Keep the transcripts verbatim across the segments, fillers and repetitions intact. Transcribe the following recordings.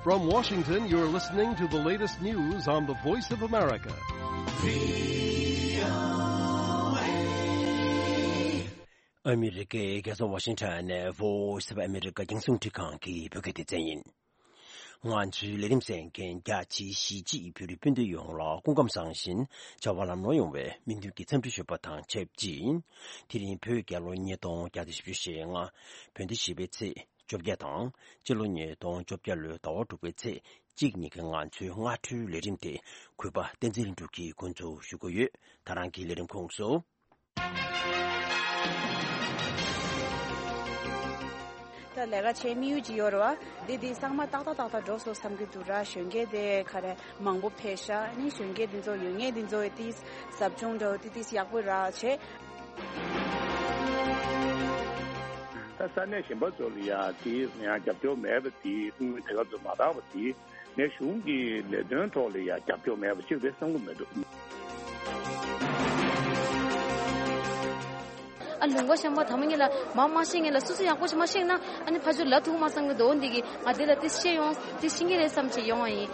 From Washington, you're listening to the latest news on the Voice of America. ཨ་མི་རི་ཀའི་རྒྱལ་ས་ཝ་ཤིང་ཊོན་ནས་Voice of America རྒྱང་སྲིང་འཕྲིན་ཁང་གི་བོད་སྐད་སྡེ་ཚན་ཡིན། ང་ཚོའི་ལས་རིམ་གསན་མཁན་རྒྱ་ཆེའི་གཞིས་བྱེས་བོད་རིགས་སྤུན་ཟླ་ཡོངས་ལ་སྐུ་ཁམས་བཟང་ཞིང་བྱ་བ་ལམ་ལྷོང་ཡོང་བའི་སྨོན་འདུན་གྱི་འཚམས་འདྲི་ཞུ་བ་དང་ཆབས་ཅིག་དེ་རིང་བོད་རྒྱལ་ལོ་ཉིས་སྟོང་བརྒྱ་དང་བཞི་བཅུ་ཞེ་ལྔ། བོད་ཟླ་བཞི་པའི་ཚེས་བཅོ་བརྒྱད་དང་། སྤྱི་ལོ་ཉིས་སྟོང་བཅོ་བརྒྱད་ལོའི་ཟླ་བ་དྲུག་པའི་ཚེས་གཅིག་ཉིན་གྱི་ང་ཚོའི་སྔ་དྲོའི་ལས་རིམ་དེ་གུས་པ་བསྟན་འཛིན་ལྷུན་གྲུབ་ཀྱིས་འགོ་འཛུགས་ཞུ་གི་ཡོད། ད་རང་གི་ལས་རིམ་ཁོངས་སུ། ད་ལས་ཀ་བྱེད་དམིགས་ཡུལ་ཅིག་ཡོད་རེད་བ། འདི་འདི་ཚང་མ་ཏག་ཏག་ཏག་ཏག་འགྲོ་སོང་བསམ་གྱི་འདུག་ར། གཞོན་སྐྱེས་དེ་ག་རེ་མང་པོ་ཕེབས་ཤག་ནི་གཞོན་སྐྱེས་འདི་ཚོ་ཡོད་ངེས་འདི་ཚོ་ཏིས་ཟབ་སྦྱོང་འདྲ་བོ་ཏི་ཏིས་ཡག་པོ་ར་བྱེད། ད་ས་གནས་གཞན་པ་ཚོ་ལ་ཡང་དེ་ཡང་རྒྱབ་སྐྱོར་མེད་པ་དེ་དངུལ་དེ་ག་ཚོ་མ་དག་པ་དེ། ངས་གཞུང་གི་ལས་དོན་ཐོག་ལ་ཡང་རྒྱབ་སྐྱོར་མེད་པ་ཅིག་རེད་བསམ་གྱི་མི་འདུག་ཨ་ལུང་པ་ཤམ་པ་དམ་ངེས་ལ་མ་མ་ཤེས་ངེས་ལ་སུ་སུ་ཡག་པོ་ཞིག་མ་ཤེས་ན། ཨ་ནི་ཕ་ཆུ་ལ་ཐུག་མ་བསམ་གྱི་འདུག་འདི་གི་ང་འདི་ལ་དེ་ཤེས་ཡོང་དེ་ཤེས་ཀྱི་རེད་བསམ་བྱས་ཡོང་བ་ཡིན།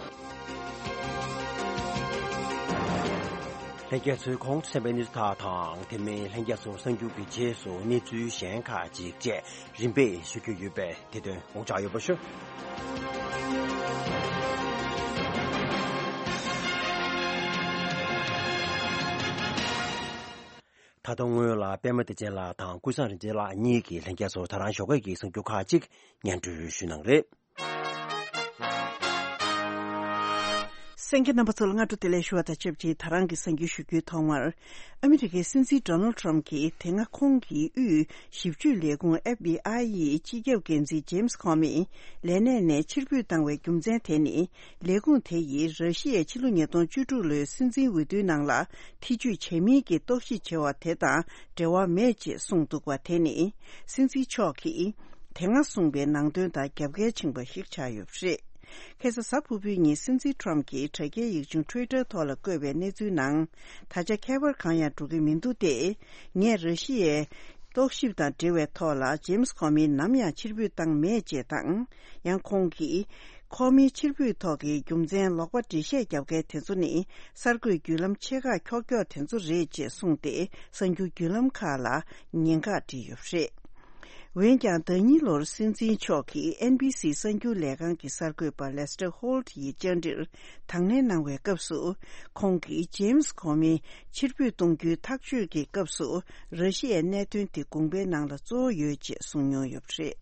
ལྷན་རྒྱས་ཚོས་གོང་དུ་གསན་པའི་གནས་ཚུལ་དག་དང་དེ་མིན་ལྷན་རྒྱས་ཚོ་གསར་འགྱུར་གྱི་རྗེས་སུ་གནས་ཚུལ་གཞན་ཁག་ཅིག་བཅས་རིམ་པས་ཞུ་རྒྱུ་ཡོད་པས། དེ་དོན་དགོངས་འཇགས་ཡོད་པ་ཞུ། ད་དུང་སྔོན་ལ་པད་མ་བདེ་ཆེན་ལགས་དང་ཀུན་བཟང་རིག་འཛིན་ལགས་གཉིས་ཀྱིས་ལྷན་རྒྱས་ཚོར་ད་རང་ཞོགས་ཀས་ཀྱི་གསར་འགྱུར་ཁག་ཅིག་སྙན་སྒྲོན་ཞུ་གནང་རེད། གསན་མཁན་རྣམ་པ་ཚོ་ལ་སྔ་དྲོ་བདེ་ལེགས་ཞུ་བ་དང་ཆབས་ཅིག་ད་རང་གི་གསར་འགྱུར་ཞུ་རྒྱུའི་ཐོག་མར། ཨ་མི་རི་ཀའི་སྲིད་འཛིན་Donald Trump གྱིས་དེ་སྔ་ཁོང་གི་དབུས་ཞིབ་དཔྱོད་ལས་ཁུངས་FBI ཡི་སྤྱི་ཁྱབ་འགན་འཛིན་James Comey ལས་གནས་ནས་ཕྱིར་འབུད་བཏང་བའི་རྒྱུ་མཚན་དེ་ནི། ལས་ཁུངས་དེ་ཡིས་ར་ཤི་ཡའི་ཕྱི་ལོ་ཉིས་སྟོང་བཅུ་དྲུག་ལོའི་སྲིད་འཛིན་འོས་བསྡུའི་ནང་ལ་ཐེ་ཇུས་བྱས་མིན་གྱི་རྟོག་ཞིབ་བྱས་པ་དེ་དང་འབྲེལ་བ་མེད་ཅེས་གསུངས་འདུག་པ། དེ་ནི་སྲིད་འཛིན་མཆོག་གིས་དེ་སྔ་གསུངས་པའི་ནང་དོན་དང་རྒྱབ་འགལ་ཕྱིན་པ་ཞིག་ཆགས་ཡོད་པ་རེད། ཁ་སང་གཟའ་ཕུར་བུའི་ཉིན་སྲིད་འཛིན་Trump གྱིས་དྲ་རྒྱའི་ཡིག་ཆུང་Twitter ཐོག་ལ་བཀོད་པའི་གནས་ཚུལ་ནང་། ད་ཆ་ཁྱད་པར་གང་ཡང་འགྲོ་གི་མི་འདུག་སྟེ། ངས་ར་ཤི་ཡའི་རྟོག་ཞིབ་དང་འབྲེལ་བའི་ཐོག་ལ་James Comey ནམ་ཡང་ཕྱིར་འབུད་བཏང་མེད་ཅེས་དང་། ཡང་ཁོང་གིས་Comey ཕྱིར་འབུད་ཐོག་གི་རྒྱུ་མཚན་ལོག་པ་འགྲེལ་བཤད་རྒྱབ་མཁན་དེ་ཚོ་ནི་གསར་འགོད་བརྒྱུད་ལམ་ཆེ་ཁག་འཁྱོག་འཁྱོག་དེ་ཚོ་རེད་ཅེས་གསུངས་ཏེ། གསར་འགྱུར་བརྒྱུད་ལམ་ཁག་ལ་ཉེན་ཁ་བསྒྲིགས་ཡོད་པ་རེད། འོན་ཀྱང་ཟླ་གཉིས་ལོར་སྲིད་འཛིན་མཆོག་གིས་ཨེན་བི་སི་གསར་འགྱུར་ལས་ཁང་གི་གསར་འགོད་པ་Lester Holt ཡི་བཅར་འདྲིར་དང་ལེན་གནང་བའི་སྐབས་སུ། ཁོང་གིས་James Comey ཕྱིར་འབུད་གཏོང་རྒྱུའི་ཐག་གཅོད་ཀྱི་སྐབས་སུ། ར་ཤི་ཡའི་གནད་དོན་དེ་དགོངས་པའི་ནང་ལ་གཙོ་བོ་ཡོད་ཅེས་གསུངས་མྱོང་ཡོད་པ་རེད།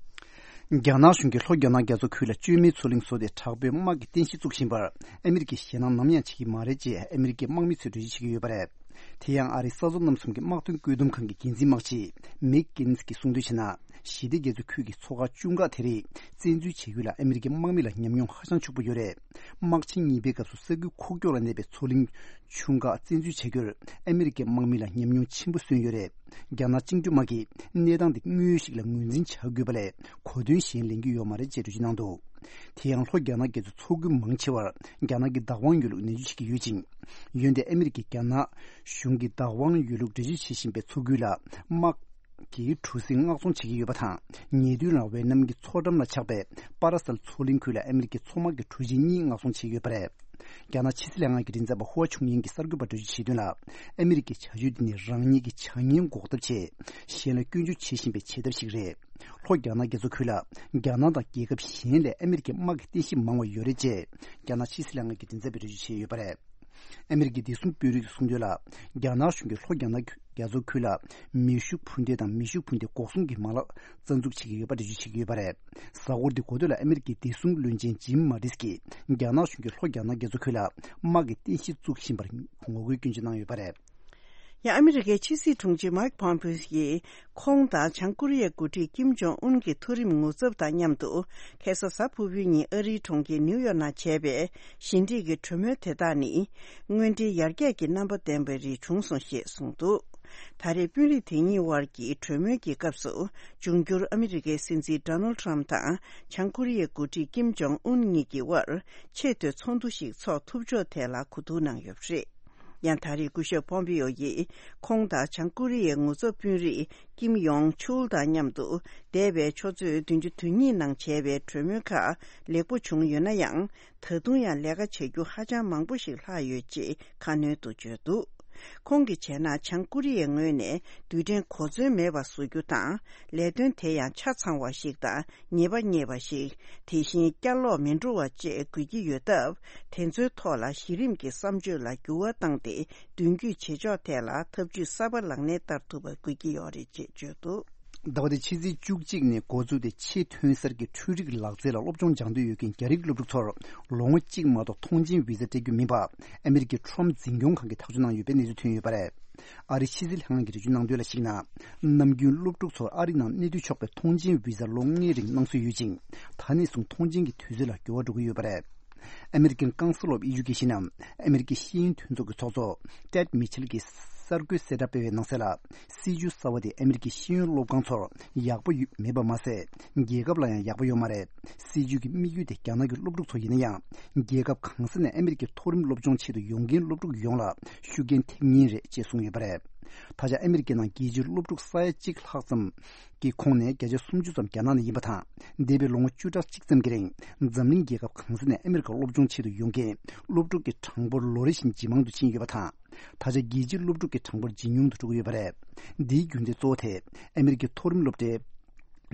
རྒྱ་ནག་གཞུང་གིས་ལྷོ་རྒྱ་ནག་རྒྱ་མཚོ་ཁུལ་ལ་བཅོས་མའི་མཚོ་གླིང་བཟོ་སྟེ། དྲག་པོའི་དམག་གི་རྟེན་གཞི་བཙུགས་བཞིན་པར་ཨ་མི་རི་ཀས་ཞེད་སྣང་ནམ་ཡང་བྱེད་ཀྱི་མ་རེད་ཅེས་ཨ་མི་རི་ཀའི་དམག་མི་ཚོས་འགྲེལ་བརྗོད་བྱེད་ཀྱི་ཡོད་པ་རེད། དེ་ཡང་ཨ་རིའི་ས་མཚོ་གནམ་གསུམ་གྱི་དམག་དོན་བཀོད་འདོམས་ཁང་གི་འགན་འཛིན་དམག་སྤྱི་མིག་གིན་སི་གྱིས་གསུངས་དོན་བྱས་ན། ཞི་བདེ་རྒྱ་མཚོའི་ཁུལ་གྱི་མཚོ་ཁ་ཅུང་ཁག་དེ་རིགས་བཙན་འཛུལ་བྱེད་རྒྱུ་ལ་ཨ་མི་རི་ཀའི་དམག་མི་ལ་ཉམས་མྱོང་ཧ་ཅང་ཕྱུག་པོ་ཡོད་རེད། དམག་ཆེན་གཉིས་པའི་སྐབས་སུ་ས་ཁུལ་ཁུག་ཀྱོག་ལ་གནས་པའི་མཚོ་གླིང་ཆུང་ཁག་བཙན་འཛུལ་བྱ་རྒྱུར་ཨ་མི་རི་ཀའི་དམག་མི་ལ་ཉམས་མྱོང་ཆེན་པོ་སོན་ཡོད་རེད། རྒྱ་ནག་བཅིངས་འགྲོལ་དམག་གིས་གནས་སྟངས་འདི་དངོས་ཡོད་ཞིག་ལ་ངོས་འཛིན་བྱ་དགོས་པ་ལས་གོ་དོན་གཞན་ལེན་རྒྱུ་ཡོད་མ་རེད་ཅེས་འགྲེལ་བརྗོད་གནང་འདུག་དེ་ཡང་ལྷོ་རྒྱ་ནག་རྒྱ་མཚོའི་མཚོ་ཁུལ་མང་ཆེ་བར་རྒྱ་ནག་གི་བདག་དབང་ཡོད་ལུགས་ནན་བརྗོད་བྱེད་ཀྱི་ཡོད་ཅིང་། འོན་ཏེ་ཨ་མི་རི་ཀས་རྒྱ་ནག་གཞུང་གི་བདག་དབང་ཡོད་ལུགས་འགྲེལ་བརྗོད་བྱེད་བཞིན་པའི་མཚོ་ཁུལ་ལ་དམག་གི་གྲུ་གཟིངས་མངགས་ཚོང་བྱེད་ཀྱི་ཡོད་པ་དང་། ཉེ་དུས་ལ་ཝེ་ནམ་གྱི་མཚོ་འགྲམ་ལ་ཆགས་པའི་པ་ར་སལ་མཚོ་གླིང་ཁུལ་ལ་ཨ་མི་རི་ཀའི་མཚོ་དམག་གི་གྲུ་ཆེན་གཉིས་མངགས་ཚོང་བྱེད་ཀྱི་ཡོད་པ་རེད། རྒྱ་ནག་ཕྱི་སྲིད་ལྷན་ཁང་གི་མགྲིན་ཚབ་པ་ཧུའ་ཆུང་ཡིན་གྱིས་གསར་འགོད་པར་འགྲེལ་བརྗོད་བྱས་དོན་ལ། ཨ་མི་རི་ཀའི་བྱ་སྤྱོད་འདི་ནི་རང་ཉིད་ཀྱི་བྱ་ངན་འགོག་ཐབས་ཆེད་གཞན་ལ་སྐྱོན་བརྗོད་བྱེད་བཞིན་པའི་བྱེད་ཐབས་ཤིག་རེད། ལྷོ་རྒྱ་ནག་རྒྱ་མཚོ་ཁུལ་ལ་རྒྱ་ནག་དང་རྒྱལ་ཁབ་གཞན་ལས་ཨ་མི་རི་ཀའི་དམག་གི་རྟེན་གཞི་མང་བ་ཡོད་རེད་ཅེས་རྒྱ་ནག་ཕྱི་སྲིད་ལྷན་ཁང་གི་མགྲིན་ཚབ་པས་འགྲེལ་བརྗོད་བྱས་ཡོད་པ་རེད། ཨ་མི་རི་ཀའི་བདེ་སྲུང་དཔོན་རིགས་ཀྱིས་གསུངས་དོན་ལ། རྒྱ་ནག་གཞུང་གིས་ལྷོ་རྒྱ་ནག་རྒྱ་མཚོ་ཁུལ་ལ་མེ་ཤུགས་འཕུར་མདེལ་དང་མེ་ཤུགས་འཕུར་མདེལ་འགོག་སྲུང་གི་མ་ལག་རྩ་འཛུགས་བྱེད་ཀྱི་ཡོད་པ་འགྲེལ་བརྗོད་བྱེད་ཀྱི་ཡོད་པ་རེད། གཟའ་འཁོར་འདིའི་འགོ་སྟོད་ལ་ཨ་མི་རི་ཀའི་བདེ་སྲུང་བློན་ཆེན་ཇིམ་མ་ཏིས་ཀྱིས་རྒྱ་ནག་གཞུང་གིས་ལྷོ་རྒྱ་ནག་རྒྱ་མཚོ་ཁུལ་ལ་དམག་གི་རྟེན་གཞི་བཙུགས་བཞིན་པར་ངོ་རྒོལ་སྐྱོན་བརྗོད་གནང་ཡོད་པ་རེད། ཡང་ཨ་མི་རི་ཀའི་ཕྱི་སྲིད་དྲུང་ཆེ་མཱིག་པོམ་པེ་ཡིས་ཁོང་དང་བྱང་ཀོ་རི་ཡའི་འགོ་ཁྲིད་ཀིམ་ཇོང་ཨུན་གྱི་མཐོ་རིམ་ངོ་ཚབ་དང་མཉམ་དུ། ཁ་སང་གཟའ་ཕུར་བུའི་ཉིན་ཨ་རིའི་གྲོང་ཁྱེར་ནིའུ་ཡོག་ནང་བྱས་པའི་ཞི་འགྲིག་གི་གྲོས་མོལ་དེ་དག་ནི། དངོས་འབྲེལ་ཡར་རྒྱས་ཀྱི་རྣམ་པ་ལྡན་པ་རིགས་བྱུང་སོང་ཞེས་གསུངས་འདུག་ད་རེས་དཔོན་རིགས་དེ་གཉིས་དབར་གྱི་གྲོས་མོལ་གྱི་སྐབས་སུ། འབྱུང་འགྱུར་ཨ་མི་རི་ཀའི་སྲིད་འཛིན་Donald Trump དང་བྱང་ཀོ་རི་ཡའི་འགོ་ཁྲིད་ཀིམ་ཇོང་ཨུན་གཉིས་ཀྱི་དབར་ཆེས་མཐོའི་ཚོགས་འདུ་ཞིག་འཚོགས་ཐུབ་ཕྱོགས་ཐད་ལ་གོ་བསྡུར་གནང་ཡོད་པ་རེད། ཡང་ད་རེས་སྐུ་ཞབས་ཕོམ་པེ་ཡོ་ཡིས་ཁོང་དང་བྱང་ཀོ་རི་ཡའི་ངོ་ཚབ་དཔོན་རིགས་ཀིམ་ཡོང་ཆུལ་དང་མཉམ་དུ་འདས་པའི་ཆུ་ཚོད་བདུན་ཅུ་དོན་གཉིས་ནང་བྱས་པའི་གྲོས་མོལ་ཁག་ལེགས་པོ་བྱུང་ཡོད་ན་ཡང་། ད་དུང་ཡང་ལས་ཀ་བྱ་རྒྱུ་ཧ་ཅང་མང་པོ་ཞིག་ལྷག་ཡོད་ཅེས་ཁ་སྣོན་དུ་བརྗོད་འདུག་ཁོང་གིས་བྱས་ན་བྱང་ཀོ་རི་ཡའི་ངོས་ནས་རྡུལ་ཕྲན་གོ་མཚོན་མེད་པ་བཟོ་རྒྱུ་དང་། ལས་དོན་དེ་ཡང་ཆ་ཚང་བ་ཞིག་དང་ཉེས་པ་རྙེད་པ་ཞིག་དེ་བཞིན་བསྐྱར་ལོག་མི་འགྲོ་བ་བཅས་དགོས་ཀྱི་ཡོད་སྟབས། དེ་ཚོའི་ཐོག་ལ་གཞི་རིམ་གྱི་བསམ་སྤྱོད་ལ་འགྱུར་བ་བཏང་སྟེ། མདུན་སྐྱོད་བྱེད་ཕྱོགས་ཐད་ལ་ཐབས་ཇུས་གསར་པ་ལག་ལེན་བསྟར་ཐུབ་པ་དགོས་ཀྱི་ཡོད་རེད་ཅེས་བརྗོད་འདུག་ཟླ་བ་འདིའི་ཕྱི་ཚེས་བཅུ་གཅིག་ནས་འགོ་བཙུགས་ཏེ་ཆེས་ཐོན་གསར་གྱི་འཕྲུལ་རིག་ལག་རྩལ་ལ་སློབ་སྦྱོང་སྦྱང་འདོད་ཡོད་མཁན་རྒྱ་རིགས་སློབ་ཕྲུག་ཚོར་ལོ་ངོ་གཅིག་མ་གཏོགས་ཐོངས་མཆན་བི་ཟ་སྤྲད་རྒྱུ་མིན་པ་ཨ་མེ་རི་ཀའི་ཁྲོམ་འཛིན་སྐྱོང་ཁང་གིས་ཐག་གཅོད་གནང་ཡོད་པའི་གནས་ཚུལ་ཐོན་ཡོད་པ་རེད། ཨ་རིའི་ཕྱི་སྲིད་ལྷན་ཁང་གི་འགྲེལ་བརྗོད་གནང་དོན་ལ་གཞིགས་ན། ནམ་རྒྱུན་སློབ་ཕྲུག་ཚོར་ཨ་རི་ནང་གནས་སྡོད་ཆོག་པའི་ཐོངས་མཆན་བི་ཟ་ལོ་ལྔའི་རིང་གནང་སྲོལ་ཡོད་ཅིང་། ད་ནས་བཟུང་ཐོངས་མཆན་གྱི་དུས་ཚོད་ལ་འགྱུར་བ་འགྲོ་གི་ཡོད་པ་རེད། American Council of Education ནམ་ཨ་མེ་རི་ཀའི་ཤེས་ཡོན་མཐུན་ཚོགས་ཀྱི་ཚོགས་གཙོ་Ted Mitchell གྱིས་གསར་འགོད་གསལ་བསྒྲགས་སྤེལ་བའི་ནང་གསལ་ལ། སྲིད་ཇུས་གསར་བ་དེ་ཨ་མེ་རི་ཀའི་ཤེས་ཡོན་སློབ་ཁང་ཚོར་ཡག་པོ་ཡོད་མེད་པ་མ་ཟད། རྒྱལ་ཁབ་ལ་ཡང་ཡག་པོ་ཡོད་མ་རེད། སྲིད་ཇུས་ཀྱི་དམིགས་ཡུལ་དེ་རྒྱ་ནག་གི་སློབ་ཕྲུག་ཚོ་ཡིན་ན་ཡང་། རྒྱལ་ཁབ་གང་ས་ནས་ཨ་མེ་རི་ཀའི་མཐོ་རིམ་སློབ་སྦྱོང་ཆེད་དུ་ཡོང་མཁན་སློབ་ཕྲུག་ཡོངས་ལ་ཤུགས་རྐྱེན་ཐེབས་ངེས་རེད་ཅེས་གསུངས་ཡོད་པ་རེད། ད་ཆ་ཨ་མེ་རི་ཀའི་ནང་རྒྱལ་སྤྱིའི་སློབ་ཕྲུག་ས་ཡ་གཅིག་ལྷག་ཙམ་གྱི་ཁོངས་ནས་བརྒྱ་ཆ་སུམ་ཅུ་ཙམ་རྒྱ་ནག་ནས་ཡིན་པ་དང་། འདས་པའི་ལོ་ངོ་བཅུ་ཕྲག་གཅིག་ཙམ་གྱི་རིང་འཛམ་གླིང་རྒྱལ་ཁབ་གང་ས་ནས་ཨ་མེ་རི་ཀར་སློབ་སྦྱོང་ཆེད་དུ་ཡོང་མཁན་སློབ་ཕྲུག་གི་གྲངས་འབོར་ལོ་རེ་བཞིན་ཇེ་མང་དུ་ཕྱིན་ཡོད་པ་དང་། ད་ཆ་རྒྱལ་སྤྱིའི་སློབ་ཕྲུག་གི་གྲངས་འབོར་ཇེ་ཉུང་དུ་འགྲོ་གི་ཡོད་པ་རེད། འདིའི་རྒྱུ་མཚན་གཙོ་བོ་དེ་ཨ་མེ་རི་ཀའི་མཐོ་རིམ་སློབ་གྲྭའི་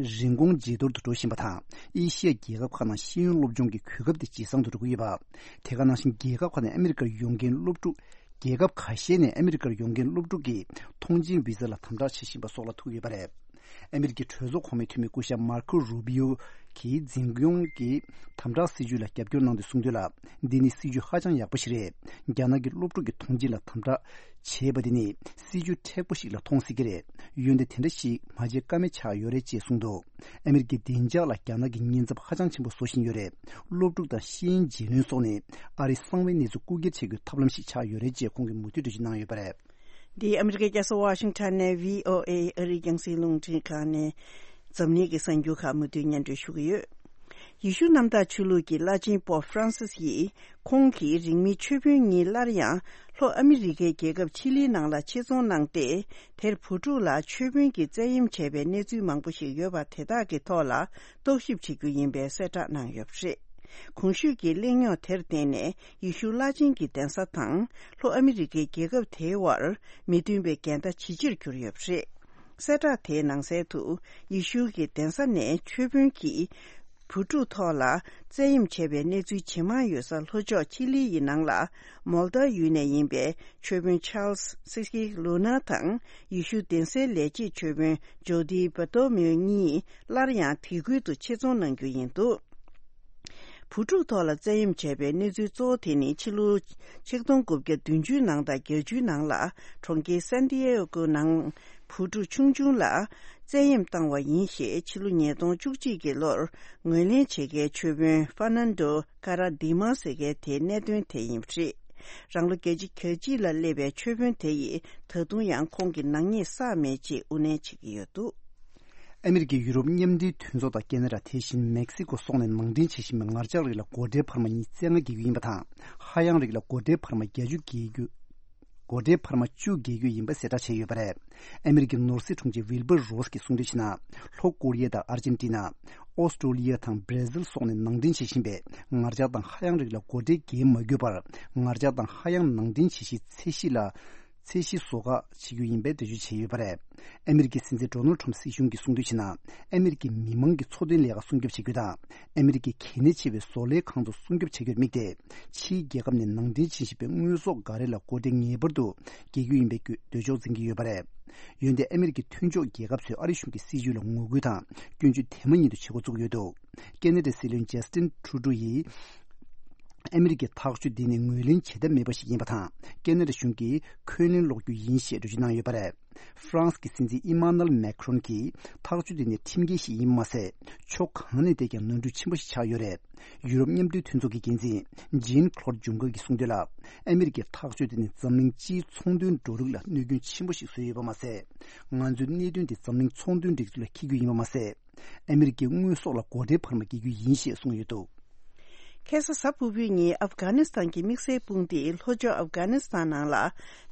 རིན་གོང་ཇེ་མཐོར་དུ་འགྲོ་བཞིན་པ་དང་། ཨེ་ཤི་ཡ་རྒྱལ་ཁབ་ཁག་ནང་ཤེས་ཡོན་སློབ་སྦྱོང་གི་གོ་སྐབས་དེ་ཇེ་བཟང་དུ་འགྲོ་གི་ཡོད་པ། དེ་ག་ནང་བཞིན་རྒྱལ་ཁབ་ཁག་ནས་ཨ་མེ་རི་ཀར་ཡོང་མཁན་སློབ་ཕྲུག་རྒྱལ་ཁབ་ཁ་ཤས་ནས་ཨ་མེ་རི་ཀར་ཡོང་མཁན་སློབ་ཕྲུག་གིས་ཐོངས་མཆན་བི་ཟ་ལ་དམ་དྲག་བྱེད་བཞིན་པ་སོགས་ལ་ཐུག་ཡོད་པ་རེད། ཨ་མེ་རི་ཀའི་གྲོས་ཚོགས་གོང་མའི་འཐུས་མི་སྐུ་ཞབས་མར་ཁོ་རུ་བི་ཡོ་གིས་འཛིན་སྐྱོང་གི་དམ་དྲག་སྲིད་ཇུས་ལ་རྒྱབ་སྐྱོར་གནང་དུས་གསུངས་དོན་ལ། འདི་ནི་སྲིད་ཇུས་ཧ་ཅང་ཡག་པོ་ཞིག་རེད། རྒྱ་ནག་གི་སློབ་ཕྲུག་གི་ཐོངས་མཆན་ལ་དམ་དྲག་བྱས་པ་དེ་ནི་སྲིད་ཇུས་མཁྲེགས་པོ་ཞིག་ལ་མཐོང་སྲིད་ཀྱི་རེད། འོན་ཏེ་དེ་འདྲ་ཞིག་མ་བྱེད་ཀ་མེད་ཆགས་ཡོད་རེད་ཅེས་གསུངས་འདུག་ཨ་མེ་རི་ཀའི་བདེ་འཇགས་ལ་རྒྱ་ནག་གིས་ཉེན་ཚབས་ཧ་ཅང་ཆེན་པོ་བཟོ་བཞིན་ཡོད་རེད། སློབ་ཕྲུག་དང་ཤེས་ཡོན་རྗེས་ལོན་སོགས་ནི་ཨ་རིའི་གསང་བའི་གནས་ཚུལ་རྐུ་འཁྱེར་བྱེད་རྒྱུའི་ཐབས་ལམ་ཞིག་ཆགས་ཡོད་རེད་ཅེས་ཁོང་གིས་མུ་མཐུད་འགྲེལ་བརྗོད་གནང་ཡོད་པ་རེད། འདི་ཨ་མེ་རི་ཀའི་རྒྱལ་ས་ཝ་ཤིང་ཊོན་ནས་བྷི་ཨོ་ཨེ་ཨ་རིའི་རྒྱང་སྲིང་རླུང་འཕྲིན་ཁང་ནས་འཛམ་གླིང་གི་གསར་འགྱུར་ཁག་མུ་མཐུད་སྙན་སྒྲོན་ཞུ་གི་ཡོད། ཡེ་ཤུ་གནམ་བདག་ཆོས་ལུགས་ཀྱི་བླ་ཆེན་པོབ་ཧྥ་རན་སིས་ཡིས། ཁོང་གིས་རིང་མིན་ཆོས་དཔོན་གཉིས་སླར་ཡང་ལྷོ་ཨ་མི་རི་ཀའི་རྒྱལ་ཁབ་ཆི་ལིའི་ནང་ལ་ཆེད་རྫོང་གནང་སྟེ། དེར་བུ་ཕྲུག་ལ་ཆོས་དཔོན་གྱིས་བཙན་གཡེམ་བྱས་པའི་གནས་ཚུལ་མང་པོ་ཞིག་ཡོད་པ་དེ་དག་གི་ཐོག་ལ་རྟོག་ཞིབ་བྱེད་རྒྱུ་ཡིན་པའི་གསལ་བསྒྲགས་གནང་ཡོད་པ་རེད། གོང་ཞུས་ཀྱི་གླེང་རྙོག་དེར་བརྟེན་ནས་ཡེ་ཤུ་བླ་ཆེན་གྱི་གདན་ས་དང་ལྷོ་ཨ་མི་རི་ཀའི་རྒྱལ་ཁབ་དེའི་དབར་མི་མཐུན་པའི་འགལ་ཟླ་ཇེ་ཆེར་གྱུར་ཡོད་པ་རེད། གསལ་བསྒྲགས་དེའི་ནང་གསལ་དུ། ཡེ་ཤུ་གི་གདན་ས་ནས་ཆོས་དཔོན་གྱིས་བུ་ཕྲུག་ཐོག་ལ་བཙན་གཡེམ་བྱས་པའི་གནས་ཚུལ་ཇེ་མང་ཡོད་ས་ལྷོ་ཕྱོགས་ཆི་ལི་ཡི་ནང་ལ་མོལ་ད་ཡུལ་ནས་ཡིན་པའི་ཆོས་དཔོན་ཆཱལ་སི་སི་ཀི་ལུ་ན་དང་ཡེ་ཤུ་གདན་སའི་ལས་བྱེད་ཆོས་དཔོན་ཇོ་དི་བ་ཏོ་མིའུ་གཉིས་སླར་ཡང་དེ་ཁུལ་དུ་ཆེད་རྫོང་གནང་རྒྱུ་ཡིན་འདུག་བུ་ཕྲུག་ཐོག་ལ་བཙན་གཡེམ་བྱས་པའི་གནས་ཚུལ་གཙོ་བོ་དེ་ནི་ཕྱི་ལོ་ཆིག་སྟོང་དགུ་བརྒྱ་བདུན་ཅུ་ནང་དང་བརྒྱད་ཅུའི་ནང་ལ་གྲོང་ཁྱེར་སན་ཏི་ཨེ་གོ་ནང་བུ་ཕྲུག་ཆུང་ཆུང་ལ་བཙན་གཡེམ་བཏང་བ་ཡིན་ཞེས་ཕྱི་ལོ་ཉིས་སྟོང་བཅུ་གཅིག་གི་ལོར་ངོས་ལེན་བྱེད་མཁན་ཆོས་དཔོན་ཧྥ་ནན་ཏོ་ཀ་ར་དི་མ་ཟེར་མཁན་དེའི་གནད་དོན་དེ་ཡིན་པ་རེད། རང་ལོ་བརྒྱད་ཅུ་གྱ་གཅིག་ལ་སླེབས་པའི་ཆོས་དཔོན་དེ་ཡིས་ད་དུང་ཡང་ཁོང་གི་ནག་ཉེས་བསགས་མེད་ཅེས་དབུ་ནན་བྱེད་ཀྱི་ཡོད་འདུག་ཨ་མི་རི་ཀས་ཡུ་རོབ་མཉམ་འབྲེལ་མཐུན་ཚོགས་དང་ཁེ་ན་ཌ། དེ་བཞིན་མེག་སི་ཀོ་སོགས་ནས་ནང་འདྲེན་བྱེད་བཞིན་པའི་ངར་ལྕགས་རིགས་ལ་སྒོ་ཁྲལ་འཕར་མ་ཉིས་བཙན་ལྔ་འགེལ་རྒྱུ་ཡིན་པ་དང་། ཧ་ཡང་རིགས་ལ་སྒོ་ཁྲལ་འཕར་མ་བརྒྱད་ཅུ་འགེལ་རྒྱུ། སྒོ་ཁྲལ་འཕར་མ་བཅུ་འགེལ་རྒྱུ་ཡིན་པ་གསལ་བསྒྲགས་བྱས་ཡོད་པ་རེད། ཨ་མི་རི་ཀའི་ནོར་སྲིད་དྲུང་ཆེ་ཝིལ་བར་རོས་ཀྱིས་གསུངས་དོན་བྱས་ན། ལྷོ་ཀོ་རི་ཡ་དང་ཨར་ཇེན་ཏི་ན། ཨོ་སི་ཀྲོ་ལི་ཡ་དང་བྷར་ཛིལ་སོགས་ནས་ནང་འདྲེན་བྱེད་བཞིན་པའི་ངར་ལྕགས་དང་ཧ་ཡང་རིགས་ལ་སྒོ་ཁྲལ་འགེལ་མ་དགོས་པར། ངར་ལྕགས་དང་ཧ་ཡང་ནང་འདྲེན་བྱེད་གཞིའི་ཚད་གཞི་ལ། ཚད་གཞི་བཟོ་ཁག་བྱེད་རྒྱུ་ཡིན་པའི་འགྲེལ་བརྗོད་བྱས་ཡོད་པ་རེད། ཨ་མི་རི་ཀའི་སྲིད་འཛིན་ཌོ་ནལ་ཁྲམ་སྲིད་གཞུང་གིས་གསུངས་དོན་བྱས་ན། ཨ་མི་རི་ཀའི་མི་མང་གི་འཚོ་རྟེན་ལས་ཀ་སྲུང་སྐྱོབ་བྱེད་རྒྱུ་དང་། ཨ་མི་རི་ཀའི་གལ་གནད་ཆེ་བའི་བཟོ་ལས་ཁང་ཚོ་སྲུང་སྐྱོབ་བྱ་རྒྱུར་དམིགས་ཏེ། ཕྱིའི་རྒྱལ་ཁབ་ནས་ནང་འདྲེན་བྱེད་བཞིན་པའི་དངོས་ཟོག་འགའ་རེ་ལ་སྒོ་ཁྲལ་ངེས་པར་དུ་འགེལ་རྒྱུ་ཡིན་པའི་འདོད་ཕྱོགས་འཛིན་གྱི་ཡོད་པ་རེད། འོན་ཏེ་ཨ་མི་རི་ཀའི་མཐུན་ཕྱོགས་རྒྱལ་ཁབ་ཚོས་ཨ་རི་གཞུང་གི་སྲིད་ཇུས་ལ་ངོ་རྒོལ་དང་སྐྱོན་བརྗོད་དེ་མ་ཉིད་དུ་བྱེད་འགོ་བཙུགས་ཡོད་འདུག་ཁེ་ན་ཌའི་སྲིད་བློན་ཇ་སི་ཏིན་ཁྲུ་ཌོ་ཡིས། ཨ་མི་རི་ཀའི་ཐག་གཅོད་འདི་ནི་ངོས་ལེན་བྱེད་ཐབས་མེད་པ་ཞིག་ཡིན་པ་དང་། ཁེ་ན་ཌ་གཞུང་གིས་འཁོན་ལན་སློག་རྒྱུ་ཡིན་ཞེས་འགྲེལ་བརྗོད་གནང་ཡོད་པ་རེད། ཧྥ་རན་སི་གི་སྲིད་འཛིན་ཨི་མ་ནུ་ཨེལ་མེ་ཁ་རོན་གྱིས་ཐག་གཅོད་འདི་ནི་ཁྲིམས་འགལ་ཞིག་ཡིན་པ་མ་ཟད། ཕྱོགས་གང་ནས་བལྟས་ཀྱང་ནོར་འཁྲུལ་ཆེན་པོ་ཞིག་ཆགས་ཡོད་རེད། ཡུ་རོབ་མཉམ་འབྲེལ་མཐུན་ཚོགས་ཀྱི་འགན་འཛིན་ཇིན་ཁ་ལོར་ཇུང་ཀར་གྱིས་གསུངས་དོན་ལ། ཨ་མི་རི་ཀའི་ཐག་གཅོད་དེ་ནི་འཛམ་གླིང་སྤྱིའི་ཚོང་དོན་འགྲོ་ལུགས་ལ་གནོད་སྐྱོན་ཆེན་པོ་ཞིག་བཟོས་ཡོད་པ་མ་ཟད། ང་ཚོའི་གནད་དོན་དེ་འཛམ་གླིང་ཚོང་དོན་སྒྲིག་འཛུགས་ལ་འཁྱེར་རྒྱུ་ཡིན་པ་མ་ཟད། ཨ་མི་རི་ཀའི་དངོས་ཟོག་ལ་སྒོ་ཁྲལ་འཕར་མ་འགེལ་རྒྱུ་ཡིན་ཞེས་གསུངས་ཡོད་འདུག་ཁ་སང་གཟའ་ཕུར་བུའི་ཉིན་ཨབ་གྷ་ནི་སི་ཐན་གྱི་དམིགས་བསལ་དཔུང་སྡེས་ལྷོ་ཕྱོགས་ཨབ་གྷ་ནི་སི་ཐན་ནང་ལ་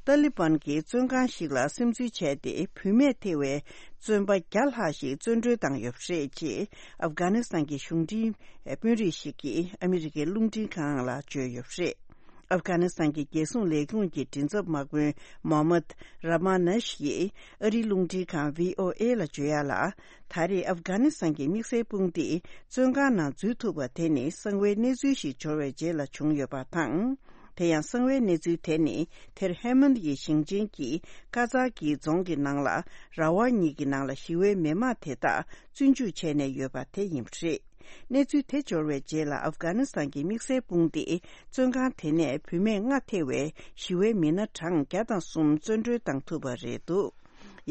ཏཱ་ལི་བན་གྱི་བཙོན་ཁང་ཞིག་ལ་སིམ་འཛུལ་བྱས་ཏེ། བུད་མེད་ཐེ་བའི་བཙོན་པ་བརྒྱ་ལྷག་ཞིག་བཙོན་གྲོལ་བཏང་ཡོད་པ་རེད་ཅེས་ཨབ་གྷ་ནི་སི་ཐན་གྱི་གཞུང་འབྲེལ་དཔོན་རིགས་ཤིག་གིས་ཨ་མི་རི་ཀའི་རླུང་འཕྲིན་ཁང་ལ་བརྗོད་ཡོད་པ་རེད། ཨབ་གྷ་ནི་སི་ཐན་གྱི་རྒྱལ་སྲུང་ལས་ཁུངས་ཀྱི་མགྲིན་ཚབ་དམག་དཔོན་མོ་ཧམ་མད་ར་མ་ནེ་ཤི་ཡིས་ཨ་རིའི་རླུང་འཕྲིན་ཁང་བྷི་ཨོ་ཨེ་ལ་བརྗོད་ཡ་ལ། ད་རེས་ཨབ་གྷ་ནི་སི་ཐན་གྱི་དམིགས་བསལ་དཔུང་སྡེས་བཙོན་ཁང་ནང་འཛུལ་ཐུབ་པ་དེ་ནི་གསང་བའི་གནས་ཚུལ་ཞིག་འབྱོར་བའི་རྗེས་ལ་བྱུང་ཡོད་པ་དང་། དེ་ཡང་གསང་བའི་གནས་ཚུལ་དེ་ནི་དེར་ཧེ་མན་ཡི་ཞིང་ཆེན་གྱི་ཀ་ཛ་ཀི་རྫོང་གི་ནང་ལ་ར་བ་གཉིས་ཀྱི་ནང་ལ་ཞི་བའི་མི་མང་དེ་དག་བཙོན་འཇུག་བྱས་ནས་ཡོད་པ་དེ་ཡིན་པ་རེད། གནས་ཚུལ་དེ་འབྱོར་བའི་རྗེས་ལ་ཨབ་གྷ་ནི་སི་ཐན་གྱི་དམིགས་བསལ་དཔུང་སྡེས་བཙོན་ཁང་དེ་ནས་བུད་མེད་ལྔ་ཐེ་བའི་ཞི་བའི་མི་སྣ་གྲངས་བརྒྱ་དང་གསུམ་བཙོན་གྲོལ་བཏང་ཐུབ་པ་རེད་འདུག་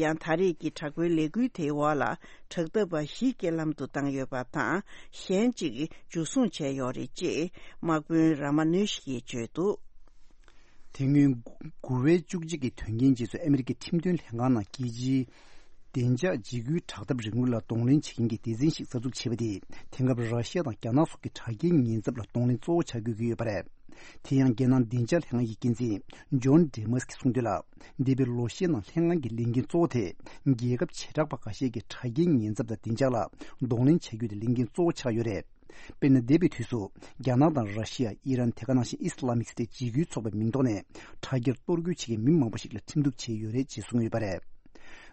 ཡང་ད་རེས་ཀྱི་དྲག་པོའི་ལས་འགུལ་དེའི་འོག་ལ་དྲག་འཐབ་པ་བཞི་རྐྱེན་ལམ་དུ་བཏང་ཡོད་པ་དང་། གཞན་གཅིག་འཇུ་བཟུང་བྱས་ཡོད་རེད་ཅེས་དམག་དཔོན་ར་མ་ནུ་ཤི་ཡིས་བརྗོད་འདུག་དེ་སྔོན་དགུ་པའི་བཅུ་གཅིག་གི་དོན་རྐྱེན་རྗེས་སུ་ཨ་མི་རི་ཀའི་ཁྲིམས་དོན་ལྷན་ཁང་ནང་རྒྱལ་སྤྱིའི་བདེ་འཇགས་འཇིགས་སྐུལ་དྲག་འཐབ་རིང་ལུགས་ལ་གདོང་ལེན་བྱེད་མཁན་གྱི་སྡེ་ཚན་ཞིག་གསར་འཛུགས་བྱས་པ་དེས། དེང་སྐབས་ར་ཤི་ཡ་དང་རྒྱ་ནག་སོགས་ཀྱི་དྲག་རྐྱེན་ཉེན་ཚབས་ལ་གདོང་ལེན་གཙོ་བོ་ཆགས་དགོས་ཀྱི་ཡོད་པ་རེད། དེ་ཡང་རྒྱལ་ནང་བདེ་འཇགས་ལྷན་ཁང་གི་འགན་འཛིན་ཇོན་ཌེ་མཱ་སི་གིས་གསུངས་དོན་ལ། འདས་པའི་ལོ་ཤས་ནང་ལྷན་ཁང་གི་ལས་འགན་གཙོ་བོ་དེ་རྒྱལ་ཁབ་བྱེ་བྲག་པ་འགའ་ཤས་ཀྱི་དྲག་རྐྱེན་ཉེན་ཚབས་དང་བདེ་འཇགས་ལ་གདོང་ལེན་བྱ་རྒྱུ་དེ་ལས་འགན་གཙོ་བོ་ཆགས་ཡོད་རེད། དཔེར་ན། འདས་པའི་དུས་སུ་རྒྱ་ནག་དང་ར་ཤི་ཡ། ཨི་རན། དེ་ག་ནང་བཞིན་ཨི་སི་ལ་མིག་སི་ཏེ་འཇིགས་སྐུལ་ཚོགས་པའི་མིང་ཐོག་ནས་དྲ་རྒྱར་གཏོར་རྒོལ་བྱེད་མཁན་མི་མང་པོ་ཞིག་ལ་ཁྲིམས་གཏུག་བྱས་ཡོད་རེད་ཅེས་གསུངས་ཡོད་པ་རེད།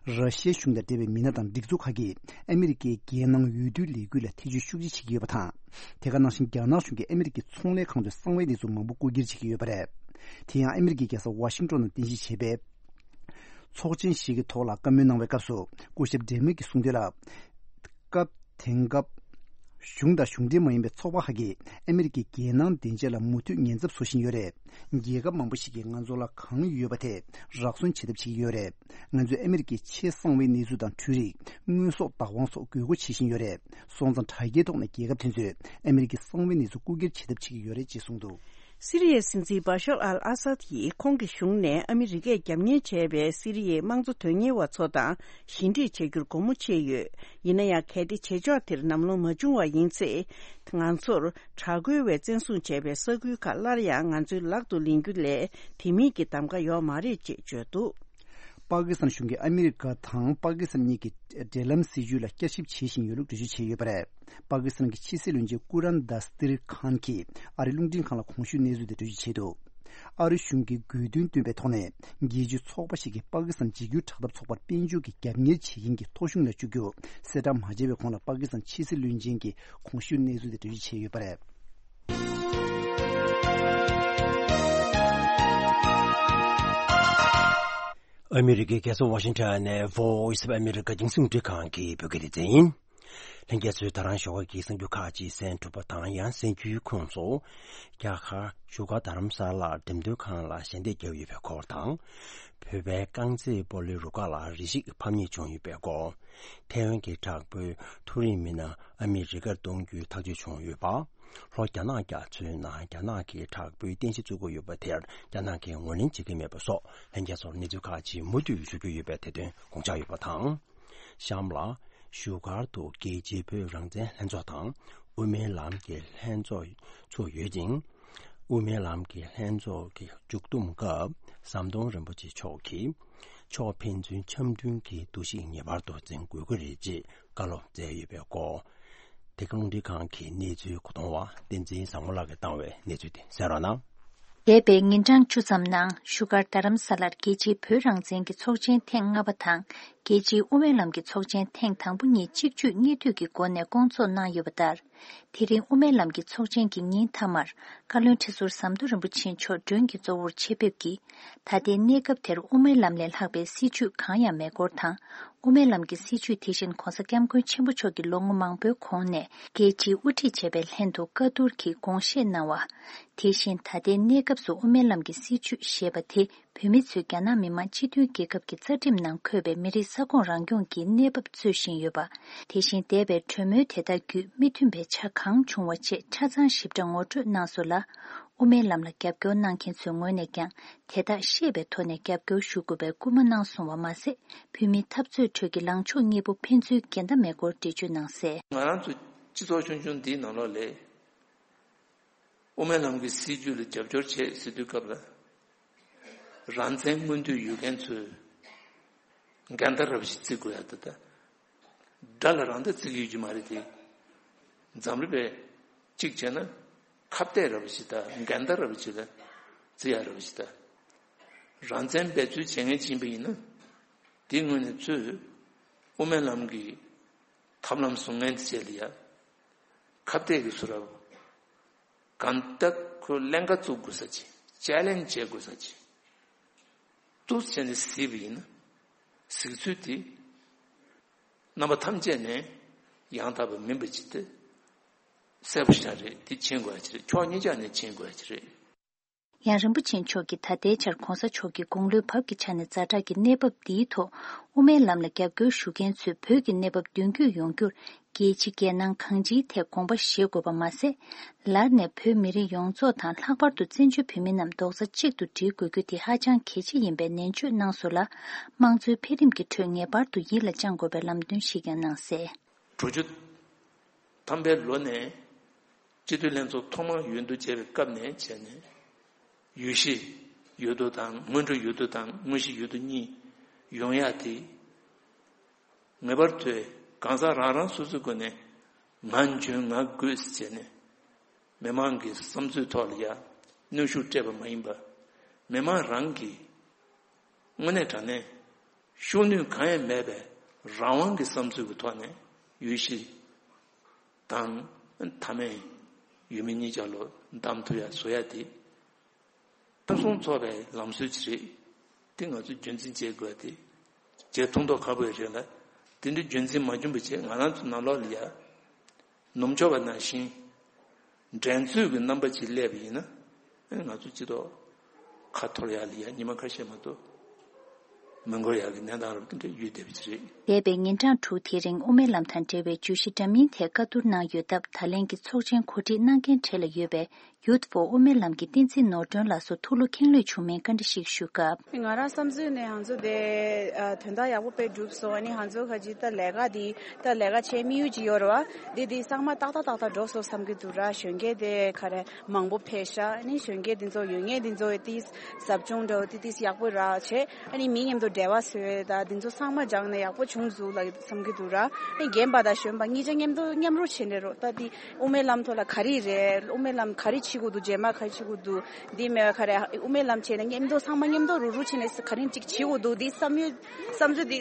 ར་ཤི་ཡའི་གཞུང་དང་འབྲེལ་བའི་མི་སྣ་དང་སྒྲིག་འཛུགས་ཁག་གིས་ཨ་མི་རི་ཀའི་རྒྱལ་ནང་འོས་བསྡུའི་ལས་འགུལ་ལ་ཐེ་བྱུས་ཤུགས་ཆེ་བྱེད་ཀྱི་ཡོད་པ་དང་། དེ་ག་ནང་བཞིན་རྒྱ་ནག་གཞུང་གིས་ཨ་མི་རི་ཀའི་ཚོང་ལས་ཁང་དུ་གསང་བའི་གནས་ཚུལ་མང་པོ་རྐུ་འཁྱེར་བྱེད་ཀྱི་ཡོད་པ་རེད། དེ་ཡང་ཨ་མི་རི་ཀའི་རྒྱལ་ས་ཝ་ཤིང་ཏོན་ནང་རྟེན་གཞི་བྱས་པའི་ཚོགས་ཆེན་ཞིག་གི་ཐོག་ལ་བཀའ་མོལ་གནང་བའི་སྐབས་སུ། སྐུ་ཞབས་ཌེ་མོ་གིས་གསུངས་དོན་ལ། སྐབས་དེང་སྐབས། གཞུང་དང་གཞུང་འབྲེལ་མ་ཡིན་པའི་ཚོགས་པ་ཁག་གིས་ཨ་མི་རི་ཀའི་རྒྱལ་ནང་བདེ་འཇགས་ལ་མུ་མཐུད་ཉེན་ཚབས་བཟོ་བཞིན་ཡོད་རེད། རྒྱལ་ཁབ་མང་པོ་ཞིག་གིས་ང་ཚོ་ལ་གང་ཡོད་པ་དེ་རག་སོན་བྱེད་ཐབས་བྱེད་ཀྱི་ཡོད་རེད། ང་ཚོས་ཨ་མི་རི་ཀའི་ཆེས་གསང་བའི་གནས་ཚུལ་དང་འཕྲུལ་རིག་དངོས་ཟོག་བདག་དབང་སོགས་དགོས་མཁོ་ཆེ་བཞིན་ཡོད་རེད། སོང་ཙང་དྲ་རྒྱའི་ཐོག་ནས་རྒྱལ་ཁབ་དེ་ཚོས་ཨ་མི་རི་ཀའི་གསང་བའི་གནས་ཚུལ་རྐུ་འཁྱེར་བྱེད་ཐབས་བྱེད་ཀྱི་ཡོད་རེད་ཅེས་གསུངས་འདུག་སི་རི་ཡའི་སྲིད་འཛིན་བྷ་ཤར་ཨལ་ཨ་སཱད་ཀྱིས་ཁོང་གི་གཞུང་ནས་ཨ་མི་རི་ཀས་རྒྱབ་གཉེར་བྱས་པའི་སི་རི་ཡའི་དམངས་གཙོ་དོན་གཉེར་བ་ཚོ་དང་ཞི་འགྲིག་བྱ་རྒྱུར་སྒོ་མོ་ཕྱེ་ཡོད། ཡིན་ན་ཡང་། གལ་ཏེ་བྱེད་ཕྱོགས་དེར་ལམ་ལྷོང་མ་བྱུང་བ་ཡིན་ཚེ། ང་ཚོར་དྲག་རྒོལ་བས་བཙན་བཟུང་བྱས་པའི་ས་ཁུལ་ཁག་སླར་ཡང་ང་ཚོའི་ལག་ཏུ་ལེན་རྒྱུ་ལས་དེ་མིན་གྱི་གདམ་ག་ཡོད་མ་རེད་ཅེས་བརྗོད་འདུག་པ་ཀི་སི་ཐན་གཞུང་གིས་ཨ་མི་རི་ཀ་དང་པ་ཀི་སི་ཐན་གཉིས་ཀྱི་འབྲེལ་ལམ་སྲིད་ཇུས་ལ་བསྐྱར་ཞིབ་བྱེད་བཞིན་ཡོད་ལུགས་འགྲེལ་བརྗོད་བྱས་ཡོད་པ་རེད། པ་ཀི་སི་ཐན་གྱི་ཕྱི་སྲིད་བློན་ཆེན་ཀུ་རན་དཱ་སྟིར་ཁཱན་གྱིས་ཨ་རིའི་རླུང་འཕྲིན་ཁང་ལ་གོང་ཞུས་གནས་ཚུལ་དེ་འགྲེལ་བརྗོད་བྱས་འདུག་ཨ་རི་གཞུང་གིས་དགོས་འདུན་བཏོན་པའི་ཐོག་ནས། རྒྱལ་སྤྱིའི་ཚོགས་པ་ཞིག་གིས་པ་ཀི་སི་ཐན་འཇིགས་སྐུལ་དྲག་འཐབ་ཚོགས་པར་དཔལ་འབྱོར་གྱི་རྒྱབ་གཉེར་བྱེད་མཁན་གྱི་ཐོ་གཞུང་ལ་བཅུག་རྒྱུ་གསལ་བསྒྲགས་མ་བྱས་པའི་གོང་ལ། པ་ཀི་སི་ཐན་ཕྱི་སྲིད་བློན་ཆེན་གྱིས་གོང་ཞུས་གནས་ཚུལ་དེ་འགྲེལ་བརྗོད་བྱས་ཡོད་པ་རེད། ཨ་མི་རི་ཀའི་རྒྱལ་ས་ཝ་ཤིང་ཊོན་ནས་Voice of America རྒྱང་སྲིང་རླུང་འཕྲིན་ཁང་གི་བོད་སྐད་སྡེ་ཚན་ཡིན། ལྷན་རྒྱས་ཚོས་ད་རང་ཞོགས་ཀ་གི་གསར་འགྱུར་ཁག་ཅིག་གསན་གྲུབ་པ་དང་། ཡང་གསན་རྒྱུའི་ཁོངས་སུ། རྒྱ་གར་བཞུགས་སྒར་རྡ་རམ་ས་ལར་འགྲེམས་སྟོན་ཁང་ལ་ཞལ་འདེབས་བརྒྱབ་ཡོད་པའི་སྐོར་དང་། བོད་པའི་རྐང་རྩེད་སྤོ་ལོའི་རུ་ཁག་ལ་རེ་ཞིག་ཕམ་ཉེས་བྱུང་ཡོད་པའི་སྐོར། ཐའེ་ཝན་གྱི་དྲག་པོའི་མཐོ་རིམ་མི་སྣ་ཨ་མི་རི་ཀར་གཏོང་རྒྱུའི་ཐག་གཅོད་བྱུང་ཡོད་པ། ལྷོ་རྒྱ་ནག་རྒྱ་མཚོའི་ནང་རྒྱ་ནག་གིས་དྲག་པོའི་རྟེན་གཞི་བཙུགས་ཀྱི་ཡོད་པ་དེར་རྒྱ་ནག་གིས་ངོས་ལེན་བྱེད་ཀྱི་མེད་པ་སོགས། ལྷན་རྒྱས་ཚོར་གནས་ཚུལ་ཁག་ཅིག་མུ་མཐུད་ཞུ་རྒྱུ་ཡོད་པའི་དེ་དོན་དགོངས་འཇགས་ཡོད་པ་དང་། གཤམ་ལ། བཞུགས་སྒར་དུ་རྒྱལ་སྤྱིའི་བོད་རང་བཙན་ལྷན་ཚོགས་དང་། དབུ་མའི་ལམ་གྱི་ལྷན་ཚོགས་ཚུགས་ཡོད་ཅིང་། དབུ་མའི་ལམ་གྱི་ལྷན་ཚོགས་ཀྱི་མཇུག་བསྡོམས་སྐབས། ཟམ་གདོང་རིན་པོ་ཆེ་མཆོག་གིས། ཕྱོགས་ཕན་ཚུན་འཆམ་མཐུན་གྱི་འདུ་ཤེས་ངེས་པར་དུ་འཛིན་དགོས་ཀྱི་རེད་ཅེས་བཀའ་སློབ་སྩལ་ཡོད་པའི་སྐོར། འདི་ག་རླུང་འཕྲིན་ཁང་གི་གནས་ཚུལ་གོ་སྟོང་བ་བསྟན་འཛིན་བཟང་མོ་ལགས་ཀྱིས་བཏང་བའི་གནས་ཚུལ་དེ་གསན་རོགས་གནང་། འདས་པའི་ཉིན་གྲངས་བཅུ་ཙམ་ནང་བཞུགས་སྒར་རྡ་རམ་ས་ལར་རྒྱལ་སྤྱིའི་བོད་རང་བཙན་གྱི་ཚོགས་ཆེན་ཐེངས་ལྔ་པ་དང་། རྒྱལ་སྤྱིའི་དབུ་མའི་ལམ་གྱི་ཚོགས་ཆེན་ཐེངས་དང་པོ་གཉིས་གཅིག་མཇུག་གཉིས་མཐུད་ཀྱི་སྒོ་ནས་བསྐོང་ཚོགས་གནང་ཡོད་པ་ལྟར། དེ་རིང་དབུ་མའི་ལམ་གྱི་ཚོགས་ཆེན་གྱི་ཉིན་མཐའ་མར། བཀའ་བློན་ཁྲི་ཟུར་ཟམ་གདོང་རིན་པོ་ཆེ་མཆོག་མགྲོན་གྱི་གཙོ་བོར་ཆེད་ཕེབས་ཀྱིས། ད་ལྟའི་གནས་སྐབས་དེར་དབུ་མའི་ལམ་ལས་ལྷག་པའི་སྲིད་བྱུས་གང་ཡང་མེད་སྐོར་དང་། དབུ་མའི་ལམ་གྱི་སྲིད་བྱུས་དེ་བཞིན་༧གོང་ས་༧སྐྱབས་མགོན་ཆེན་པོ་མཆོག་གིས་ལོ་ངོ་མང་པོའི་གོང་ནས་རྒྱལ་སྤྱིའི་དབུ་ཁྲིད་བྱས་པའི་ལྷན་དུ་བཀའ་བསྡུར་གྱིས་དགོངས་བཞེས་གནང་བ། དེ་བཞིན་ད་ལྟའི་གནས་སྐབས་སུ་དབུ་མའི་ལམ་གྱི་སྲིད་བྱུས་ཞེས་པ་དེ། བོད་མི་ཚོས་རྒྱ་ནག་མི་དམངས་སྤྱི་མཐུན་རྒྱལ་ཁབ་ཀྱི་རྩ་ཁྲིམས་ནང་འཁོད་པའི་མི་རིགས་ས་ཁོངས་རང་སྐྱོང་གི་གནས་བབ་རྩོད་བཞིན་ཡོད་པ། དེ་བཞིན་འདས་པའི་གྲོས་མོལ་དེ་དག་བརྒྱུད་མི་མཐུན་པའི་ཆ་གང་བྱུང་བ་བཅས་ཆ་ཚང་ཞིབ་ཕྲ་ངོ་སྤྲོད་གནང་སོང་ལ། དབུ་མའི་ལམ་ལ་རྒྱབ་སྐྱོར་གནང་མཁན་ཚོའི་ངོས་ནས་ཀྱང་དེ་དག་ཤེས་པའི་ཐོག་ནས་རྒྱབ་སྐྱོར་ཞུ་དགོས་པའི་སྐུལ་མ་གནང་སོང་བ་མ་ཟད། བོད་མིའི་འཐབ་རྩོད་ཁྲོད་ཀྱི་ལངས་ཕྱོགས་གཉིས་པོ་ཕན་ཚུན་འགལ་ཟླ་མེད་སྐོར་འགྲེལ་བརྗོད་གནང་གསལ། ང་རང་ཚོ་སྤྱི་ཚོགས་ཆུང་ཆུང་འདིའི་ནང་ལོགས་ལ། དབུ་མའི་ལམ་གྱི་སྲིད་བྱུས་ལ་རྒྱབ་སྐྱོར་བྱེད་ཟེར་དུས་སྐབས་ལ། རང་བཙན་མངོན་འདོད་ཡོད་མཁན་ཚོས་འགལ་ཟླ་ར་བ་ཞིག་བརྩི་དགོས་ཡ་ད་ལྟ། དགྲ་ལ་རང་ད་བརྩི་གི་ཡོད་ཀྱི་མ་རེད་དེ། འཛམ་བུ་གླིང་པས་གཅིག་བྱས་ན་ཁ་གཏད་ར་བ་ཞིག་དང་འགལ་ཟླ་ར་བ་ཞིག་ལ་བརྩི་ཡ་ར་བ་ཞིག་དང་། རང་བཙན་འབད་རྩོལ་བྱེད་མཁན་ཅིག་ཡིན་པ་ཡིན་ན། དེའི་ངོས་ནས་ཚུར་དབུ་མའི་ལམ་གྱི་ཐབས་ལམ་བཟུང་མཁན་དེ་བྱས་ལ་ཡ། ཁ་གཏད་ཀྱི་བཟོ་འདྲ། གང་ལྟར་ཁོས་ཀླན་ཀ་བཙུགས་དགོས་ས་ཅིག་ཅེ་ལེན་བྱེད་དགོས་ས་ཅིག་ཏུ་བྱས་ནས་གཟིགས་པ་ཡིན་ན། གཟིགས་ཚུལ་དེ། རྣམ་པ་ཐམས་ཅད་ནས་ཡང་དག་པ་མིན་པ་ཅིག་སྟེ། གསལ་པོ་ཞིག་རེད། དེ་མཁྱེན་དགོས་ཡ་ཅིག་རེད། ཕྱོགས་གཉིས་ཆ་ནས་མཁྱེན་དགོས་ཡ་ཅིག་རེད། ཡང་རིན་པོ་ཆེ་མཆོག་གིས་ད་ལྟའི་ཆར་གོང་ས་མཆོག་གི་དགུང་ལོའི་བབ་ཀྱི་ཆ་ནས་ཛ་དྲག་གི་གནས་བབ་འདིའི་ཐོག་དབུ་མའི་ལམ་ལ་རྒྱབ་སྐྱོར་ཞུ་མཁན་ཚོས་བོད་ཀྱི་གནས་བབ་མདུན་སྐྱོད་ཡོང་རྒྱུར་རྒྱལ་ཕྱི་རྒྱལ་ནང་གང་ཅིའི་ཐད་དགོངས་པ་བཞེས་དགོས་པ་མ་ཟད། ལར་ནས་བོད་མི་རིགས་ཡོངས་རྫོགས་དང་ལྷག་པར་དུ་བཙན་བྱོལ་བོད་མི་རྣམས་རྡོག་རྩ་གཅིག་ཏུ་སྒྲིལ་དགོས་རྒྱུ་དེ་ཧ་ཅང་གལ་ཆེ་ཡིན་པའི་ནན་བརྗོད་གནང་སོང་ལ། དམངས་གཙོའི་འཕེལ་རིམ་གྱི་ཁྲོད་ངེས་པར་དུ་ཡིད་ལ་བཅངས་དགོས་པའི་ལམ་སྟོན་ཞིག་ཀྱང་གནང་གསལ། དྲུག་ཅུ་ཐམ་པའི་ལོ་ནས་སྤྱི་འཐུས་ལྷན་ཚོགས་ཐོག་མར་འོས་བསྡུ་བྱས་པའི་སྐབས་ནས་བྱས་ནས། འོས་གཞི་འོས་བསྡུ་དང་། སྔོན་འགྲོ་འོས་བསྡུ་དང་དངོས་གཞི་འོས་བསྡུ་གཉིས་ཡོང་ཡ་དེ། ངེས་པར་དུ་གང་ཟག་རང་རང་སོ་སོའི་སྒོ་ནས་ང་འཇོན་ང་དགོས་ཟེར་བྱས་ནས། མི་མང་གི་བསམ་ཚུལ་ཐོག་ལ་ཡ་གནོན་ཤུགས་སྤྲད་པ་མ་ཡིན་པ། མི་མང་རང་གིས་དངོས་གནས་དྲང་གནས་ཤུགས་སྣོན་གང་ཡང་མེད་པའི་རང་དབང་གི་བསམ་ཚུལ་གྱི་ཐོག་ནས་འོས་གཞི་དང་མཐའ་མའི་འོས་མི་གཉིས་ཆ་ལོ་བདམས་ཐུབ་ཡ་བཟོ་ཡ་དེ། ཕུན་སུམ་ཚོགས་པའི་ལམ་སྲོལ་ཅིག་རེད། དེ་ང་ཚོས་རྒྱུན་འཛིན་བྱེད་དགོས་ཏེ། བྱེད་ཐུབ་མདོག་ཁ་པོ་ཡོད་རེད་ལ། དེ་འདྲའི་རྒྱུན་འཛིན་མ་བྱུང་བའི་ཆེད་ང་རང་ཚོ་ནང་ལོགས་ལ་ཡ། ནུབ་ཕྱོགས་པ་ནང་བཞིན། འགྲན་རྩོད་ཀྱི་རྣམ་པ་ཅིག་སླེབས་པ་ཡིན་ན། ང་ཚོ་སྤྱི་ཚོགས་ཁ་འཐོར་ཡག་ལ་ཡ་ཉི་མ་ཁ་ཤས་མ་གཏོགས་མི་འགོར་ཡག་གི་གནས་སྟངས་རབ་དེ་འདྲ་ཡོད་བསྡད་པ་ཅིག་རེད། འདས་པའི་ཉིན་གྲངས་དྲུག་དེ་རིང་དབུ་མའི་ལམ་དང་འབྲེལ་བའི་བརྗོད་གཞི་འདྲ་མིན་ཐད་བཀའ་བསྡུར་གནང་ཡོད་སྟབས། ད་ལན་གྱི་ཚོགས་ཆེན་གོ་སྒྲིག་གནང་མཁན་གྲས་ལ་ཡོད་པའི་Youth for དབུ་མའི་ལམ་གྱི་བསྟན་འཛིན་ནོར་སྒྲོན་ལགས་སུ་ཐུགས་བློ་ཁེངས་ལོས་བྱུང་མིན་བཀའ་འདྲི་ཞིག་ཞུ་སྐབས། ང་རང་བསམ་ཚུལ་ནས་ང་ཚོ་དེ་ཨ་དོན་དག་ཡག་པོ་དཔེ་བསྒྲུབས་སོང་། ཨ་ནི་ང་ཚོ་ཁ་ཅིག་ད་ལས་ཀ་འདི་ད་ལས་ཀ་བྱེད་དམིགས་ཡུལ་ཅིག་ཡོད་རེད་བ། འདི་འདི་གཙང་མ་ཏག་ཏག་ཏག་ཏག་འགྲོ་སོང་བསམ་གྱི་འདུག་ར། གཞོན་སྐྱེས་དེ་ག་རེ་མང་པོ་ཕེབས་ཤག་ཨ་ནི་གཞོན་སྐྱེས་འདི་ཚོ་ཡོད་ངེས་འདི་ཚོ་ཏིས་ཟབ་སྦྱོང་འདྲ་བོ་ཏི་ཏིས་ཡག་པོ་རག་བྱས། ཨ་ནི་མི་མཉམ་དུ་འབྲེལ་བ་བཟོས་ད་འདི་ཚོ་ཚང་མ་སྦྱངས་ནས་ཡག་པོ་བྱུང་འདུག་ལ་བསམ་གྱི་འདུག་ར། ཨ་ནི་རྒན་པ་དང་གཞོན་པ་གཉིས་ཆ་མཉམ་དུ་མཉམ་རུབ་བྱས་ནས་རོགས་ད་འདི་དབུ་མའི་ལམ་ཐོག་ལ་ག་རེ་རེད། དབུ་མའི་ལམ་ག་རེ་བྱེད་དགོས་འདུག་རྗེས་མ་ག་རེ་བྱེད་དགོས་འདུག་འདི་མེད་པ་ག་རེ་དབུ་མའི་ལམ་བྱས་ནས་མཉམ་དུ་ཚང་མ་མཉམ་དུ་རུབ་རུབ་བྱས་ནས་ག་རེ་ཅིག་བྱེད་དགོས་འདུག་འདི་བསམ་ཡུལ་བསམ་ཚུལ་འདི་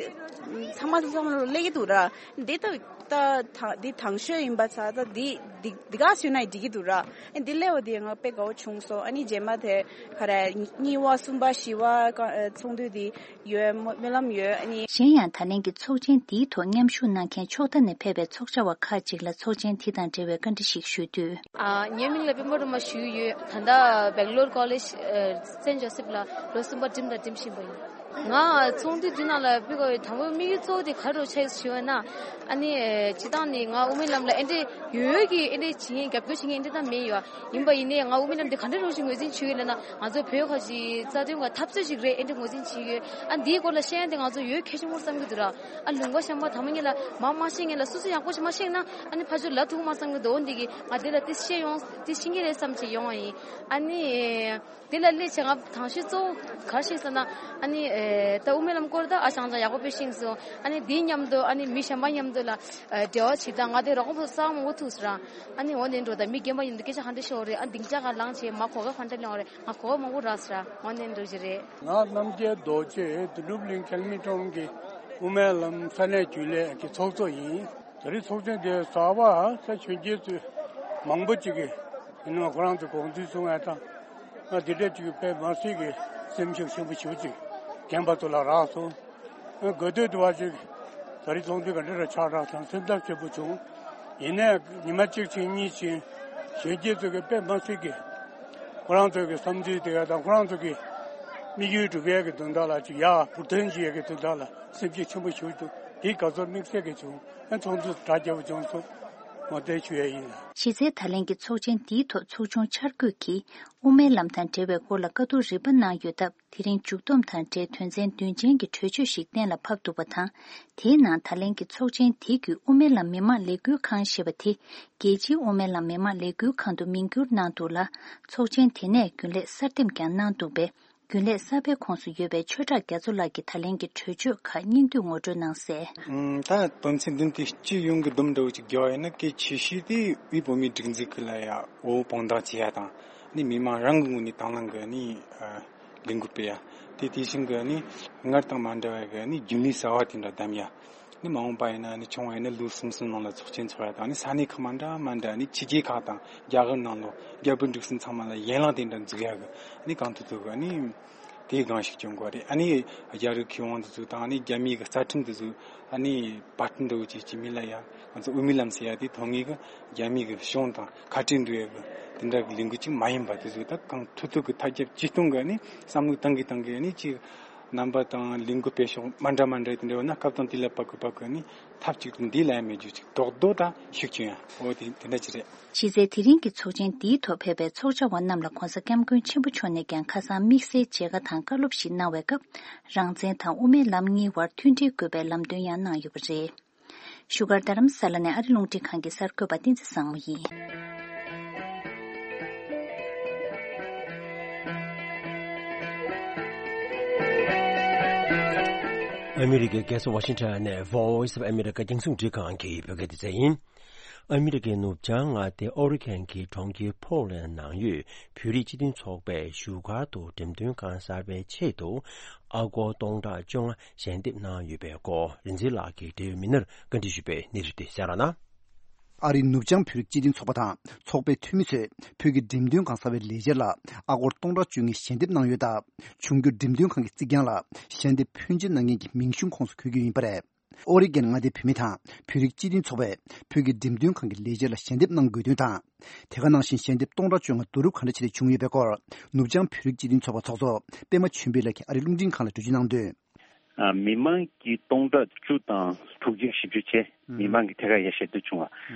ཚང་མ་ཚང་མ་སླེབས་ཀྱི་འདུག་ར། འདི་ད་ད་ད་འདི་དང་ཤོས་ཡིན་པ་ཚ་ད་འདི་འདི་འདི་ག་བཟོས་ན་འགྲིག་གི་འདུག་ར། ཨེ་འདི་སླེབས་པ་འདི་ང་དཔེ་དགའ་བོ་བྱུང་སོང་། ཨ་ནི་རྗེས་མ་དེ་ག་རེ་གཉིས་པ་གསུམ་པ་བཞི་པ་ཀ་ཨེ་ཚོགས་འདུ་འདི་ཡོད་སྨོན་ལམ་ཡོད། ཨ་ནི། གཞན་ཡང་ད་ལན་གྱི་ཚོགས་ཆེན་འདིའི་ཐོག་མཉམ་ཞུགས་གནང་མཁན་ཕྱོགས་མཐའ་ནས་ཕེབས་པའི་ཚོགས་བཅར་བ་ཁག་ཅིག་ལ་ཚོགས་ཆེན་དེ་དང་འབྲེལ་བའི་བཀའ་འདྲི་ཞིག་ཞུས་དུས། ཨ། ངའི་མིང་ལ་པད་མ་སྒྲོལ་མ་ཞུ་གི་ཡོད། ད་ལྟ་Bangalore College Saint Joseph ལ་ལོ་གསུམ་པ་འགྲིམ་དང་འགྲིམ་བཞིན་པ་ཡིན། ང་ཚོགས་འདུ་འདི་ནང་ལ་ཕེབས་དགོས་པའི་དང་པོའི་དམིགས་ཡུལ་གཙོ་བོ་དེ་ག་རེ་ཆགས་ཞུས་པ་ན། ཨ་ནི་སྤྱིར་བཏང་ནི་ང་དབུ་མའི་ལམ་ལ་ཨེ་འདྲས་ཡོད་ཀྱི་ཨེ་འདྲས་བྱེད་མཁན་རྒྱབ་སྐྱོར་བྱེད་མཁན་ཨེ་འདྲས་ད་མེད་ཡོད། ཡིན་པ་ཡིན་ནའི་ང་དབུ་མའི་ལམ་འདི་ག་འདྲས་རོགས་ཞིག་ངོས་འཛིན་བྱེད་ཀྱི་ཡོད་ལབ་ན། ང་ཚོ་བོད་ཁ་ཅིག་རྩ་དོན་ག་འཐབ་རྩོད་ཞིག་རེད་ཨེ་འདྲས་ངོས་འཛིན་བྱེད་ཀྱི་ཡོད། ཨ་འདིའི་སྐོར་ལ་བཤད་ཡ་དེ་ང་ཚོ་ཡོད་གལ་ཆེན་པོ་བསམ་གྱི་འདུག་ར། ཨ་ལུང་པ་གཤམ་པ་དང་པོ་ཉིད་ལ་མ་མ་ཤེས་མཁན་ལ་སོ་སོ་ཡག་པོ་ཞིག་མ་ཤེས་ན་ཨ་ནི་ཕར་ཚུར་ལབ་ཐུབ་མ་བསམ་གྱི་འདུག་འོ་འདི་གི་ང་འདི་ལ་དེ་ཤེས་ཡོང་དེ་ཤེས་ཀྱི་རེད་བསམ་བྱས་ཡོང་བ་ཡིན། ཨ་ནི། དེ་ལ་སླེབས་བྱས་ང་དང་ཤོས་གཙོ་བོ་ག་རེ་ཤེས་ཟེར་ན། ཨ་ནི་ཨེ་ད་དབུ་མའི་ལམ་སྐོར་ད་ཨ་ཅང་ཅང་ཡག་པོ་དཔེ་ཤེས་སོང་། ཨ་ནི་དེའི་མཉམ་དུ་ཨ་ནི་མི་གཞན་པ་མཉམ་དུ་ལ་ཨེ་འབྲེལ་བ་བྱེད་སྟངས་ང་དེ་རོགས་པ་གསར་མང་པོ་ཐུག་སོང་ར། ཨ་ནི་འོ་ནས་འགྲོ་ད་མི་རྒན་པ་ཡིན་དུས་སྐད་ཆ་ག་འདྲ་ཤོར་རེད། ཨ་སྡིངས་ཆ་ག་ལངས་བྱས་མ་གོ་སྐབས་ག་འདྲ་ལེན་པ་རེད། ང་གོ་སྐབས་མང་པོ་རག་སོང་ར། འོ་ནས་འགྲོ་གི་རེད། ང་རྣམ་རྒྱལ་རྡོ་རྗེ་དོན་གྲུབ་གླིང་ཁེལ་མི་ཀྲོང་གི་དབུ་མའི་ལམ་ས་གནས་རྒྱུན་ལས་ཀྱི་ཚོགས་གཙོ་ཡིན། ད་རེས་ཚོགས་ཆེན་དེ་གཟའ་པ་ས་གཞོན་སྐྱེས་ཚོས་མང་པོ་ཅིག་གིས་ཡིན་ནའང་ཁོ་རང་ཚོ་དགོངས་ཚུལ་གསུང་ཡ་དང་། ང་འདི་འདྲ་ཅིག་དཔེ་མ་སྲིད་ཀྱི་སེམས་ཤུགས་ཆེན་པོ་ཞེ་པོ་ཅིག་རྒན་པ་ཚོ་ལ་རག་སོང་། ང་དགའ་སྡུག་དུ་བ་ཅིག་ད་རེས་ཚོགས་འདུ་ག་འདྲ་ར་ཆགས་རག་དང་སེམས་འཚབ་ཆེན་པོ་བྱུང་། ཡིན་ནའི་ཉི་མ་གཅིག་ཕྱིན་གཉིས་ཕྱིན་གཞོན་སྐྱེས་ཚོ་གིས་དཔེ་མ་སྲིད་ཀྱི་ཁོ་རང་ཚོ་གི་བསམ་ཚུལ་དེ་ག་དང་ཁོ་རང་ཚོ་གི་དམིགས་ཡུལ་སྒྲུབ་ཡས་ཀྱི་དོན་དག་ལ་ཅིག་ཡར་འཕུར་འཐེན་བྱེད་ཡས་ཀྱི་དོན་དག་ལ་སེམས་ཤུགས་ཆེན་པོ་ཞེ་པོ་ཅིག་འདུག་དེའི་དགའ་ཚོར་དམིགས་བསལ་གྱི་བྱུང་། ཨ་ཚོགས་འདུ་གྲ་རྒྱས་པོ་བྱུང་སོང་། ངོ་སྤྲོད་ཞུ་ཡ་ཡིན། གཞི་རྩའི་ད་ལན་གྱི་ཚོགས་ཆེན་འདིའི་ཐོག་ཚོགས་ཆུང་འཆར་འགོད་ཀྱིས་དབུ་མའི་ལམ་དང་འབྲེལ་བའི་སྐོར་ལ་བཀའ་བསྡུར་རིམ་པ་གནང་ཡོད་སྟབས། དེ་རིང་མཇུག་བསྡོམས་དང་འབྲེལ་དོན་ཚན་བདུན་ཅན་གྱི་གྲོས་ཆོད་ཞིག་གཏན་ལ་ཕབ་འདུག་པ་དང་། དེའི་ནང་ད་ལན་གྱི་ཚོགས་ཆེན་དེ་བརྒྱུད་དབུ་མའི་ལམ་མི་མང་ལས་འགུལ་ཁང་ཞེས་པ་དེ་རྒྱལ་སྤྱིའི་དབུ་མའི་ལམ་མི་མང་ལས་འགུལ་ཁང་དུ་མིང་བསྒྱུར་གནང་འདུག་ལ། ཚོགས་ཆེན་དེ་ནས་རྒྱུན་ལས་གསར་འདེམས་ཀྱང་གནང་འདུག་པས། རྒྱུན་ལས་གསར་པའི་ཁོངས་སུ་ཡོད་པའི་ཆོས་གྲགས་རྒྱ་མཚོ་ལགས་ཀྱིས་ད་ལན་གྱི་གྲོས་ཆོད་ཁག་སྙིང་བསྡུས་ངོ་སྤྲོད་གནང་གསལ། ཨུམ། ད་དོན་ཚན་བདུན་དེ་སྤྱི་ཡོངས་ཀྱི་སྡོམ་འདྲ་བོ་ཅིག་རྒྱག་པ་ཡིན་ན། གལ་ཆེ་ཤོས་དེ་དབུས་བོད་མིའི་སྒྲིག་འཛུགས་ཀྱི་ལ་ཡ་འོ་དཔང་རྟགས་བྱེད་ཡ་དང་། ནི་མི་མང་རང་གི་ངོས་ནས་དང་བླངས་ཀྱི་ནི་ཨ་ལས་འགུལ་སྤེལ་ཡ། དེ་དེ་བཞིན་གྱི་ནི་སྔར་དང་མ་འདྲ་བའི་གི་ནི་རྒྱུན་ལས་གསར་བ་དེ་འདྲ་བདམས་ཡ། ནི་མ་འོངས་པ་ཡིན་ན་ནི་ཆུང་བ་ཡིན་ན་ལོ་གསུམ་གསུམ་ནང་ལ་ཚོགས་ཆེན་ཚོགས་ཡ་དང་། ནི་ས་གནས་ཁག་མ་འདྲ་མ་འདྲ་ནི་ཕྱི་རྒྱལ་ཁག་དང་རྒྱ་གར་ནང་ལོགས་རྒྱ་བོད་འབྲུག་གསུམ་ཚང་མ་ལ་ཡན་ལག་དེ་འདྲ་འཛུགས་ཡ་གི་ནི་གང་ཐུབ་ཐུབ་གི་ནི་དེའི་སྒང་ཞིག་སྐྱོང་དགོས་རེད། ཨ་ནི་རྒྱ་རིགས་མཁས་དབང་དེ་ཚོ་དང་། ཨ་ནི་རྒྱ་མིའི་གི་རྩ་ཁྲིམས་དེ་ཚོ། ཨ་ནི་པར་ཊི་འདྲ་བོ་ཅིག་ཅིག་མི་ལ་ཡ་ང་ཚོ་དབུ་མའི་ལམ་ཟེར་ཡ་དེ་ཐོག་ངེས་གི་རྒྱ་མིའི་གི་གཞུང་དང་ཁ་བྲལ་འགྲོ་ཡ་གི་དེ་འདྲ་གི་ལས་འགུལ་ཅིག་མ་ཡིན་པ། དེ་ཚོ་ད་གང་ཐུབ་ཐུབ་གི་ཐབས་བརྒྱབ་ཅིག་གཏོང་གི་ནི་བསམ་བློ་བཏང་གི་བཏང་གི་ནི་ཅིག་རྣམ་པ་དང་ལས་འགུལ་སྤེལ་ཕྱོགས་མ་འདྲ་མ་འདྲ་དེ་འདྲ་ཡོད་ན། སྐབས་དང་དུས་ལ་བབ་གི་བབ་གི་ནི་ཐབས་ཅིག་ཏུ་འདི་ལ་ཡ་མེད་རྒྱུ་ཅིག་རྡོག་རྡོག་དང་ཤུགས་ཆེན་ཡ། འོ་དེ་དེ་འདྲ་ཅིག་རེད། གཞི་རྩའི་དེ་རིང་གི་ཚོགས་ཆེན་འདིའི་ཐོག་ཕེབས་པའི་ཚོགས་བཅར་བ་རྣམས་ལ་༸གོང་ས་༸སྐྱབས་མགོན་ཆེན་པོ་མཆོག་ནས་ཀྱང་ཁ་སང་དམིགས་བསལ་མཇལ་ཁ་དང་བཀའ་སློབ་ཞིག་གནང་བའི་སྐབས། རང་བཙན་དང་དབུ་མའི་ལམ་གཉིས་བར་མཐུན་སྒྲིལ་དགོས་པའི་ལམ་སྟོན་ཡང་གནང་ཡོད་པ་རེད། བཞུགས་སྒར་རྡ་རམ་ས་ལ་ནས་ཨ་རི་རླུང་འཕྲིན་ཁང་གི་གསར་འགོད་པ་བསྟན་འཛིན་བཟང་མོ་ཡིན། ཨ་མི་རི་ཀའི་རྒྱལ་ས་ཝ་ཤིང་ཊོན་ནས་Voice of America རྒྱང་སྲིང་རླུང་འཕྲིན་ཁང་གི་བོད་སྐད་སྡེ་ཚན་ཡིན། ཨ་མི་རི་ཀའི་ནུབ་བྱང་མངའ་སྡེ་ཨོ་རི་གྷན་གྱི་གྲོང་ཁྱེར་ཕོར་ལེན་ནང་ཡོད་བོད་རིགས་སྤྱི་མཐུན་ཚོགས་པས་བཞུགས་སྒར་དུ་འགྲེམས་སྟོན་ཁང་གསར་པའི་ཆེད་དུ་ཨ་སྒོར་སྟོང་ཕྲག་བཅོ་ལྔ་ཞལ་འདེབས་གནང་ཡོད་པའི་སྐོར། རིག་འཛིན་ལགས་ཀྱིས་འབྲེལ་ཡོད་མི་སྣར་བཀའ་འདྲི་ཞུས་པའི་གནས་ཚུལ་དེ་གསན་རོགས་གནང་། ཨ་རིའི་ནུབ་བྱང་བོད་རིགས་སྤྱི་མཐུན་ཚོགས་པ་དང་ཚོགས་པའི་འཐུས་མི་ཚོས་བོད་ཀྱི་འགྲེམས་སྟོན་ཁང་གསར་བའི་ལས་འཆར་ལ་ཨ་སྒོར་སྟོང་ཕྲག་བཅོ་ལྔའི་ཞལ་འདེབས་གནང་ཡོད་སྟབས། འབྱུང་འགྱུར་འགྲེམས་སྟོན་ཁང་གི་རྩིག་གྱང་ལ་ཞལ་འདེབས་ཕོན་ཆེན་གནང་མཁན་གྱི་མིང་གཞུང་ཁོངས་སུ་འཁོད་རྒྱུ་ཡིན་པ་རེད། ཨོ་རི་གྷན་མངའ་སྡེའི་བོད་མི་དང་བོད་རིགས་སྤྱི་མཐུན་ཚོགས་པས་བོད་ཀྱི་འགྲེམས་སྟོན་ཁང་གི་ལས་འཆར་ལ་ཞལ་འདེབས་གནང་དགོས་དོན་དང་། དེ་ག་ནང་བཞིན་ཞལ་འདེབས་སྟོང་ཕྲག་བཅོ་ལྔ་བསྡུ་རུབ་ག་འདྲ་བྱས་ཏེ་བྱུང་ཡོད་པའི་སྐོར། ནུབ་བྱང་བོད་རིགས་སྤྱི་མཐུན་ཚོགས་པ་ཚོགས་གཙོ་པད་མ་ཆོས་འཕེལ་ལགས་ཀྱིས་ཨ་རིའི་རླུང་འཕྲིན་ཁང་ལ་འགྲེལ་བརྗོད་གནང་དོན། ཨ། མི་མང་གིས་སྟོང་ཕྲག་བཅུ་དང་དྲུག་ཅུ་བཞི་བཅུ་བྱས། ཨུ། མི་མང་གིས་ཐད་ཀར་ཡར་ཞལ་འདེབས་བྱུང་བ། ཨུ།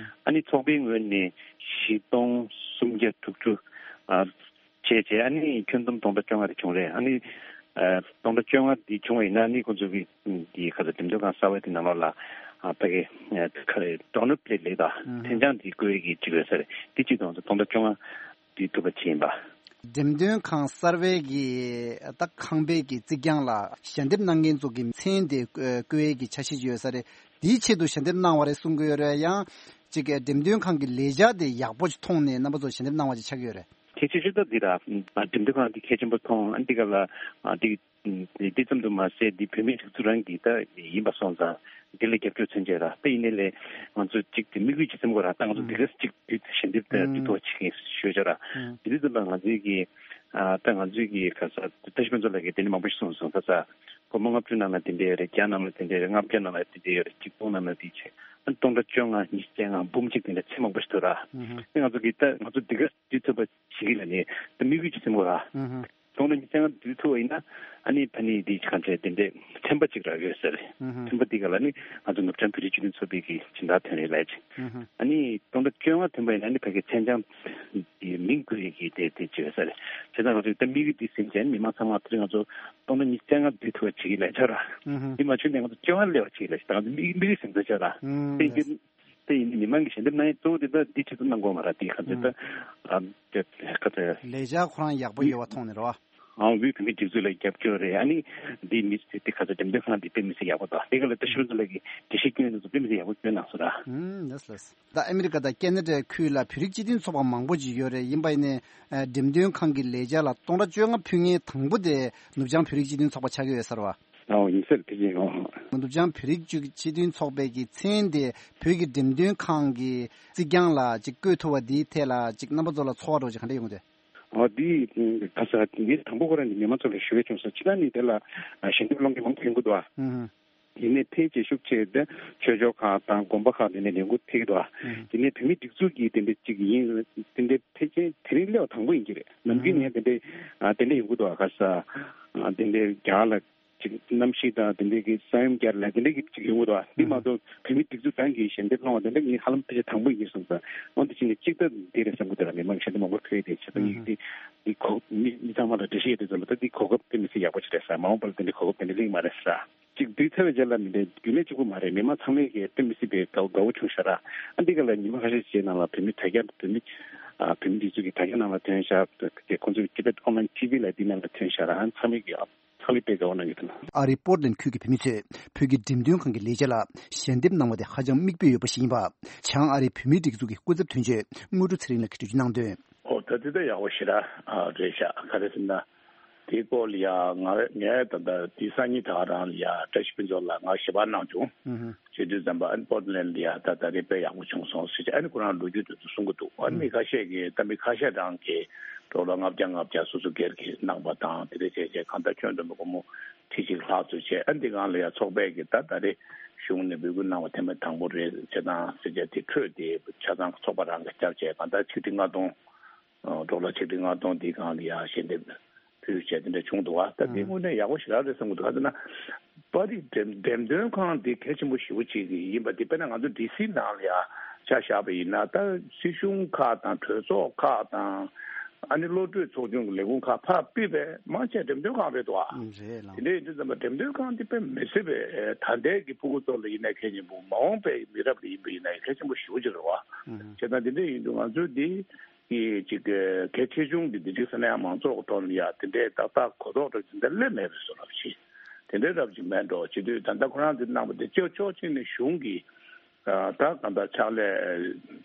ཨ་ནི་ཚོགས་པའི་ངོས་ནས་བཞི་སྟོང་སུམ་བརྒྱ་དྲུག་ཅུ། ཨ། བྱས་བྱས། ཨ་ནི་ཁྱོན་བསྡོམས་སྟོང་ཕྲག་བཅོ་ལྔ་དེ་བྱུང་རེད། ཨ་ནི། ཨ། སྟོང་ཕྲག་བཅོ་ལྔ་འདི་བྱུང་བ་ཡིན་ན། ཨ་ནི་ཁོང་ཚོ་གི་འདི་ག་ཚོད་འགྲེམས་སྟོན་ཁང་གསར་པ་དེ་ནང་ལོགས་ལ། ཨ། ཕ་གི། ཨ། ག་རེ། ཌོ་ནར་པི་ལེ་ལེགས་དང་། ཨུ་ཧུ། མཚན་བྱང་འདི་བཀོད་ཡས་ཀྱི་ཅིག་ཡོད་ས་རེད། འདི་གཅིག་དང་སྟོང་ཕྲག་བཅོ་ལྔ་འདི་ཐུབ་པ་བྱས་ཡིན་པ། འགྲེམས་སྟོན་ཁང་གསར་པའི་གི་ད་ཁང་པའི་གི་རྩིག་གྱང་ལ་ཞལ་འདེབས་གནང་མཁན་ཚོ་གི་མཚན་དེ་བཀོད་ཡས་ཀྱི་འཆར་གཞི་ཅིག་ཡོད་ས་རེད། འདིའི་ཆེད་དུ་ཞལ་འདེབས་གནང་བ་རེད་གསུང་གི་ཡོད་རེད། ཡང་ཅིག་འགྲེམས་སྟོན་ཁང་གི་ལས་འཆར་དེ་ཡག་པོ་ཅིག་མཐོང་ནས་རྣམ་པ་ཚོ་ཞལ་འདེབས་གནང་བ་ཅིག་ཆགས་ཀྱི་ཡོད་རེད། གལ་ཆེ་ཤོས་ད་འདི་ར། འགྲེམས་སྟོན་ཁང་འདི་གལ་ཆེན་པོ་མཐོང་། ཨ། འདི་ག་ལ། ཨ། འདི། འདི་ཙམ་དུ་མ་ཟད། འདི་བོད་མིའི་སྒྲིག་འཛུགས་རང་གི་ད་ཡིན་པ་སོང་ཙང་། འདི་ལ་རྒྱབ་སྐྱོར་མཚོན་བྱས་ར། ད་ཡིན་ནའི་ལས་ང་ཚོ་གཅིག་དེ་དམིགས་ཡུལ་གཅིག་མཚོན་དགོས་ར། ད་ང་ཚོ་འདི་ག་གཅིག་དུས་ཞལ་འདེབས་དེ་འདི་ཐོག་བྱེད་མཁན་ཞུ་བྱ་ར། འདི་དུས་ཙམ་པ་ང་ཚོའི་གི། ཨ། ད་ང་ཚོའི་གི་ག་ས་བཀྲ་ཤིས་ཕུན་ཚོགས་ལགས་ཀྱིས་དེ་འདྲ་མང་པོ་ཞིག་གསུངས་སོང་། ད་ས་སྒོར་མོ་ལྔ་བཅུ་ནང་ལ་དེ་འདྲ་ཡོད་རེད། བརྒྱ་ནང་ལ་དེ་འདྲ་ཡོད་རེད། ལྔ་བརྒྱ་ནང་ལ་དེ་འདྲ་ཡོད་རེད། གཅིག་སྟོང་ནང་ལ་དེ་བྱས། ཨ། སྟོང་ཕྲག་བཅོ་ལྔ། ཉི་ཤུ་རྩ་ལྔ། འབུམ་གཅིག་དེ་འདྲ་ཚད་མང་པོ་ཞིག་འདུག་ར། ཨ་ནི་ང་ཚོ་གི་ད་ང་ཚོ་འདི་ག་དུས་ཚོད་པ་ཞིག་ལ་ནི་ད་དམིགས་ཡུལ་གཅིག་མཚོན་དགོས་ར། སྟོང་ཕྲག་ཉི་ཤུ་རྩ་ལྔ་བསྡུ་ཐུབ་པ་ཡིན་ན། ཨ་ནི་ཕ་ནི་འདི་གང་བྱས་དེ་འདྲའི་ཚན་པ་གཅིག་རག་ཡོད་ས་རེད། ཨུ་ཧུ། ཚན་པ་འདི་ག་ལ་ནི་ང་ཚོ་ནུབ་བྱང་བོད་རིགས་སྤྱི་མཐུན་ཚོགས་པའི་གི་སྦྱིན་བདག་ཐོན་རེད་ལབ་ཅིག་ཨུ་ཧུ། ཨ་ནི་སྟོང་ཕྲག་བཅོ་ལྔ་ཐོན་པ་ཡིན་ན་ནི་ཕ་གི་མཚན་བྱང་གི་མིང་བཀོད་ཡས་ཀྱི་དེ་དེ་བྱས་ས་རེད། བྱས་ཙང་ང་ཚོ་ད་དམིགས་ཡུལ་འདི་ཟིན་བྱས་ནི་མི་མང་ཚང་མ་དེ་རིང་ང་ཚོ་སྟོང་ཕྲག་ཉི་ཤུ་རྩ་ལྔ་བསྡུ་ཐུབ་པ་བྱེད་ཀྱི་ལབ་ཆོག་ར། ཨུ་ཧུ། འདི་མ་བྱུང་ནས་ང་ཚོ་བཅོ་ལྔ་སླེབས་པ་བྱེད་ཀྱི་ལབ་ཞིག་ད་ང་ཚོ་དམིགས་དམིགས་ཡུལ་ཟིན་ཚར་ཆོག་ར། ཨུ། དེ་ཡིན་དེ་ཡིན་ནི་མི་མང་གི་ཞལ་འདེབས་གནང་ཡས་གཙོ་བོ་དེ་ད་འདི་ཆེད་དུ་གནང་དགོས་མ་རེད། དེ་ག་ཚོད་ད། ཨ། དེ་ག་ཚོད། ལས་འཆར་ཁོ་རང་ཡག་པོ་ཡོད་པ་མཐོང་ནས་རེད་བ། ཨང་། དབུས་བོད་མིའི་སྒྲིག་འཛུགས་ལ་རྒྱབ་སྐྱོར་རེད། ཨ་ནི་འདི་མི་སེར་དེ་ག་ཚོད་འགྲེམས་སྟོན་ཁང་འདི་དཔེ་མི་སྲིད་ཡག་པོ་འདུག་དེ་ག་ལ་ད་ཤུལ་ཚོ་ལ་གི་འགྲེལ་བཤད་སྐྱོན་དེ་ཚོ་དཔེ་མི་སྲིད་ཡག་པོ་སྐྱོན་གནང་སོང་ར། ཨུམ། ལགས་ལགས། ད་ཨ་མི་རི་ཀ་དང་ཁེ་ན་ཌའི་ཁུལ་ལ་བོད་རིགས་སྤྱི་མཐུན་ཚོགས་པ་མང་པོ་ཅིག་ཡོད་རེད། ཡིན་པ་ཡིན་ནའི་འགྲེམས་སྟོན་ཁང་གི་ལས་འཆར་ལ་སྟོང་ཕྲག་བཅོ་ལྔ་ཕུལ་མཁན་དང་པོ་དེ་ནུབ་བྱང་བོད་རིགས་སྤྱི་མཐུན་ཚོགས་པ་ཆགས་ཀྱི་ཡོད་ས་རེད་བ། ཨོ། ཡིན་ས་རེད། དེ་བཞིན། ཨོ། ནུབ་བྱང་བོད་རིགས་སྤྱི་མཐུན་ཚོགས་པའི་གི་མཚན་དེ་བོད་ཀྱི་འགྲེམས་སྟོན་ཁང་གི་རྩིག་གྱང་ལ་ཅིག་བཀོད་ཐུབ་པ་འདིའི་ཐད་ལ་ཅིག་རྣམ་པ་ཚོ་ལ་ཚོར་བ་འདྲ་བོ་ཅིག་ག་འདྲ་ཡོང་གི་འདུག་ཨོ། འདི་ག་ས་འདི་དང་པོ་ཁོ་རང་གི་མི་མང་ཚོ་ལ་ཞུ་བའི་བྱུང་སོང་། ཕྱི་ད་ནི་དེ་ལ་ཞལ་འདེབས་སློང་མཁན་མང་པོ་ཡོང་གི་འདུག་ཨ། ཨུ་ཧུ། ཡིན་ནའི་ཕལ་ཆེར་ཤུགས་ཆེ་དེ་ཆོས་ཕྱོགས་ཁག་དང་དགོན་པ་ཁག་དེ་ནས་ལས་འགུལ་ཐེབས་ཀྱི་འདུག་ཨ། ཨུ་ཧུ། དེ་ནས་བོད་མིའི་སྒྲིག་འཛུགས་ཀྱི་དེ་འདྲ་ཅིག་ཡིན། དེ་འདྲ་ཕལ་ཆེར་དེ་རིང་སླེབས་པ་དང་པོ་ཡིན་གྱི་རེད། ནམ་རྒྱུན་ནས་དེ་འདྲ་ཨ་དེ་འདྲ་ཡོང་གི་འདུག་ཨ། ག་ས་ཨ་དེ་འདྲ་རྒྱ་གར་ལ། ཅིག་གནམ་གཤིས་དང་དེ་འདྲའི་གི་ས་ཡོམ་བརྒྱབ་ལ་དེ་འདྲའི་གི་ཅིག་ཡོང་གི་འདུག་ཨ། འདི་མ་གཏོགས་བོད་མི་སྒྲིག་འཛུགས་གང་གིས་ཞལ་འདེབས་གནང་བ་དེ་འདྲ་ངས་ཧ་ལམ་ཕལ་ཆེར་དང་པོ་ཡིན་གསུངས་སོང་། འོན་ཏེ་ཕྱིན་ནས་གཅིག་ད་འདི་རེད་བསམ་གི་འདུག་ལ། མི་མང་ཞལ་འདེབས་མང་པོ་ཕུལ་ཡོད་དེ་བྱས་ཙང་ངས་འདི་འདི་གོ་མི་མི་ཚང་མ་ལ་འགྲེལ་བཤད་ཡོད་དེ་ཚོ་ལ་ད་འདི་གོ་སྐབས་དཔེ་མི་སྲིད་ཡག་པོ་ཅིག་རེད་ཟེར། མ་འོངས་པར་འདི་འདྲའི་གོ་སྐབས་དེ་འདྲ་གླེང་མ་རེད་ཟེར། གཅིག་དུས་ཚོད་བརྗེ་ལ་མི་འདྲ་རྒྱུན་ལས་གཅིག་པུ་མ་རེད། མི་མང་ཚང་མས་ཀྱི་དཔེ་མི་སྲིད་པའི་དགའ་དགའ་བོ་བྱུང་ཤག་ར། ཨ་འདི་ག་ལ་ཉི་མ་ཁ་ཤས་ཤིག་ནང་ལ་བོད་མི་དྲ་རྒྱ་བོད་མི་ཨ་བོད་མི་འདི་ཚོ་གི་དྲ་རྒྱ་ནང་ལ་ཐོན་ཤག་དེ་ཁོང་ཚོའི་Tibet Online T V ལ་འདི་ནང་ལ་ཐོན་ཤག་ར། ཨ་ཚང་མས་ཀྱི་ཨ་ཚང་མས་དཔེ་དགའ་བོ་གནང་གི་འདུག་ན། ཨ་རིའི་པོར་ཊ་ལེན་ཁུལ་གྱི་བོད་མི་ཚོས་བོད་ཀྱི་འགྲེམས་སྟོན་ཁང་གི་ལས་བྱེད་ལ་ཞལ་འདེབས་གནང་བ་དེ་ཧ་ཅང་མིག་དཔེ་ཡོད་པ་ཞིག་ཡིན་པ། བྱང་ཨ་རིའི་བོད་མིའི་སྒྲིག་འཛུགས་ཀྱི་སྐུ་ཚབ་དོན་གཅོད་དངོས་གྲུབ་ཚེ་རིང་ལགས་ཀྱིས་འགྲེལ་བརྗོད་གནང་དོན། ཨོ་ད་དེ་ད་ཡག་པོ་ཞེ་དྲག་ཨ་རེད་ཤག་ག་རེ་ཟེར་ན། དེའི་སྐོར་ལ་ཡ་ང་ངས་ད་ལྟ་དེ་སང་ཉིན་ད་ག་རང་ལ་ཡ་བཀྲ་ཤིས་ཕུན་ཚོགས་ལགས་ང་ཞལ་པར་གནང་བྱུང་། ཨུ་ཧུ། བྱེད་དུས་ཙམ་པ་ཨན་པོར་ཊ་ལེན་ལ་ཡ་ད་ད་རེས་དཔེ་ཡག་པོ་བྱུང་སོང་ཟེར་བྱས། ཨ་ནི་ཁོ་རང་ལོ་རྒྱུས་དེ་ཚོ་གསུང་གི་འདུག་ཨ་ནི་མི་ཁ་ཤས་ཀྱིས་ད་མི་ཁ་ཤས་རང་གིས་ཌོ་ལར་ལྔ་བརྒྱ་ལྔ་བརྒྱ་སོ་སོ་སྒེར་གྱིས་གནང་པ་དང་དེ་འདྲ་བྱས་བྱས་གང་ལྟར་ཁྱོན་བསྡོམས་པ་སྒོར་མོ་ཁྲི་གཅིག་ལྷག་ཙམ་བྱས། ཨ་འདི་སྒང་ལ་ཡ་ཚོགས་པས་ཀྱིས་ད་ད་རེས་གཞུང་ནས་འབོད་སྐུལ་གནང་བ་ཐེངས་མ་དང་པོ་རེད་བྱས་དང་ཟེར་བྱས་དེ་འཕྲོས་དེ་ཆ་ཚང་ཚོགས་པ་རང་གིས་བརྒྱབ་བྱས་གང་ལྟར་ཆིག་ཁྲི་ལྔ་སྟོང་ཨ་ཌོ་ལར་ཆིག་ཁྲི་ལྔ་སྟོང་འདི་སྒང་ལ་ཡ་ཞལ་འདེབས་ཕུལ་བྱས་དེ་འདྲ་བྱུང་འདུག་བ། ད་འདི་དངོས་གནས་ཡག་པོ་ཞེ་དྲག་རེད་བསམ་གྱི་འདུག་ག་ཟེར་ན། པར་རིས་འགྲེམས་འགྲེམས་སྟོན་ཁང་འདི་གལ་ཆེན་པོ་ཞེ་པོ་ཅིག་ཡིན་པ་འདི་དཔེར་ན་ང་ཚོ་ཌི་སི་ནང་ལ་ཡ་ཆ་བཞག་པ་ཡིན་ན་ད་སྲིད་གཞུང་ཁག་དང་གྲོས་ཚོགས་ཁག་དང་ཨ་ནི་བློ་གྲོས་ཚོགས་ཆུང་གི་ལས་ཁུངས་ཁག་ཕར་ཕུད་པའི་མང་ཆེ་འགྲེམས་སྟོན་ཁང་རེད་འདུག་བ། ཨང་། རེད་ལགས། དེ་འདྲ་ཡིན་དུས་ཙམ་པ་འགྲེམས་སྟོན་ཁང་འདི་དཔེ་མི་སྲིད་པའི་ད་ལྟའི་གི་ཕྲུ་གུ་ཚོ་ལ་ཡིན་ན་གལ་ཆེན་པོ་མ་འོངས་པའི་མི་རབས་ལ་ཡིན་པ་ཡིན་ན་གལ་ཆེན་པོ་ཞེ་པོ་ཅིག་རེད་བ། ཨང་། བྱས་ཙང་དེ་འདྲ་ཡིན་དུས་ང་ཚོས་འདི། གི་ཅིག་གལ་ཆེ་ཆུང་གི་འདི་ཅིག་ས་གནས་མང་ཚོགས་ཀྱི་ཐོག་ནས་ཡ་དེ་འདྲའི་ཏག་ཏག་གོ་རྟོགས་འདྲ་ཅིག་འདི་སླེབས་མེད་པའི་བཟོ་འདྲ་ཞིག་དེ་འདྲའི་རབ་ཅིག་མེད་འགྲོ་བྱེད་དུས་ད་ལྟ་ཁོ་རང་འདི་གནང་བ་དེ་ཅོག་ཅོག་ཅིག་ནས་གཞུང་གི་ད་གང་ལྟར་ཕྱག་ལས་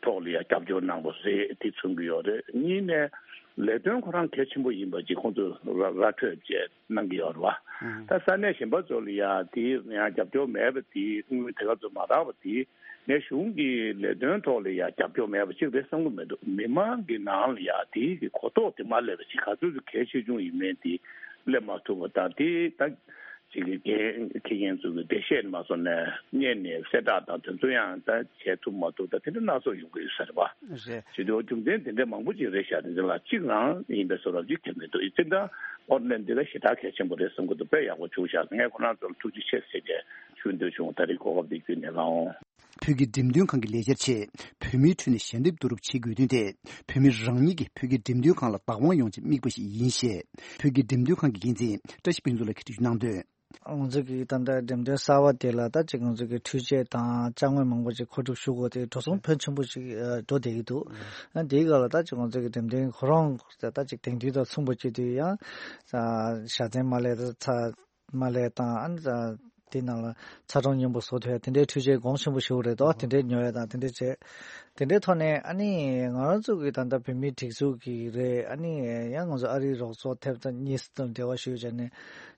ཐོག་ལ་ཡ་རྒྱབ་སྐྱོར་གནང་བ་རེད་དེ་མཚོན་གི་ཡོད་རེད། གཉིས་ནས་ལས་དོན་ཁོ་རང་གལ་ཆེན་པོ་ཡིན་པ་ཅིག་ཁོང་ཚོས་ར་ར་འཕྲོད་བཅས་གནང་གི་ཡོད་རེད་བ། ད་ས་གནས་གཞན་པ་ཚོ་ལ་ཡ་དེ་ཡང་རྒྱབ་སྐྱོར་མེད་པ་དེ་དངུལ་དེ་ག་ཚོད་མ་རག་པ་དེ། ངས་གཞུང་གི་ལས་དོན་ཐོག་ལ་ཡང་རྒྱབ་སྐྱོར་མེད་པ་གཅིག་རེད་བསམ་གྱི་མི་འདུག་མི་མང་གི་ནང་ལ་ཡང་དེའི་གི་གོ་རྟོགས་དེ་མ་སླེབས་པ་ཅིག་ག་ཚོད་ཀྱི་གལ་ཆེ་ཆུང་ཡིན་མིན་དེ་སླེབས་མ་ཐུབ་པ་དང་དེ་ད་ཅིག་གི་འགན་འཁྱེར་མཁན་ཚོ་གི་འགྲེལ་བཤད་མ་སོང་ནས་སྔོན་ནས་གསལ་བསྒྲགས་དང་དེ་ཚོ་ཡང་ད་བྱེད་ཐུབ་མ་ཐུབ་ད་དེ་འདྲ་སྣ་ཚོགས་ཡོང་གི་ཡོད་ས་རེད་བ། རེད། བྱེད་དུས་རྒྱུ་མཚན་དེ་འདྲ་མང་པོ་ཅིག་རེད་ཤག་དེ་ཚོ་ལ་གཅིག་རང་ཡིན་པའི་བཟོ་འདྲ་ཅིག་ཁྱེར་མི་འདུག་ཡིན་ཙང་ད་ཨོར་ལན་འདི་ལ་ཞེ་དྲག་གལ་ཆེན་པོ་རེད་བསམ་གྱི་འདུག་དཔེ་ཡག་པོ་བྱུང་ཤག་ངས་ཁོ་རང་ཚོར་ཐུགས་རྗེ་ཆེ་ཟེར་ཏེ་ཞུ་འདོད་བྱུང་། ད་རེས་གོ་སྐབས་འདི་བརྒྱུད་ནས་ལགས་འོང་། བོད་ཀྱི་འགྲེམས་སྟོན་ཁང་གི་ལས་འཆར་ཆེད་བོད་མིའི་ཁྲོད་ནས་ཞལ་འདེབས་བསྡུ་རུབ་བྱེད་དགོས་དོན་དེ་བོད་མི་རང་ཉིད་ཀྱིས་བོད་ཀྱི་འགྲེམས་སྟོན་ཁང་ལ་བདག་དབང་ཡོང་ཆེད་དམིགས་པ་ཞིག་ཡིན་ཞེས་བོད་ཀྱི་འགྲེམས་སྟོན་ཁང་གི་འགན་འཛིན་བཀྲ་ཤིས་ཕུན་ཚོགས་ལགས་ཀྱིས་འགྲེལ་བརྗོད་གནང་དོན། ང་ཚོ་གི་ད་ལྟ་འགྲེམས་སྟོན་གསར་བ་དེ་ལ་ད་ཅིག་ང་ཚོ་གི་འཕྲུལ་ཆས་དང་ཅ་དངོས་མང་པོ་ཅིག་མཁོ་སྒྲུབ་ཞུ་དགོས་དེ་འགྲོ་སོང་ཕོན་ཆེན་པོ་ཅིག་འགྲོ་བསྡད་ཀྱི་འདུག་ཨ་དེའི་སྐབས་ལ་ད་ཅིག་ང་ཚོ་གི་འགྲེམས་སྟོན་ཁོ་རང་ད་ཅིག་དེང་དུས་དང་མཚུངས་པ་བྱེད་དུས་ཡང་ཞག་ཚན་མ་ལས་ད་ཚ། མ་ལས་དང་ཨ་ནི་དེ་ནང་ལ་ཚ་གྲང་སྙོམས་པོ་བཟོ་ཐུབ་ཡ་དེ་འདྲའི་འཕྲུལ་ཆས་གོང་ཆེན་པོ་ཞིག་རེད་དོ། དེ་འདྲའི་ཉོ་ཡ་དང་དེ་འདྲའི་བྱས། དེ་འདྲའི་ཐོག་ནས་ཨ་ནི་ང་རང་ཚོ་གི་ད་ལྟ་བོད་མིའི་སྒྲིག་འཛུགས་ཀྱི་རེད། ཨ་ནི་ཡང་ང་ཚོ་ཨ་རིའི་རོགས་ཚོགས་ཐེབས་རྩ་གཉིས་སུ་འབྲེལ་བ་ཞུས་བྱས་ནས་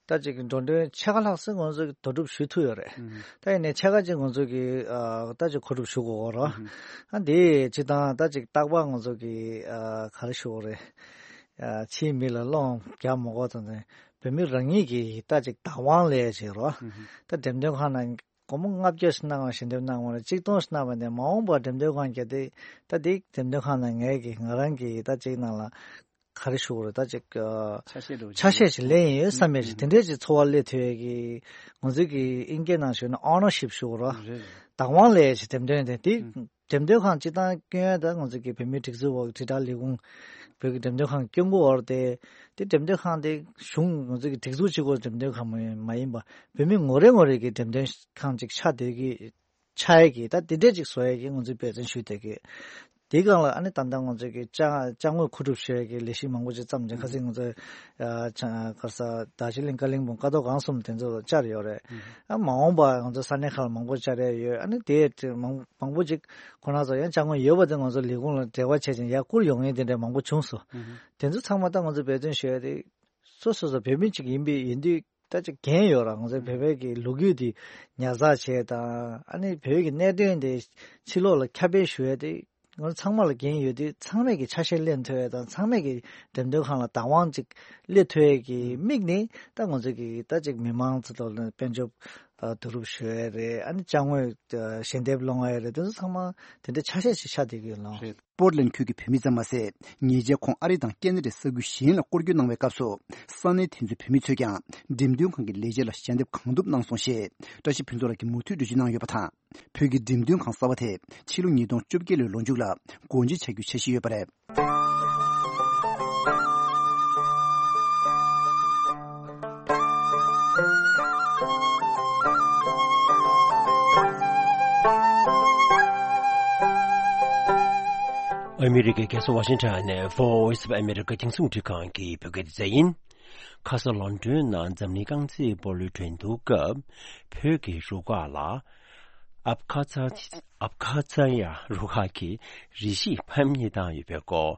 ད་ཅིག་འགྲོ་གྲོན་ཕྱེད་ཀ་ལྷག་ཙམ་ང་ཚོ་གི་ལྡོག་སྒྲུབ་ཞུ་ཐུབ་ཡོད་རེད། ད་ཡིན་ནའི་ཕྱེད་ཀ་ཅིག་ང་ཚོ་གི་ད་ཅིག་མཁོ་སྒྲུབ་ཞུ་དགོས་རོ། ཨ་འདི་ཅིག་དང་ད་ཅིག་རྟག་པར་ང་ཚོ་གི་ག་རེ་ཞུ་དགོས་རེད། ཕྱིའི་མི་ལ་སློང་རྒྱག་མ་དགོས་དང་། བོད་མི་རང་ཉིད་ཀྱིས་ད་ཅིག་བདག་དབང་ལས་བྱེད་རོགས། ད་འགྲེམས་སྟོན་ཁང་ནང་སྒོར་མོ་ལྔ་བརྒྱ་ཞིག་གནང་བ་ཞིག་འགྲེམས་གནང་བ་ལ་གཅིག་སྟོང་ཞིག་གནང་བ་ནས་མ་འོངས་པར་འགྲེམས་སྟོན་ཁང་བརྒྱབ་སྟེ་ད་འདི་འགྲེམས་སྟོན་ཁང་ནང་ངས་ཀྱིས་ང་རང་གིས་ད་ཅིག་ནང་ལ་ག་རེ་ཞུ་དགོས་རེད། ད་ཅིག་ཆ་ཤས་འདྲ་བོ་ཆ་ཤས་ཤིག་ལེན་ཡིན་ཡོད་བསམ་ཡས་ཞིག་དེ་འདྲས་ཅིག་འཚོ་བ་སླེབས་ཐུབ་ཡས་ཀྱི་ང་ཚོའི་གི་ཨིན་སྐད་ནང་ཞུས་ན་ཨོ་ནར་ཤིབ་ཞུ་དགོས་རོགས། རེད་རེད། བདག་དབང་ལས་བྱེད་འགྲེམས་སྟོན་དེ་འདི། འགྲེམས་སྟོན་ཁང་སྤྱི་བཏང་སྐྱོན་ཡ་ད་ང་ཚོ་གི་བོད་མིའི་སྒྲིག་འཛུགས་འོག་དྲིལ་བསྒྲགས་ལས་ཁུངས་བོད་ཀྱི་འགྲེམས་སྟོན་ཁང་སྐྱོང་གི་འོག་དེ་དེ་འགྲེམས་སྟོན་ཁང་དེ་གཞུང་ང་ཚོ་གི་སྒྲིག་འཛུགས་གཅིག་པོ་འགྲེམས་སྟོན་ཁང་མ་མ་ཡིན་པ་བོད་མི་ངོ་རེ་ངོ་རེ་གི་འགྲེམས་སྟོན་ཁང་ཅིག་ཆགས་བསྡད་ཀྱི་ཆགས་ཡ་གི་ད་དེ་འདྲས་ཅིག་བཟོ་ཡ་གི་ང་ཚོས་འབད་བརྩོན་ཞུས་བསྡད་ཀྱི། དེའི་སྒང་ལ་ཨ་ནི་ད་ལྟ་ང་ཚོ་གི་ཅ་ཅ་དངོས་མཁོ་སྒྲུབ་ཞུ་ཡ་གི་ལས་གཞི་མང་པོ་ཅིག་བརྩམས་ཀྱང་ཁ་སང་ང་ཚོ་ཨ་ཅ་ཁ་ས་རྡོ་རྗེ་གླིང་ཀ་ལིང་སྦུག་ཀ་རྡོ་སྒང་གསུམ་དེ་ཚོ་ལ་བཅར་ཡོད་རེད། ཨ་མ་འོངས་པ་ང་ཚོ་ས་གནས་ཁག་ལ་མང་པོ་བཅར་ཡ་ཡོད། ཨ་ནི་དེ་མང་མང་པོ་ཅིག་ཁོ་རང་ཚོ་ཡང་ཅ་དངོས་ཡོད་པ་དེ་ང་ཚོ་ལས་ཁུངས་ལ་འབྲེལ་བ་བྱས་ཅིང་ཡར་བསྐུར་ཡོང་མཁན་དེ་འདྲ་མང་པོ་བྱུང་སོང་། དེ་ཚོ་ཚང་མ་ད་ང་ཚོ་འབད་བརྩོན་ཞུ་ཡ་དེ་སོ་སོ་སོ་བོད་མི་ཅིག་ཡིན་པའི་ཡིན་དུས་ད་ཅིག་འགན་ཡོད་ར། ང་ཚོ་བོད་པའི་གི་ལོ་རྒྱུས་དེ་ཉར་ཚགས་བྱས་དང་ཨ་ནི་བོད་ཀྱི་གནད་དོན་དེ་ཕྱི་ལོགས་ལ་ཁྱབ་སྤེལ་ཞུ་ཡ་དེ་ང་ཚོ་ཚང་མ་ལ་འགན་ཡོད་དུས་ཚང་མས་ཀྱི་ཆ་ཤས་ལེན་ཐུབ་ཡ་དང་ཚང་མས་ཀྱི་འགྲེམས་སྟོན་ཁང་ལ་བདག་དབང་ཅིག་སླེབས་ཐུབ་ཡ་གི་དམིགས་ནས་ད་ང་ཚོ་གི་ད་ཅིག་མི་མང་ཚོ་ཐོག་ལ་དཔལ་འབྱོར་ བསྡུ་རུབ་ཞུ་ཡ་རེད། ཨ་ནི་ཅ་དངོས་ཞལ་འདེབས་སློང་ཡ་རེད། དེ་ཚོ་ཚང་མ་དེ་འདྲའི་ཆ་ཤས་ཤིག་ཆགས་བསྡད་ཀྱི་ཡོད་ལགས། རེད། པོར་ལན་ཁུལ་གྱི་བོད་མི་ཙམ་མ་ཟད། ཉེ་ཆར་ཁོང་ཨ་རི་དང་ཁེ་ན་ཌའི་ས་ཁུལ་གཞན་ལ་སྐོར་སྐྱོད་གནང་བའི་སྐབས་སུ། ས་གནས་དེ་ཚོའི་བོད་མི་ཚོས་ཀྱང་འགྲེམས་སྟོན་ཁང་གི་ལས་བྱེད་ལ་ཞལ་འདེབས་གང་ཐུབ་གནང་སོང་ཞེས་བཀྲ་ཤིས་ཕུན་ཚོགས་ལགས་ཀྱིས་མུ་མཐུད་འགྲེལ་བརྗོད་གནང་ཡོད་པ་དང་། བོད་ཀྱི་འགྲེམས་སྟོན་ཁང་གསར་པ་དེ་ཕྱི་ལོ་ཉིས་སྟོང་བཅོ་བརྒྱད་ལོའི་ལོ་མཇུག་ལ་སྒོ་འབྱེད་བྱ་རྒྱུའི་འཆར་གཞི་ཡོད་པ་རེད། ཨ་མི་རི་ཀའི་རྒྱལ་ས་ཝ་ཤིང་ཊོན་ནས་Voice of America རྒྱང་སྲིང་རླུང་འཕྲིན་ཁང་གི་བོད་སྐད་སྡེ་ཚན་ཡིན། ཁ་ས་ལོན་ཌོན་ནང་འཛམ་གླིང་རྐང་རྩེད་སྤོ་ལོའི་འགྲན་བསྡུར་སྐབས། བོད་ཀྱི་རུ་ཁག་ལ། ཨབ་ཁ་ཚ། ཨབ་ཁ་ཚ་ཡ་རུ་ཁག་གིས་རེ་ཞིག་ཕམ་ཉེས་བཏང་ཡོད་པའི་སྐོར།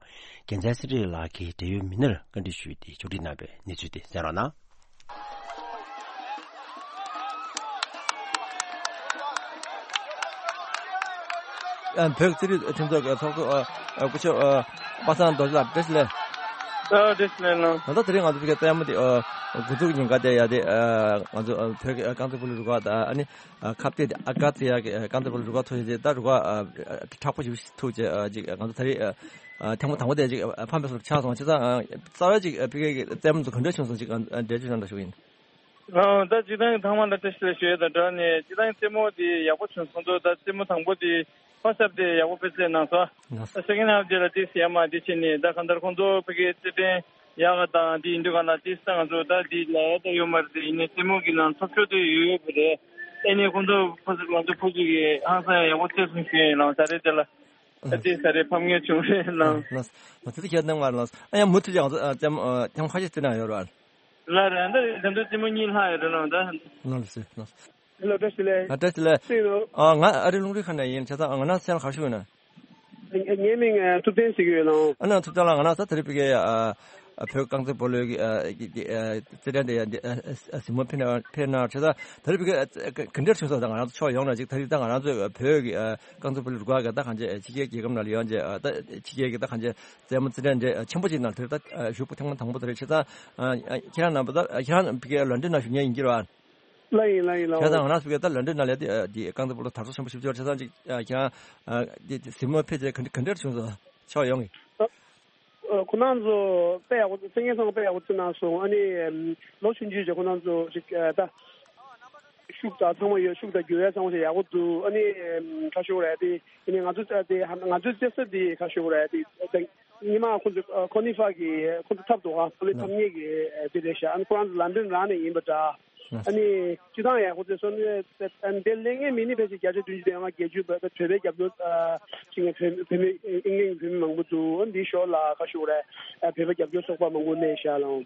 རྒྱལ་མཚན་ཚེ་རིང་ལགས་ཀྱིས་འབྲེལ་ཡོད་མི་སྣར་བཀའ་འདྲི་ཞུས་ཏེ་ཕྱོགས་སྒྲིག་གནང་བའི་གནས་ཚུལ་དེ་གསན་རོགས་གནང་། ཨ། བོད་རྩེད་རིགས་མཐུན་ཚོགས་ཀྱི་ཚོགས་གཙོ། ཨ། ཨ། སྐུ་ཞབས། ཨ། པ་སངས་རྡོ་རྗེ་ལགས། བཀྲ་ཤིས་བདེ་ལེགས། ཨ། བཀྲ་ཤིས་བདེ་ལེགས་ལགས། ད་ལྟ་དེ་རིང་ང་ཚོ་ཕ་གིའི་རྩེད་མོ་དེ། ཨ། འགོ་འཛུགས་ཉིན་ཀ་དེ་ཡ་དེ། ཨ། ང་ཚོ། ཨ། བོད་ཀྱི་རྐང་རྩེད་སྤོ་ལོའི་རུ་ཁག་དང་། ཨ་ནི། ཨ། ཁ་གཏད་དེ་ཨ་ཀ་ཚེ་ཡ་གི་རྐང་རྩེད་སྤོ་ལོའི་རུ་ཁག་ཐོག་ཡོད་དེ། ད་རུ་ཁག་ཨ་དྲག་པོ་ཞིག་ཐུག་བྱས། ཨ། ཅིག་ང་ཚོ་ད་རེས། ཨ། ཐེངས་མ་དང་པོ་དེ་ཅིག་ཕམ་པའི་བཟོ་འདྲ་ཆགས་སོང་། བྱས་ཙང་། ཨ། རྩ་བའི་ཅིག་ཕ་གི་གི་རྩེད་མོ་ཚོ་ག་འདྲ་བྱུང་སོང་། ཅིག་ཨ། འགྲེལ་བརྗོད་གནང་རོགས་ཞུ་གི་ཡིན། ཨ། ད་སྤྱིར་བཏང་ཐོག་མ་ལ་བཀྲ་ཤིས་བདེ་ལེགས་ཞུ་ཡས་དང་སྦྲགས་ནས། སྤྱིར་བཏང་རྩེད་མོ་དེ་ཡག་པོ་བྱུང་སོང་འདུག་ད་རྩེད་མོ་དང་པོ་དེ་first half དེ་ཡག་པོ་སྤེལ་གསལ་གནང་སོང་། ལགས། ད་second half དེ་ལ་ཏོག་ཙམ་ཡར་མར་དེ་བྱས་ནས། ད་གང་ལྟར་ཁོང་ཚོ་ཕ་གིའི་རྩེད་འགྲན་ཡག་ག་དང་དེ་ཡིན་དུས་ག་ལ། དེ་ས་ང་ཚོ་ད་དེ་ལ་ཡག་ད་ཡོད་མ་རེད། དེ་ཡིན་ནའི་རྩེད་མོ་གི་ནང་འཐབ་ཕྱོགས་དེ་ཡོད་ཡོད་པ་རེད། ཨེ་ནས་ཁོང་ཚོ་ཕོ་སི་ང་ཚོ་ཕོ་སི་གི་ཧང་སང་ཡག་པོ་རྩེད་སོང་ཞུ་ཡིན་ལགས། ད་རེས་དེ་ལ། ཨ། ད་དེ་ས་རེད་ཕམ་ཉེས་བྱུང་རེད་ལགས། ལགས། ལགས། དེ་ཚོ་ཁྱེད་གནང་བ་ལགས། ཨ། ཡང་མུ་མཐུད་ཀྱང་ང་ཚོ། ཨ། རྩེད་མོ། ཨ། ཐེངས་ཁ་ཤས་རྩེད་གནང་ཡོད་རེད། ལགས་རེད། ད་ད་དུང་རྩེད་མོ་གཉིས་ལྷག་ཡོད་རེད་ལགས། ད། ལགས་སོ། ལགས་སོ། ཧེ་ལོ། བཀྲ་ཤིས་བདེ་ལེགས། ཨ། བཀྲ་ཤིས་བདེ་ལེགས། སུ་ཡིན་ནམ། ཨ། ང་ཨ་རི་རླུང་འཕྲིན་ཁང་ནས་ཡིན། བྱས་ཙང་ང་རང་མཚན་ལ་ག་རེ་ཞུ་ཡིན་ན། ངའི་མིང་ཐུབ་བསྟན་ཟེར་གྱི་ཡོད་ལགས། ཨ་ནི་ཐུབ་བསྟན་ལགས། ང་རང་ད་དེ་རིང་ཕ་གིའི། ཨ། བོད་རྐང་རྩེད་སྤོ་ལོའི་གི། ཨ། གི་གི། ཨ། རྩེད་འགྲན་དེ་ཡ་འདི། ཨ། གཟིགས་མོ་ཕེབས་གནང་ཕེབས་གནང་། བྱས་ཙང་ད་རེས་ཕ་གི། ཨ། ག་འདྲ་བྱུང་སོང་། ད་ང་རང་ཚོ་ཕྱོགས་ཡོངས་ནས་ཅིག་ད་རེས་ད་ང་རང་ཚོའི་བོད་ཀྱི། ཨ། རྐང་རྩེད་སྤོ་ལོའི་རུ་ཁག་གི་ད་གང་ཅི་ཕྱི་རྒྱལ་རྒྱལ་ཁབ་ནང་ལ་ཡོང་བྱས། ཨ། ད་ཕྱི་རྒྱལ་གྱི་ད་གང་ཅི་རྩེད་མོ་རྩེད་འགྲན་དེ་ཆེན་པོ་ཅིག་ནང་དེར་ད། ཨ། ཞུགས་པ་ཐེངས་མ་དང་པོ་དེ་རེད། བྱས་ཙང་། ཨ། ཁྱེད་རང་རྣམ་པ་ད་ཁྱེད་རང་ཕ་གིའི་ལོན་ཌོན་ནང་བཞུགས་མཁན་ཡིན་གྱི་རེད་པ། ལགས་ཡིན། ལགས་ཡིན་ལགས། བྱས་ཙང་ང་རང་ཚོ་གི་ད་ལོན་ཌོན་ནང་ལ་དེ། ཨ། དེ་རྐང་རྩེད་སྤོ་ལོ་དར་སོ་ཆེན་པོ་ཞེ་པོ་ཅིག་ཡོད་རེད། བྱས་ཙང་ཅིག་ཨ། ཁྱེད་རང་། ཨ། དེ་གཟིགས་མོ་ཕེབས་བྱས་ག་འདྲ་ག་འདྲ་བྱུང་སོང་། ཕྱོགས་ཡོངས་ཀྱི། ཨ། ཁོང་རྣམ་ཚོ་དཔེ་ཡག་པོ། མཚན་སྙན་ཚང་མ་དཔེ་ཡག་པོ་བརྩི་གནང་སོང་། ཨ་ནི། ཨམ། ལོ་ཆུང་ཆུང་བྱས་ཁོང་རྣམ་ཚོ་ཅིག་ཨ། ད་ཤུགས་དང་ཚང་མ་ཡོད། ཤུགས་དང་འགྱུར་བ་ཚང་མ་ཞིག་ཡག་པོ་འདུག་ཨ་ནི། ཨམ། ཁ་ཤོར་རེད་དེ། ཨ་ནི་ང་ཚོ་ད་དེ་ང་ཚོའི་རྩེད་ས་དེ་ཁ་ཤོར་རེད་དེ། ད་ཉི་མ་ཁོང་ཚོ། ཨ། ཁོ་ནི་ཧྥ་གི་ཁོང་ཚོ་འཐབ་འདུག་ཨ། སྤོ་ལོ་འཐབ་མཁན་གྱི་དེ་རེད་ཤག་ཨ་ནི་ཁོ་རང་ཚོ་ལན་ཌོན་རང་ནས་ཡིན་པ་འདྲ། ཨ་ནི་སྤྱིར་བཏང་ཡག་པོ་བྱས་སོང་། ཨ་ནི་འདིར་སླེབས་མཁན་མི་ནི་ཕལ་ཆེར་བརྒྱ་ཆ་བདུན་ཅུ་དོན་ལྔ། བརྒྱད་ཅུ་བོད་པའི་རྒྱབ་སྐྱོར། ཨ། བྱེད་མཁན་བོད་བོད་མི། ཨིང་ལན་བོད་མི་མང་པོ་འདུག་ཨ་ནི་འདིའི་ཞོར་ལ་ཁ་ཤོར་རེད། ཨ། བོད་པ་རྒྱབ་སྐྱོར་ཚོགས་པ་མང་པོ་གནས་ཤག་ལགས།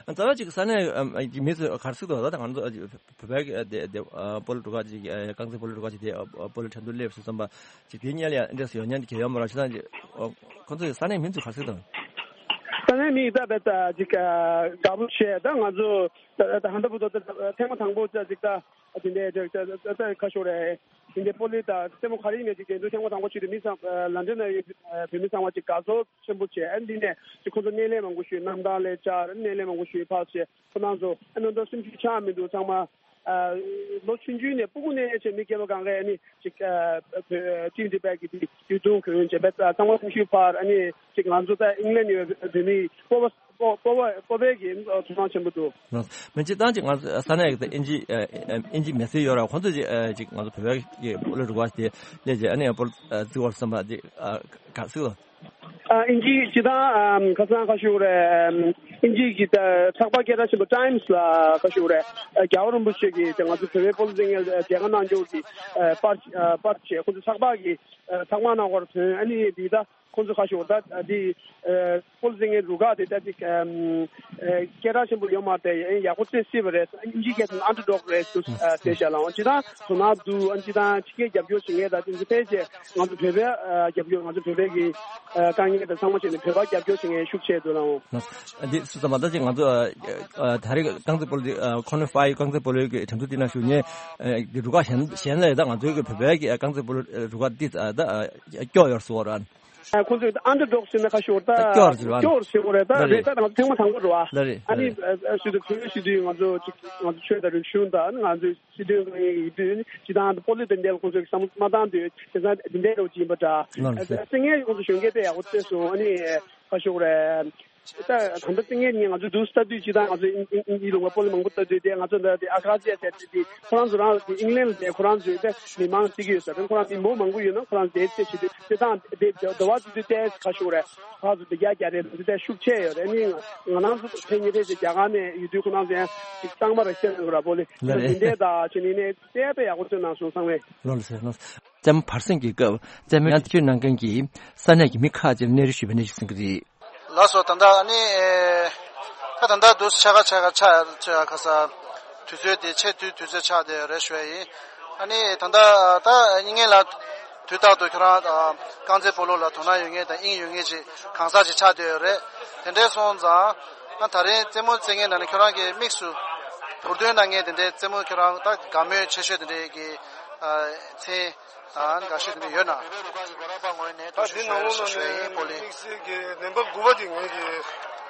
རྩ་བ་ཅིག་ས་གནས་མི་ཚོས་ག་རེ་ཟེར་འདུག་ད་ང་ཚོ་བོད་པའི་དེ་དེ་སྤོ་ལོ་རུ་ཁག་ཅིག་རྐང་རྩེད་སྤོ་ལོ་རུ་ཁག་ཅིག་དེ་སྤོ་ལོ་འགྲན་བསྡུར་སླེབས་སོང་ཙང་ཅིག་དེ་གཉིས་ལ་ཡང་འདྲ་སུ་ཡོང་མཁན་དེ་གལ་ཡོད་མ་རེད། བྱས་ཙང་ཅིག་ཁོང་ཚོས་ས་གནས་མི་ཚོས་ག་རེ་ཟེར་འདུག་ས་གནས་མི་ད་བས་ད་ཅིག་དགའ་པོ་བྱས། ད་ང་ཚོ་ད་ད་ཧན་ད་བུ་ཏོ་ད་ཐེངས་མ་དང་པོ་ད་ཅིག་ད་དེ་འདྲའི་ད་ད་ད་ཁ་ཤོར་རེད། དེ་འདྲའི་སྤོ་ལོ་དང་རྩེད་མོ་ག་རེ་ཡིན་ནའི་ཅིག་འགྲན་བསྡུར་ཐེངས་མ་དང་པོ་བྱས་ཏེ་མི་ཚང་། ཨ། ལན་ཌོན་ནང་བོད་མི་ཚང་མ་ཅིག་དགའ་ཚོར་ཆེན་པོ་བྱས། ཨ་ནི་འདི་ནས་ཅིག་ཁོང་ཚོ་སྣེ་ལེན་མང་པོ་ཞུས། གནམ་ཐང་ལ་བཅར། སྣེ་ལེན་མང་པོ་ཞུས། ཕར་བྱས་ཁོ་རང་ཚོ། ཨ་ནི་ད་སུམ་ཅུ་ཆགས་མི་འདུག་ཚང་མ། ཨ། ལོ་ཆུང་ཆུང་ནས་སྤུ་གུ་ནས་བྱས་མི་རྒན་པ་གང་གས་ཨ་ནི་ཅིག་ཨ། བོད་ཊིམ་དེ་བས་ཀྱི་དེ་དུས་ཐུང་གོན་བྱས་པས་ཚང་མ་སེམས་ཤུགས་འཕར། ཨ་ནི་ཅིག་ང་ཚོ་ད་ཨིང་ལན་ཡོད་བོད་མི་སྤོ་བོ་སྤོ་སྤོ་བོ་སྤོ་བོ་གི་ཚོར་སྣང་ཆེན་པོ་འདུག་མི་སྤྱིར་བཏང་ཅིག་ང་ཚོ་ས་གནས་ཀྱི་ད་ཨིན་ཇི་ཨ། ཨིན་ཇི་མི་སེར་ཡོད་ར། ཁོང་ཚོས་ཅིག་ཨ། ཅིག་ང་ཚོ་བོད་པའི་གི་སྤོ་ལོ་རུ་ཁག་དེ་སླེབས་བྱས་ཨ་ནི་སྤོ་ལོ་རྩེ་བར་བསམ་པ་དེ་ཨ། ག་རེ་ཟེར་དགོས། ཨ། ཨིན་ཇི་སྤྱིར་བཏང་། ཨམ། ཁ་སང་ཁ་ཤོར་རེད། ཨམ། ཨིན་ཇི་གི་ད་ཚགས་པར་སྐད་གྲགས་ཆེན་པོ་ཊའིམ་སི་ལ་ཁ་ཤོར་རེད། ཨ། རྒྱལ་བ་རིན་པོ་ཆེ་གིས་ད་ང་ཚོ་བོད་པའི་སྤོ་ལོ་རྩེད་མཁན་མཇལ་ཁ་གནང་རྒྱུ་གི་ཨ། པར་ཨ། པར་བྱས། ཁོ་ཚོ་ཚགས་པར་གི་ཨ། ཚགས་པར་ནང་ཁོ་རང་ཐོན། ཨ་ནི་འདི་ད་ཁོ་ཚོ་ཁ་ཤོར་ད་འདི་ཨ། སྤོ་ལོ་རྩེད་མཁན་རུ་ཁག་དེ་ད་ཅིག་ཨམ། ཨ། སྐད་གྲགས་ཆེན་པོ་ཡོད་མ་རེད། ཡང་ཡག་པོ་རྩེ་སྲིད་པ་རེད། ཨིན་ཇི་སྐད་དུ་ཨན་ཌར་ཌོག་རེད་ཟེར་ཨ། ཟེར་བཞག་ལགས། སྤྱིར་བཏང་དོ་སྣང་འདུག་ཨ། སྤྱིར་བཏང་ཕྱི་རྒྱལ་རྒྱབ་སྐྱོར་བྱེད་མཁན་དང་དེ་ཚོ་ཕལ་ཆེར་ང་ཚོ་བོད་པའི་ཨ། རྒྱབ་སྐྱོར། ང་ཚོ་བོད་པའི་གི་ཨ། དཀའ་ངལ་དང་ཚང་མ་བྱས་ནས་བོད་པ་རྒྱབ་སྐྱོར་བྱེད་མཁན་ཤུགས་ཆེ་འདུག་ལགས། འདི་སུ་ཙམ་མ་ད་ཅིག་ང་ཚོ་ཨ། ད་རེས་རྐང་རྩེད་སྤོ་ལོ་འདི་ཨ། ཁོ་ནི་ཧྥའི་རྐང་རྩེད་སྤོ་ལོའི་གི་འགྲན་བསྡུར་འདི་ནང་ཞུགས་མཁན་ཨ། གི་རུ་ཁག་གཞན་གཞན་ལས་ད་ང་ཚོའི་གི་བོད་པའི་གི་ཨ། རྐང་རྩེད་སྤོ་ལོ་རུ་ཁག་འདི་ད་ཨ། སྐྱོ་ཡོད་སོ་ར། ཁོང་ཚོས་ཨན་ཌར་ཌོག་ཟེར་ན་ཁ་ཤོར་ད་སྐྱོར་ཟེར་བ་སྐྱོར་ཟེར་དགོས་རེད། ད་ལ་རེད། རེད་ད་ང་ཚོ་ཐེངས་མ་དང་པོ་རེད་བ། ལ་རེད། ཨ་ནི་ལ་རེད། ཨ་ཨ་ཞུ་དུ་གུས་ཞུ་དུས་ང་ཚོ་ཅིག་ང་ཚོ་ཆོས་དང་རིག་གཞུང་དང་ང་ཚོ་སྲིད་དོན་གང་ཡིན་ཡིན་དུས་ནི་སྤྱི་བཏང་དུ་སྤོ་ལོ་དེ་འདྲའི་ལ་ཁོང་ཚོས་བསམ་བློ་མ་བཏང་དུས་དེ་ཚང་དེ་འདྲའི་རོགས་ཅིག་ཡིན་པ་འདྲ། ལགས་སོ། སེ་ངས་ཁོང་ཚོ་གཞོན་སྐྱེས་དཔེ་ཡག་པོ་བལྟས་སོང་། ཨ་ནི་ཁ་ཤོར་རེད། ད་ད་ལྟ་སེ་ངས་ནི་ང་ཚོ་འདུག་ལྟ་དུས་སྤྱི་བཏང་ང་ཚོ་ཨིན་ཨིན་ཨིན་ལུང་པ་སྤོ་ལོ་མང་པོ་ལྟ་དུས་དེ་ང་ཚོ་འདི་ཨ་ཁ་ཟི་ཡ་ཟེར་དུས་དེ་ཁོ་རང་ཚོ་རང་ཨིང་ལན་ལ་བསྡད་ཁོ་རང་ཚོའི་དེ་མི་མང་བརྩི་གི་ཡོད་ས་རེད། ཁོ་རང་མི་མང་མང་པོ་ཡོད་ན་ཁོ་རང་བསྡད་ཚེ་བྱེད་དུས་དེ་དང་དེ་དེ་དེ་བ་དེ་དུས་ཏེ་ཁ་ཤོར་རེད། ཁ་ཚོ་དེ་རྒྱ་རྒྱ་རེད། དེ་དེ་ཤུགས་ཆེ་ཡོད་རེད། ནི་ང་རང་ཚོ་ཕན་ཉེ་རེད་དེ་རྒྱ་གར་ནས་ཡོད་དུས་ཁོ་རང་ཚོ་ཡང་ཅིག་གཙང་མ་རེད་ཤེས་ནས་ར་པོ་ལེ་ལ་རེད། དེ་འདྲས་དང་བྱེད་ནི་ནས་དེ་དཔེ་ཡག་པོ་བརྩོན་གནང་སོང་། ཚང་མས། ལོ་ལ་ཟེར་ལོ། རྩེད་མོ་བར་གསེང་གི་སྐབས་རྩེད་མོའི་ཡང་བསྐྱོད་གནང་མཁན་གྱི་ས་གནས་ཀྱི་མི་ཁག་ཅིག་ལ་གནས་རི་ཞུས་པའི་གནས་ཚུལ་གསན་གྱི་རེད། ལགས་སོ། ད་ལྟ་ཨ་ནི་ཨེ་ད་ད་ལྟ་དུས་ཆ་ག་ཆ་ག་ཆ་ཆ་ག་ས་དུས་ཚོད་དེ་ཆེས་དུས་དུས་ཚོད་ཆགས་བསྡད་ཡོད་རེད་ཞུ་ཡ་ཡིན། ཨ་ནི་ད་ལྟ་ད་ངེད་ལ་དུས་རྟག་ཏུ་ཁྱོད་རང་རྐང་རྩེད་སྤོ་ལོ་ལ་དོ་སྣང་ཡོད་མཁན་དང་དབྱིངས་ཡོད་མཁན་ཅིག་གང་ཟག་ཅིག་ཆགས་བསྡད་ཡོད་རེད། དེ་འདྲས་སོང་ཙང་ཨ་ད་རིང་རྩེད་མོ་རྩེད་མཁན་ནང་ནས་ཁྱོད་རང་གི་དམིགས་སུ་བུར་འདོན་གནང་མཁན་དེ་འདྲའི་རྩེད་མོ་ཁྱོད་རང་ད་དགའ་མོས་ཆེ་ཤོས་དེ་འདྲའི་གི་མཚན། ཨ་ནི་དགའ་ཤོས་དེ་འདྲ་ཡོད་ན། ད་འདི་ནང་ལོགས་ནས་ཞུ་ཡིན་སྤོ་ལོ། དམིགས་བསལ་གྱི་ནམ་བར་དགུ་པ་དེ་ངས་ཀྱི་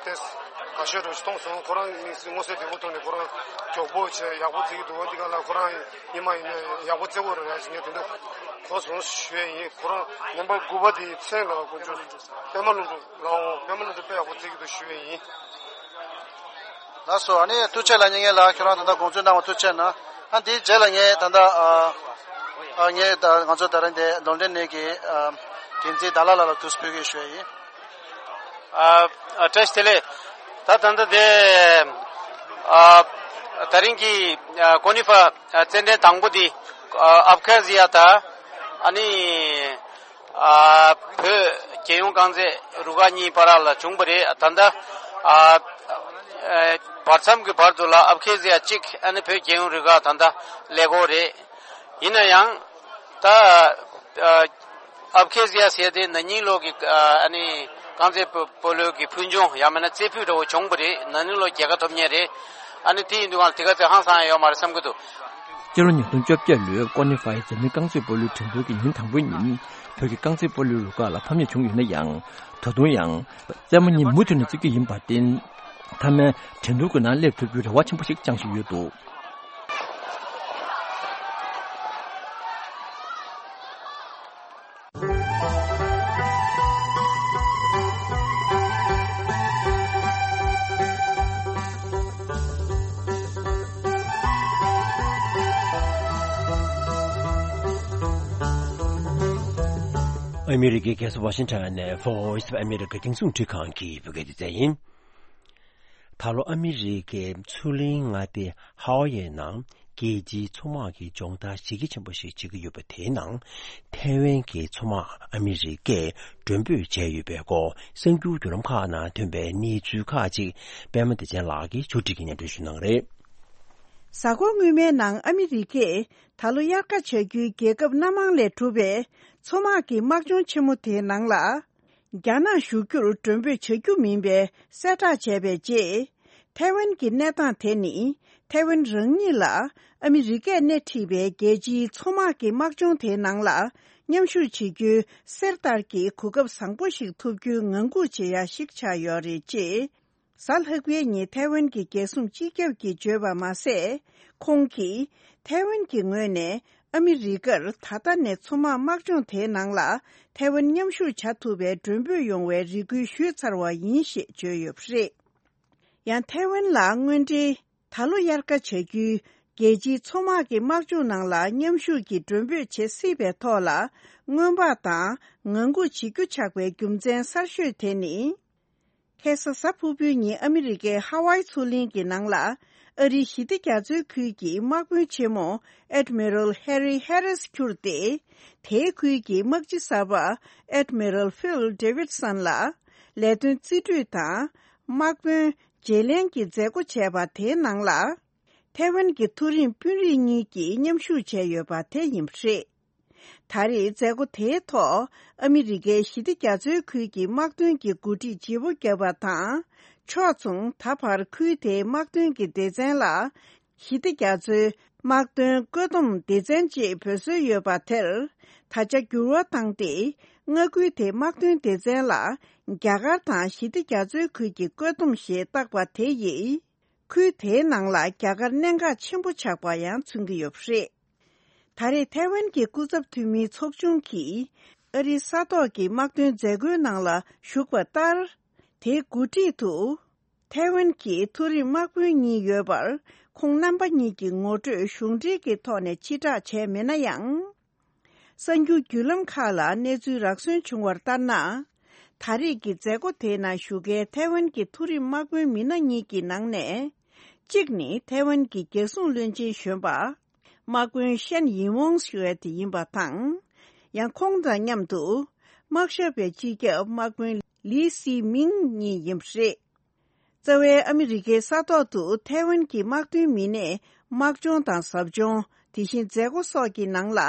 ཏེ་དགའ་ཤོས་རུ་མཐོང་སོང་། ཁོ་རང་དམིགས་བསལ་མངོན་གསལ་དོད་པོ་ཐོག་ནས་ཁོ་རང་མགྱོགས་པོ་བྱས་ཡག་པོ་རྩེ་གི་འདུག་བ། འདི་ག་ལ་ཁོ་རང་ཡིན་མ་ཡིན་ན་ཡག་པོ་རྩེ་གི་རེད་ཟེར་ངས་དེ་འདྲ་གོ་སོང་ཞུ་ཡིན། ཁོ་རང་ནམ་བར་དགུ་པ་དེའི་མཚན་ལ་དཀོན་མཆོག་པད་མ་ལྷུན་གྲུབ་ལའོ། པད་མ་ལྷུན་གྲུབ་དཔེ་ཡག་པོ་རྩེ་གི་འདུག་ཞུ་ཡིན། ལགས་སོ། ཨ་ནི་ཐུགས་རྗེ་ཆེ་ལགས། ཉེ་ངེད་ལགས་ཁྱོད་རང་ད་ལྟ་དགོངས་ཚུལ་གནང་བ་ཐུགས་རྗེ་ཆེ་གནང་། ཨ་འདིའི་རྗེས་ལ་ངས་ད་ལྟ་ཨ་ཨ་ངས་ད་ང་ཚོ་ད་རིང་འདི་ལོན་ཌོན་ནས་ཀྱི་ཨ་འགན་འཛིན་ཌ་ལ་ལགས་ལ་དུས་ཕུལ་གི་ཞུ་ཡ་ཡིན། ཨ་ཨ་བཀྲ་ཤིས་བདེ་ལེགས། ད་ད་ལྟ་འདི་ཨ་ད་རིང་གི་ཨ་ཀོ་ནི་ཧྥ་ཨ་རྩེད་འགྲན་དང་པོ་འདི་ཨ་ཨབ་ཁ་ཟི་ཡ་དང་ཨ་ནི་ཨ་བོད་རྒྱལ་ཡོངས་རྐང་རྩེད་རུ་ཁག་གཉིས་བར་ལ་བྱུང་བ་རེད། ད་ལྟ་ཨ་ཨ་བར་མཚམས་ཀྱི་བར་དུ་ལ་ཨབ་ཁེ་ཟི་ཡ་གཅིག་ཨ་ནི་བོད་རྒྱལ་ཡོངས་རུ་ཁག་ད་ལྟ་ཀླད་ཀོར་རེད། ཡིན་ན་ཡང་ད་ཨ་ཨབ་ཁེ་ཟི་ཡ་ཟེར་དེ་ན་ནིང་ལོ་གི་ཨ་ནི་རྐང་རྩེད་སྤོ་སྤོ་ལོ་གི་ཕུལ་བྱུང་ཡང་མིན་ན་རྩེ་ཕུད་འདྲ་བོ་བྱུང་བ་རེད། ན་ནིང་ལོ་རྒྱལ་ཁ་ཐོབ་མཁན་རེད། ཨ་ནི་དེ་ཡིན་དུས་ང་ལ་དེ་ག་ཚོད་ཧང་སང་ཡ་ཡོད་མ་རེད་བསམ་གྱི་འདུག་སྤྱི་ལོ་ཉིས་སྟོང་བཅོ་བརྒྱད་ལོའི་ཀོ་ནི་ཧྥའི་འཛམ་གླིང་རྐང་རྩེད་སྤོ་ལོའི་འགྲན་བསྡུར་གྱི་ཉིན་དང་པོའི་ཉིན་བོད་ཀྱི་རྐང་རྩེད་སྤོ་ལོའི་རུ་ཁག་ལ་ཕམ་ཉེས་བྱུང་ཡོད་ན་ཡང་། ད་དུང་ཡང་རྩེད་མོ་གཉིས་མུ་མཐུད་ནས་རྩེ་རྒྱུ་ཡིན་པར་བརྟེན། མཐའ་མའི་འགྲན་བསྡུར་གྱི་ནང་སླེབས་ཐུབ་རྒྱུའི་རེ་བ་ཆེན་པོ་ཞིག་བཅངས་བཞིན་ཡོད་འདུག་ཨ་མི་རི་ཀའི་རྒྱལ་ས་ཝ་ཤིང་ཊོན་ནས་Voice of America་རྒྱང་སྲིང་འཕྲུལ་ཁང་གི་བོད་སྐད་སྡེ་ཚན་ཡིན། ད་ལོ་ཨ་མི་རི་ཀའི་མཚོ་གླིང་མངའ་སྡེ་ཧ་ཝ་ཡའི་ནང་རྒྱལ་སྤྱིའི་མཚོ་དམག་གི་སྦྱོང་བརྡར་གཞི་རྒྱ་ཆེན་པོ་ཞིག་བྱེད་ཀྱི་ཡོད་པ་དེའི་ནང་ཐའེ་ཝན་གྱི་མཚོ་དམག་ཨ་མི་རི་ཀས་མགྲོན་འབོད་བྱས་ཡོད་པའི་སྐོར་གསར་འགྱུར་བརྒྱུད་ལམ་ཁག་ནང་ཐོན་པའི་གནས་ཚུལ་ཁག་ཅིག་པད་མ་བདེ་ཆེན་ལགས་ཀྱིས་ཕྱོགས་སྒྲིག་གིས་སྙན་སྒྲོན་ཞུ་གནང་རེད། གཟའ་འཁོར་སྔོན་མའི་ནང་ཨ་མི་རི་ཀས་ད་ལོ་དབྱར་ཁ་བྱ་རྒྱུའི་རྒྱལ་ཁབ་སྣ་མང་ལས་གྲུབ་པའི་མཚོ་དམག་གི་དམག་སྦྱོང་ཆེན་མོ་དེའི་ནང་ལ། རྒྱ་ནག་ཞུགས་རྒྱུར་མགྲོན་འབོད་བྱ་རྒྱུ་མིན་པའི་གསལ་བསྒྲགས་བྱས་པའི་རྗེས། ཐའེ་ཝན་གྱི་གནས་སྟངས་དེ་ནི་ཐའེ་ཝན་རང་ཉིད་ལ་ཨ་མི་རི་ཀས་སྣེ་ཁྲིད་པའི་རྒྱལ་སྤྱིའི་མཚོ་དམག་གི་དམག་སྦྱོང་དེའི་ནང་ལ་མཉམ་ཞུགས་བྱེད་རྒྱུའི་གསེར་ལྟར་གྱི་གོ་སྐབས་བཟང་པོ་ཞིག་ཐོབ་རྒྱུའི་ངང་སྒུག་བྱེད་ཡ་ཞིག་ཆགས་ཡོད་རེད་ཅེས། གཟའ་ལྷག་པའི་ཉིན་ཐའེ་ཝན་གྱི་རྒྱལ་སྲུང་སྤྱི་ཁྱབ་ཀྱིས་བརྗོད་པ་མ་ཟད། ཁོང་གིས་ཐའེ་ཝན་གྱི་ངོས་ནས་ཨ་མི་རི་ཀར་ད་ལྟ་ནས་མཚོ་དམག་དམག་སྦྱོང་དེའི་ནང་ལ་ཐའེ་ཝན་མཉམ་ཞུགས་བྱ་ཐུབ་པའི་མགྲོན་འབོད་ཡོང་བའི་རེ་སྐུལ་ཞུས་ཚར་བ་ཡིན་ཞེས་བརྗོད་ཡོད་པ་རེད། ཡང་ཐའེ་ཝན་ལ་དངོས་འབྲེལ་ད་ལོ་དབྱར་ཁ་བྱ་རྒྱུའི་རྒྱལ་སྤྱིའི་མཚོ་དམག་གི་དམག་སྦྱོང་ནང་ལ་མཉམ་ཞུགས་ཀྱི་མགྲོན་འབོད་བྱེད་སྲིད་པའི་ཐོག་ལ་སྔོན་དཔག་དང་ངང་སྒུག་བྱེད་རྒྱུ་ཆགས་པའི་རྒྱུ་མཚན་གསར་ཤོས་དེ་ནི། ཁ་སང་གཟའ་ཕུར་བུའི་ཉིན་ཨ་མི་རི་ཀའི་ཧ་ཝའི་མཚོ་གླིང་གི་ནང་ལ་ཨ་རིའི་ཞི་བདེ་རྒྱ་མཚོའི་ཁུལ་གྱི་དམག་དཔོན་ཆེན་མོ་Admiral Harry Harris་གྱུར་ཏེ། དེའི་ཁུལ་གྱི་དམག་སྤྱི་གསར་པ་Admiral Phil Davidson་ལ་ལས་དོན་རྩིས་སྤྲོད་དང་དམག་དཔོན་བརྗེ་ལེན་གྱི་མཛད་སྒོ་བྱས་པ་དེའི་ནང་ལ། ཐའེ་ཝན་གྱི་མཐོ་རིམ་དཔོན་རིགས་གཉིས་ཀྱིས་མཉམ་ཞུགས་བྱས་ཡོད་པ་དེ་ཡིན་པ་རེད། ད་རེས་མཛད་སྒོ་དེའི་ཐོག་ཨ་མི་རི་ཀའི་ཞི་བདེ་རྒྱ་མཚོའི་ཁུལ་གྱི་དམག་དོན་གྱི་འགོ་ཁྲིད་བརྗེ་པོ་བརྒྱབ་པ་དང་། ཕྱོགས་མཚུངས་ད་བར་ཁུལ་དེའི་དམག་དོན་གྱི་སྡེ་ཚན་ལ་ཞི་བདེ་རྒྱ་མཚོའི་དམག་དོན་བཀོད་འདོམས་སྡེ་ཚན་ཅེས་འབོད་སྲོལ་ཡོད་པ་དེར་ད་ཆ་འགྱུར་བ་བཏང་སྟེ། མངའ་ཁུལ་དེའི་དམག་དོན་སྡེ་ཚན་ལ་རྒྱ་གར་དང་ཞི་བདེ་རྒྱ་མཚོའི་ཁུལ་གྱི་བཀོད་འདོམས་ཞེས་བཏགས་པ་དེ་ཡིས། ཁུལ་དེའི་ནང་ལ་རྒྱ་གར་གནད་འགག་ཆེན་པོ་ཆགས་པ་ཡང་མཚོན་གྱི་ཡོད་པ་རེད། ད་རེས་ཐའེ་ཝན་གྱི་སྐུ་ཚབ་འཐུས་མིའི་ཚོགས་ཆུང་གིས་ཨ་རིའི་ས་ཐོག་གི་དམག་དོན་མཛད་སྒོའི་ནང་ལ་ཞུགས་པ་ལྟར། དེའི་འགོ་ཁྲིད་དུ། ཐའེ་ཝན་གྱི་མཐོ་རིམ་དམག་དཔོན་གཉིས་ཡོད་པར། ཁོང་རྣམ་པ་གཉིས་ཀྱི་ངོ་སྤྲོད་གཞུང་འབྲེལ་གྱི་ཐོག་ནས་ཕྱིར་བསྒྲགས་བྱས་མེད་ན་ཡང་། གསར་འགྱུར་བརྒྱུད་ལམ་ཁག་ལ་གནས་ཚུལ་རག་སོན་བྱུང་བར་ལྟར་ན། ད་རེས་ཀྱི་མཛད་སྒོ་དེའི་ནང་ཞུགས་མཁན་ཐའེ་ཝན་གྱི་མཐོ་རིམ་དམག་དཔོན་མི་སྣ་གཉིས་ཀྱི་ནང་ནས། གཅིག་ནི་ཐའེ་ཝན་གྱི་རྒྱལ་སྲུང་བློན་ཆེན་གཞོན་པ། དམག་དཔོན་ཤན་ཡིན་ཝོང་ཞུ་བ་དེ་ཡིན་པ་དང་། ཡང་ཁོང་དང་མཉམ་དུ། དམག་ཞབས་པའི་སྤྱི་ཁྱབ་དམག་དཔོན་ལི་སི་མིང་གཉིས་ཡིན་པ་རེད། རྩ་བའི་ཨ་མི་རི་ཀའི་ས་ཐོག་ཏུ་ཐའེ་ཝན་གྱི་དམག་དོན་མི་སྣས་དམག་སྦྱོང་དང་ཟབ་སྦྱོང་། དེ་བཞིན་མཛད་སྒོ་སོགས་ཀྱི་ནང་ལ་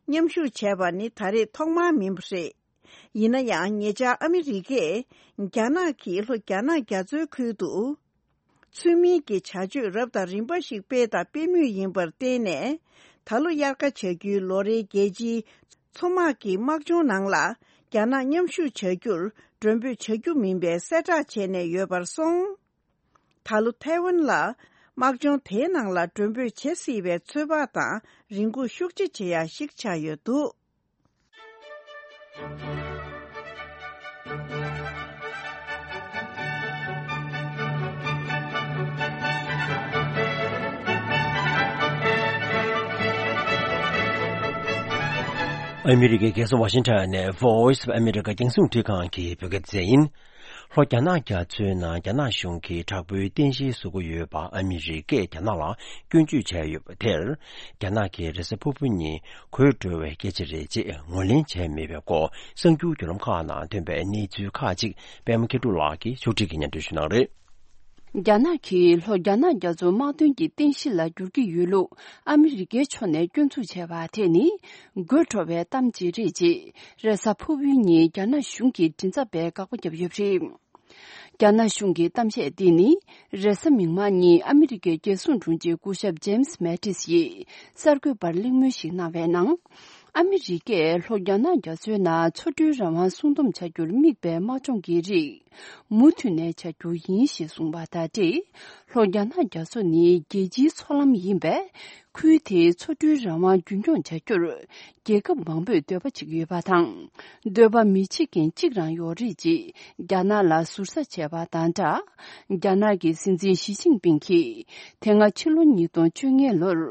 མཉམ་ཞུགས་བྱས་པ་ནི་ད་རེས་ཐོག་མ་མིན་པ་རེད། ཡིན་ན་ཡང་ཉེ་ཆར་ཨ་མི་རི་ཀས་རྒྱ་ནག་གིས་ལྷོ་རྒྱ་ནག་རྒྱ་མཚོའི་ཁུལ་དུ། ཚུལ་མིན་གྱི་བྱ་སྤྱོད་རབ་དང་རིམ་པ་ཞིག་སྤེལ་དང་སྤེལ་མུས་ཡིན་པར་བརྟེན་ནས། ད་ལོ་དབྱར་ཁ་བྱ་རྒྱུའི་ལོ་རེའི་རྒྱལ་སྤྱིའི་མཚོ་དམག་གི་དམག་སྦྱོང་ནང་ལ་རྒྱ་ནག་མཉམ་ཞུགས་བྱ་རྒྱུར་མགྲོན་འབོད་བྱ་རྒྱུ་མིན་པའི་གསལ་བསྒྲགས་བྱས་ནས་ཡོད་པར་སོང་། ད་ལོ་ཐའེ་ཝན་ལ་དམག་སྦྱོང་དེའི་ནང་ལ་མགྲོན་འབོད་བྱེད་སྲིད་པའི་ཚོད་དཔག་དང་རེ་སྒུག་ཤུགས་ཆེ་བྱེད་ཡ་ཞིག་ཆགས་ཡོད་འདུག། ཨ་མི་རི་ཀའི་རྒྱལ་ས་ཝ་ཤིང་ཊོན་ནས་Voice of America རྒྱང་སྲིང་རླུང་འཕྲིན་ཁང་གི་བོད་སྐད་སྡེ་ཚན་ཡིན། ལྷོ་རྒྱ་ནག་རྒྱ་མཚོའི་ནང་རྒྱ་ནག་གཞུང་གིས་དྲག་པོའི་རྟེན་གཞི་བཟོ་གི་ཡོད་པ་ཨ་མི་རི་ཀས་རྒྱ་ནག་ལ་སྐྱོན་བརྗོད་བྱས་ཡོད་པ་དེར། རྒྱ་ནག་གི་རེས་གཟའ་ཕུར་བུ་ཉིན་གོད་འགྲོ་བའི་སྐད་ཆ་རེད་ཅེས་ངོས་ལེན་བྱས་མེད་པའི་སྐོར་གསར་འགྱུར་བརྒྱུད་ལམ་ཁག་ནང་ཐོན་པའི་གནས་ཚུལ་ཁག་ཅིག་པད་མ་མཁས་གྲུབ་ལགས་ཀྱིས་ཕྱོགས་སྒྲིག་གིས་སྙན་སྒྲོན་ཞུ་གནང་རེད། རྒྱ་ནག་གིས་ལྷོ་རྒྱ་ནག་རྒྱ་མཚོ་དམག་དོན་གྱི་རྟེན་གཞི་ལ་འགྱུར་གྱི་ཡོད་ལུགས་ཨ་མི་རི་ཀའི་ཕྱོགས་ནས་སྐྱོན་འཛུགས་བྱས་པ་དེ་ནི་དགོད་བྲོ་བའི་གཏམ་ཅིག་རེད་ཅེས་རེས་གཟའ་ཕུར་བུའི་ཉིན་རྒྱ་ནག་གཞུང་གི་མགྲིན་ཚབ་པས་དགག་པ་བརྒྱབ་ཡོད་པ་རེད། རྒྱ་ནག་གཞུང་གི་གཏམ་བཤད་འདི་ནི་རེས་གཟའ་མིག་དམར་ཉིན་ཨ་མི་རི་ཀའི་རྒྱལ་སྲུང་དྲུང་ཆེ་སྐུ་ཞབས་ཇེམ་སི་མེ་ཏིས་ཡིས་གསར་འགོད་པར་གླེང་མོལ་ཞིག་གནང་བའི་ནང་། ཨ་མི་རི་ཀས་ལྷོ་རྒྱ་ནག་རྒྱ་མཚོའི་ནང་མཚོ་གྲུའི་རང་དབང་སྲུང་སྡོམ་བྱ་རྒྱུར་དམིགས་པའི་དམག་སྦྱོང་གི་རིགས་མུ་མཐུད་ནས་བྱ་རྒྱུ་ཡིན་ཞེས་གསུངས་པ་དང་འབྲེལ། ལྷོ་རྒྱ་ནག་རྒྱ་མཚོ་ནི་རྒྱལ་སྤྱིའི་མཚོ་ལམ་ཡིན་པས། ཁུལ་དེའི་མཚོ་གྲུའི་རང་དབང་རྒྱུན་འཁྱོངས་བྱ་རྒྱུར་རྒྱལ་ཁབ་མང་པོས་འདོད་པ་བྱེད་ཀྱི་ཡོད་པ་དང་། འདོད་པ་མི་བྱེད་མཁན་གཅིག་རང་ཡོད་རེད་ཅེས་རྒྱ་ནག་ལ་ཟུར་ཟ་བྱས་པ་དང་སྦྲགས། རྒྱ་ནག་གི་སྲིད་འཛིན་ཞི་ཅིན་ཕིང་གིས་དེ་སྔ་ཕྱི་ལོ་ཉིས་སྟོང་བཅོ་ལྔ་ལོར་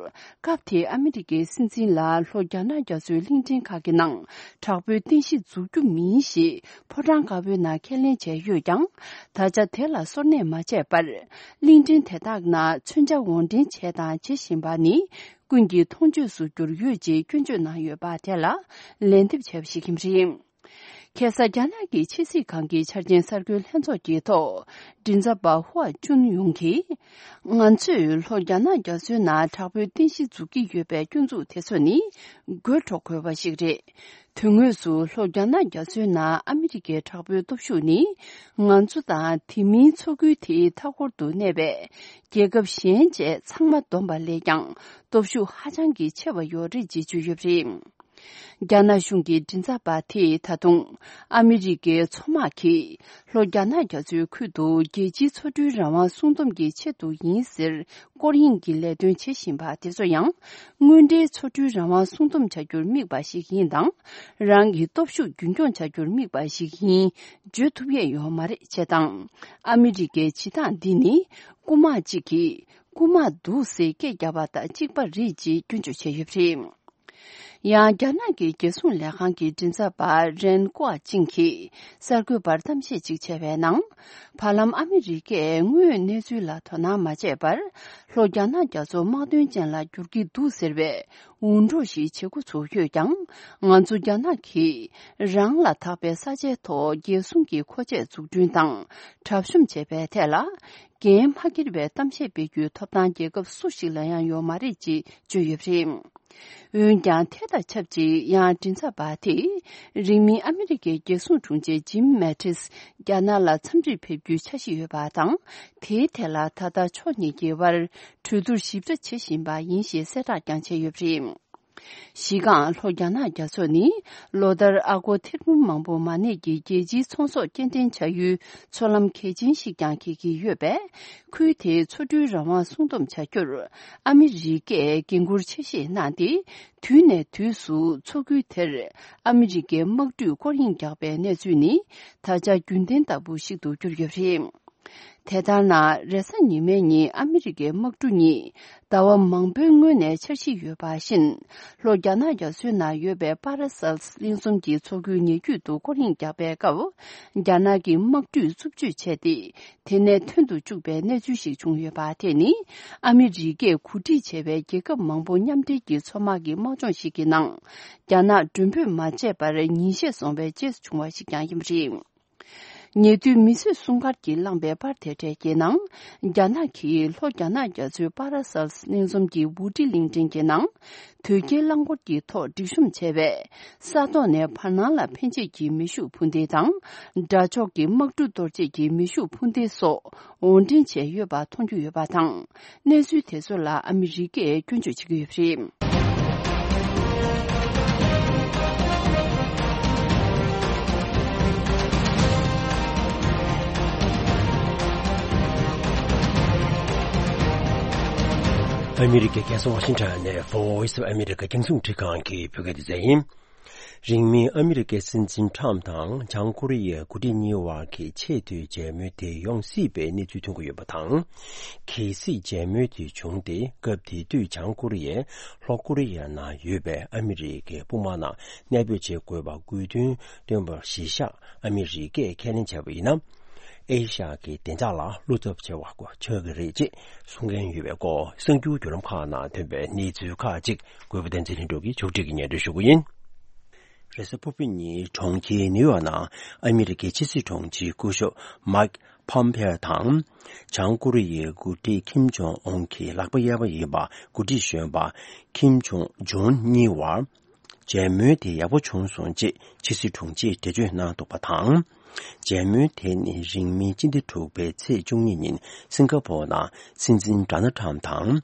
སྐབས་དེའི་ཨ་མི་རི་ཀའི་སྲིད་འཛིན་ལ་ལྷོ་རྒྱ་ནག་རྒྱ་མཚོའི་གླིང་ཕྲན་ཁག་གི་ནང་དྲག་པོའི་རྟེན་གཞི་འཛུགས་རྒྱུ་མིན་ཞེས་ཕོ་བྲང་དཀར་པོའི་ནང་ཁས་ལེན་བྱས་ཡོད་ཀྱང་། ད་ཆ་དེ་ལ་སོར་གནས་མ་བྱས་པར། གླིང་ཕྲན་དེ་དག་ནང་མཚོན་ཆ་དབོར་འདྲེན་བྱས་དང་བྱེད་བཞིན་པ་ནི་ཀུན་གྱིས་མཐོང་ཆོས་སུ་གྱུར་ཡོད་ཅེས་སྐྱོན་བརྗོད་གནང་ཡོད་པ་དེ་ལ་ལན་འདེབས་བྱས་པ་ཞིག་ཡིན་པ་རེད། ཁ་སང་རྒྱ་ནག་གི་ཕྱི་སྲིད་ཁང་གི་འཆར་ཅན་གསར་འགོད་ལྷན་ཚོགས་ཀྱི་ཐོག་མགྲིན་ཚབ་པ་ཧུའ་ཅུན་ཡུང་གིས། ང་ཚོས་ལྷོ་རྒྱ་ནག་རྒྱ་མཚོའི་ནང་དྲག་པོའི་རྟེན་གཞི་འཛུགས་ཀྱི་ཡོད་པའི་སྐྱོན་འཛུགས་དེ་ཚོ་ནི་དགོད་བྲོ་དགོས་པ་ཞིག་རེད། དོན་དངོས་སུ་ལྷོ་རྒྱ་ནག་རྒྱ་མཚོའི་ནང་ཨ་མི་རི་ཀའི་དྲག་པོའི་སྟོབས་ཤུགས་ནི། ང་ཚོ་དང་དེ་མིན་མཚོ་ཁུལ་དེའི་མཐའ་འཁོར་དུ་གནས་པའི་རྒྱལ་ཁབ་གཞན་བཅས་ཚང་མ་བསྡོམས་པ་ལས་ཀྱང་སྟོབས་ཤུགས་ཧ་ཅང་གི་ཆེ་བ་ཡོད་རེད་ཅེས་བརྗོད་ཡོད་པ་རེད། རྒྱ་ནག་གཞུང་གི་མགྲིན་ཚབ་པ་དེས་ད་དུང་ཨ་མི་རི་ཀའི་མཚོ་དམག་གིས་ལྷོ་རྒྱ་ནག་རྒྱ་མཚོའི་ཁུལ་དུ་རྒྱལ་སྤྱིའི་མཚོ་གྲུའི་རང་དབང་སྲུང་སྡོམ་གྱི་ཆེད་དུ་ཡིན་ཟེར། སྐོར་གཡེང་གི་ལས་དོན་བྱེད་བཞིན་པ་དེ་ཚོ་ཡང་། དངོས་འབྲེལ་མཚོ་གྲུའི་རང་དབང་སྲུང་སྡོམ་བྱ་རྒྱུར་དམིགས་པ་ཞིག་ཡིན་དང་། རང་གི་སྟོབས་ཤུགས་རྒྱུན་འཁྱོངས་བྱ་རྒྱུར་དམིགས་པ་ཞིག་ཡིན། བརྗོད་ཐུབ་ཡས་ཡོད་མ་རེད་ཅེས་དང་། ཨ་མི་རི་ཀའི་བྱེད་སྟངས་འདི་ནི། རྐུ་མ་གཅིག་གིས་རྐུ་མ་འདུག་ཟེར་སྐད་བརྒྱབ་པ་དང་གཅིག་པ་རེད་ཅེས་སྐྱོན་བརྗོད་བྱས་ཡོད་པ་རེད། ཡང་རྒྱ་ནག་གི་རྒྱལ་སྲུང་ལས་ཁང་གི་མགྲིན་ཚབ་པ་རེན་ཀོ་ཅིང་གིས་གསར་འགོད་པར་གཏམ་བཤད་ཅིག་བྱས་པའི་ནང་། བར་ལམ་ཨ་མི་རི་ཀས་དངོས་ཡོད་གནས་ཚུལ་ལ་དོ་སྣང་མ་བྱས་པར། ལྷོ་རྒྱ་ནག་རྒྱ་མཚོ་དམག་དོན་ཅན་ལ་བསྒྱུར་གྱི་འདུག་ཟེར་བའི་འུར་སྒྲོག་ཞིག་བྱེད་འགོ་ཚུགས་ཡོད་ཀྱང་། ང་ཚོ་རྒྱ་ནག་གིས་རང་ལ་དག་པའི་ས་ཆའི་ཐོག་རྒྱལ་སྲུང་གི་མཁོ་ཆས་འཛུགས་སྐྲུན་དང་གྲབས་གཤོམ་བྱས་པའི་ཐད་ལ། འགན་མ་འཁྱེར་བའི་གཏམ་བཤད་སྤེལ་རྒྱུའི་ཐོབ་ཐང་རྒྱལ་ཁབ་སུ་ཞིག་ལ་ཡང་ཡོད་མ་རེད་ཅེས་བརྗོད་ཡོད་པ་རེད། འོན་ཀྱང་། དེ་དང་ཆབས་ཅིག་ཡང་མགྲིན་ཚབ་པ་དེས། རིང་མིན་ཨ་མི་རི་ཀའི་རྒྱལ་སྲུང་དྲུང་ཆེ་ཇིམ་མེ་ཏིས་རྒྱ་ནག་ལ་འཚམས་འདྲིར་ཕེབས་རྒྱུའི་འཆར་གཞི་ཡོད་པ་དང་། དེའི་ཐད་ལ་ད་ལྟ་ཕྱོགས་གཉིས་ཀྱི་དབར་གྲོས་བསྡུར་ཞིབ་ཕྲ་བྱེད་བཞིན་པ་ཡིན་ཞེས་གསལ་བསྒྲགས་ཀྱང་བྱས་ཡོད་པ་རེད། གཞི་རྐང་ལྷོ་རྒྱ་ནག་རྒྱ་མཚོ་ནི་ལོ་ལྟར་ཨ་སྒོར་ཐེར་འབུམ་མང་པོ་མ་གནས་ཀྱི་རྒྱལ་སྤྱིའི་ཚོང་ཟོག་སྐྱེལ་འདྲེན་བྱ་ཡུལ་མཚོ་ལམ་གལ་ཆེན་ཞིག་ཀྱང་འཁེལ་གྱི་ཡོད་པས། ཁུལ་དེའི་མཚོ་གྲུའི་རང་དབང་སྲུང་སྡོམ་བྱ་རྒྱུར་ཨ་མི་རི་ཀས་འགན་འཁུར་ཆེ་བཞེས་གནང་སྟེ། དུས་ནས་དུས་སུ་མཚོ་ཁུལ་དེར་ཨ་མི་རི་ཀའི་དམག་གྲུས་སྐོར་གཡེང་རྒྱག་པའི་གནས་ཚུལ་ནི་ད་ཆ་རྒྱུན་ལྡན་ལྟ་བུ་ཞིག་ཏུ་གྱུར་ཡོད་པ་རེད། དེ་ལྟར་ན། རེས་གཟའ་ཉི་མའི་ཉིན་ཨ་མི་རི་ཀའི་དམག་གྲུ་གཉིས་ཟླ་བ་མང་པོའི་སྔོན་ནས་འཆར་གཞི་ཡོད་པ་བཞིན། ལྷོ་རྒྱ་ནག་རྒྱ་མཚོའི་ནང་ཡོད་པའི་པ་ར་སེལ་གླིང་ཚོམ་གྱི་མཚོ་ཁུལ་ཉེ་བརྒྱུད་དུ་སྐོར་གཡེང་བརྒྱབ་པའི་སྐབས། རྒྱ་ནག་གི་དམག་གྲུས་རྩུབ་སྤྱོད་བྱས་ཏེ། དེ་ནས་ཐོན་དུ་བཅུག་པའི་གནས་ཚུལ་ཞིག་བྱུང་ཡོད་པ་དེ་ནི། ཨ་མི་རི་ཀས་གོ་སྒྲིག་བྱས་པའི་རྒྱལ་ཁབ་མང་པོ་མཉམ་འབྲེལ་གྱི་མཚོ་དམག་གི་དམག་སྦྱོང་ཞིག་གི་ནང་། རྒྱ་ནག་མགྲོན་འབོད་མ་བྱས་པར་ཉིན་ཤས་སོང་བའི་རྗེས་སུ་བྱུང་བ་ཞིག་ཀྱང་ཡིན་པ་རེད། ཉེ་དུས་མི་གསོད་སྲུང་སྐར་གྱིས་བསླངས་པའི་པར་དེ་འཕྲལ་གྱི་ནང་། རྒྱ་ནག་གིས་ལྷོ་རྒྱ་ནག་རྒྱ་མཚོའི་པ་ར་སེལ་གླིང་ཚོམ་གྱི་ཝུ་ཏི་གླིང་ཕྲན་གྱི་ནང་། དོས་སྐྱེལ་རླངས་འཁོར་གྱི་ཐོག་སྒྲིག་གཤོམ་བྱས་པས། ས་ཐོག་ནས་བར་སྣང་ལ་འཕེན་བྱེད་ཀྱི་མེ་ཤུགས་འཕུར་མདེལ་དང་། དགྲ་ཕྱོགས་ཀྱི་དམག་གྲུ་གཏོར་བྱེད་ཀྱི་མེ་ཤུགས་འཕུར་མདེལ་སོགས་དབོར་འདྲེན་བྱས་ཡོད་པ་མཐོང་རྒྱུ་ཡོད་པ་དང་། གནས་ཚུལ་དེ་ཚོ་ལ་ཨ་མི་རི་ཀས་སྐྱོན་བརྗོད་བྱེད་ཀྱི་ཡོད་པ་རེད། ཨ་མི་རི་ཀའི་རྒྱལ་ས་ཝ་ཤིང་ཊོན་ནས་Voice of America རྒྱང་སྲིང་འཕྲིན་ཁང་གི་བོད་སྐད་སྡེ་ཚན་ཡིན། རིང་མིན་ཨ་མི་རི་ཀའི་སྲིད་འཛིན་ཊམ་དང་བྱང་ཀོ་རི་ཡའི་འགོ་ཁྲིད་གཉིས་བར་གྱི་ཆེས་མཐོའི་མཇལ་མོལ་དེ་ཡོང་སྲིད་པའི་གནས་ཚུལ་ཐོན་གྱི་ཡོད་པ་དང་། གལ་སྲིད་མཇལ་མོལ་དེ་བྱུང་སྟེ། སྐབས་དེ་དུས་བྱང་ཀོ་རི་ཡས་ལྷོ་ཀོ་རི་ཡའི་ནང་ཡོད་པའི་ཨ་མི་རི་ཀའི་དཔུང་དམག་ནང་གནས་སྤོས་བྱེད་དགོས་པ་དགོས་འདུན་བཏོན་པར་གཞི་བཞག་ཨ་མི་རི་ཀས་ཁས་ལེན་བྱས་པ་ཡིན་ན། ཨེ་ཤ་ཡ་གི་བདེ་འཇགས་ལ་བློ་འཚབ་ཆེ་བ་ཆགས་ཀྱི་རེད་ཅེས་གསུང་མཁན་ཡོད་པའི་སྐོར། གསར་འགྱུར་བརྒྱུད་ལམ་ཁག་ནང་ཐོན་པའི་གནས་ཚུལ་ཁག་ཅིག་གུས་པ་བསྟན་འཛིན་ལྷུན་གྲུབ་ཀྱིས་ཕྱོགས་སྒྲིག་གིས་སྙན་སྒྲོན་ཞུ་གི་ཡིན། རེས་གཟའ་ཕུར་བུ་ཉིན་གྲོང་ཁྱེར་ནིའུ་ཡོག་ནང་ཨ་མི་རི་ཀའི་ཕྱི་སྲིད་དྲུང་ཆེ་སྐུ་ཞབས་མཱིག་ཕོམ་ཕེ་དང་། བྱང་ཀོ་རི་ཡའི་འགོ་ཁྲིད་ཁིམ་ཇོང་ཨུན་གྱི་ལག་པ་གཡས་པ་ཡིན་པ་འགོ་ཁྲིད་གཞོན་པ་ཁིམ་ཇོང་ཇུན་གཉིས་བར། མཇལ་མོལ་དེ་ཡག་པོ་བྱུང་སོང་ཅེས་ཕྱི་སྲིད་དྲུང་ཆེས་འགྲེལ་བརྗོད་གནང་འདུག་པ་དང་། མཇལ་མོལ་དེ་ནི་རིང་མིན་སྤྱི་ཟླ་དྲུག་པའི་ཚེས་བཅུ་གཉིས་ཉིན་སིང་ག་པོར་ནང་སྲིད་འཛིན་ཌོ་ནལ་ཊམ་དང་།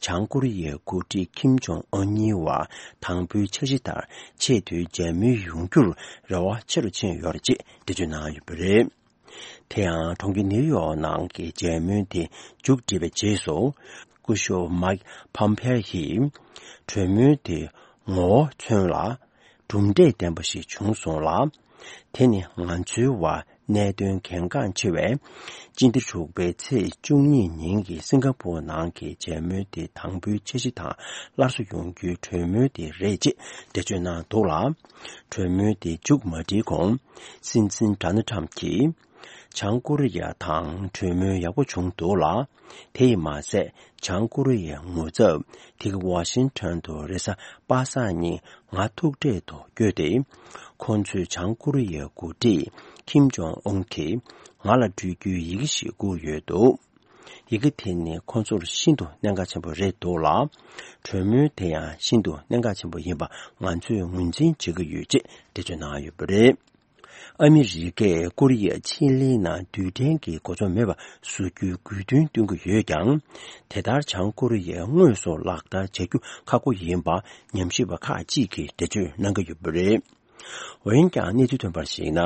བྱང་ཀོ་རི་ཡའི་འགོ་ཁྲིད་ཁིམ་ཇོང་ཨོན་གཉིས་བར་དང་པོའི་འཆར་གཞི་ལྟར་ཆེས་མཐོའི་མཇལ་མོལ་ཡོང་རྒྱུར་རེ་བ་ཆེ་རུ་ཕྱིན་ཡོད་རེད་ཅེས་འགྲེལ་བརྗོད་གནང་ཡོད་པ་རེད། དེ་ཡང་གྲོང་ཁྱེར་ནིའུ་ཡོག་ནང་གི་མཇལ་མོལ་དེ་མཇུག་བསྒྲིལ་བའི་རྗེས་སུ། སྐུ་ཞབས་མཱིག་ཕོམ་ཕེ་ཡིས། གྲོས་མོལ་དེ་ངོ་བོ་མཚོན་ལ། གྲུབ་འབྲས་ལྡན་པ་ཞིག་བྱུང་སོང་ལ། དེ་ནི་ང་ཚོའི་བར་གནད་དོན་གལ་འགངས་ཆེ་བའི་སྤྱི་ཟླ་དྲུག་པའི་ཚེས་བཅུ་གཉིས་ཉིན་གྱི་སིང་ག་པོར་ནང་གི་མཇལ་མོལ་དེ་དང་པོའི་འཆར་གཞི་དང་སླར་གསོ་ཡོང་རྒྱུའི་གྲོས་མོལ་དེ་རེད་ཅེས་འགྲེལ་བརྗོད་གནང་འདུག་ལ། གྲོས་མོལ་དེ་མཇུག་མ་སྒྲིལ་གོང་། སྲིད་འཛིན་ཌོ་ནལ་ཊམ་གྱིས། བྱང་ཀོ་རི་ཡ་དང་གྲོས་མོལ་ཡག་པོ་བྱུང་འདུག་ལ། དེ་ཡིས་མ་ཟད། བྱང་ཀོ་རི་ཡའི་ངོ་ཚབ་དེ་ག་ཝ་ཤིང་ཊོན་དུ་རེས་གཟའ་པ་སངས་ཉིན་ང་ཐུག་འཕྲད་དུ་བསྐྱོད་དེ། ཁོང་ཚོས་བྱང་ཀོ་རི་ཡའི་འགོ་ཁྲིད་ཁིམ་ཇོང་ཨུན་གྱིས་ང་ལ་སྤྲོད་རྒྱུའི་ཡི་གེ་ཞིག་བསྐུར་ཡོད་འདུག་ཡི་གེ་དེ་ནི་ཁོང་ཚོར་ཤིན་ཏུ་གནད་འགག་ཆེན་པོ་རེད་འདུག་ལ། གྲོས་མོལ་དེ་ཡང་ཤིན་ཏུ་གནད་འགག་ཆེན་པོ་ཡིན་པ་ང་ཚོས་ངོས་འཛིན་བྱེད་ཀྱི་ཡོད་ཅེས་འགྲེལ་བརྗོད་གནང་ཡོད་པ་རེད། ཨ་མི་རི་ཀས་ཀོ་རི་ཡ་ཕྱེད་གླིང་ནང་རྡུལ་ཕྲན་གྱི་གོ་མཚོན་མེད་པ་བཟོ་རྒྱུའི་དགོས་འདུན་བཏོན་གྱི་ཡོད་ཀྱང་། དེ་ལྟར་བྱང་ཀོ་རི་ཡས་དངོས་སུ་ལག་བསྟར་བྱ་རྒྱུ་ཁག་པོ་ཡིན་པ་ཉམས་ཞིབ་པ་ཁག་ཅིག་གིས་འགྲེལ་བརྗོད་གནང་གི་ཡོད་པ་རེད། འོན་ཀྱང་གནས་ཚུལ་ཐོན་པར་གཞིགས་ན།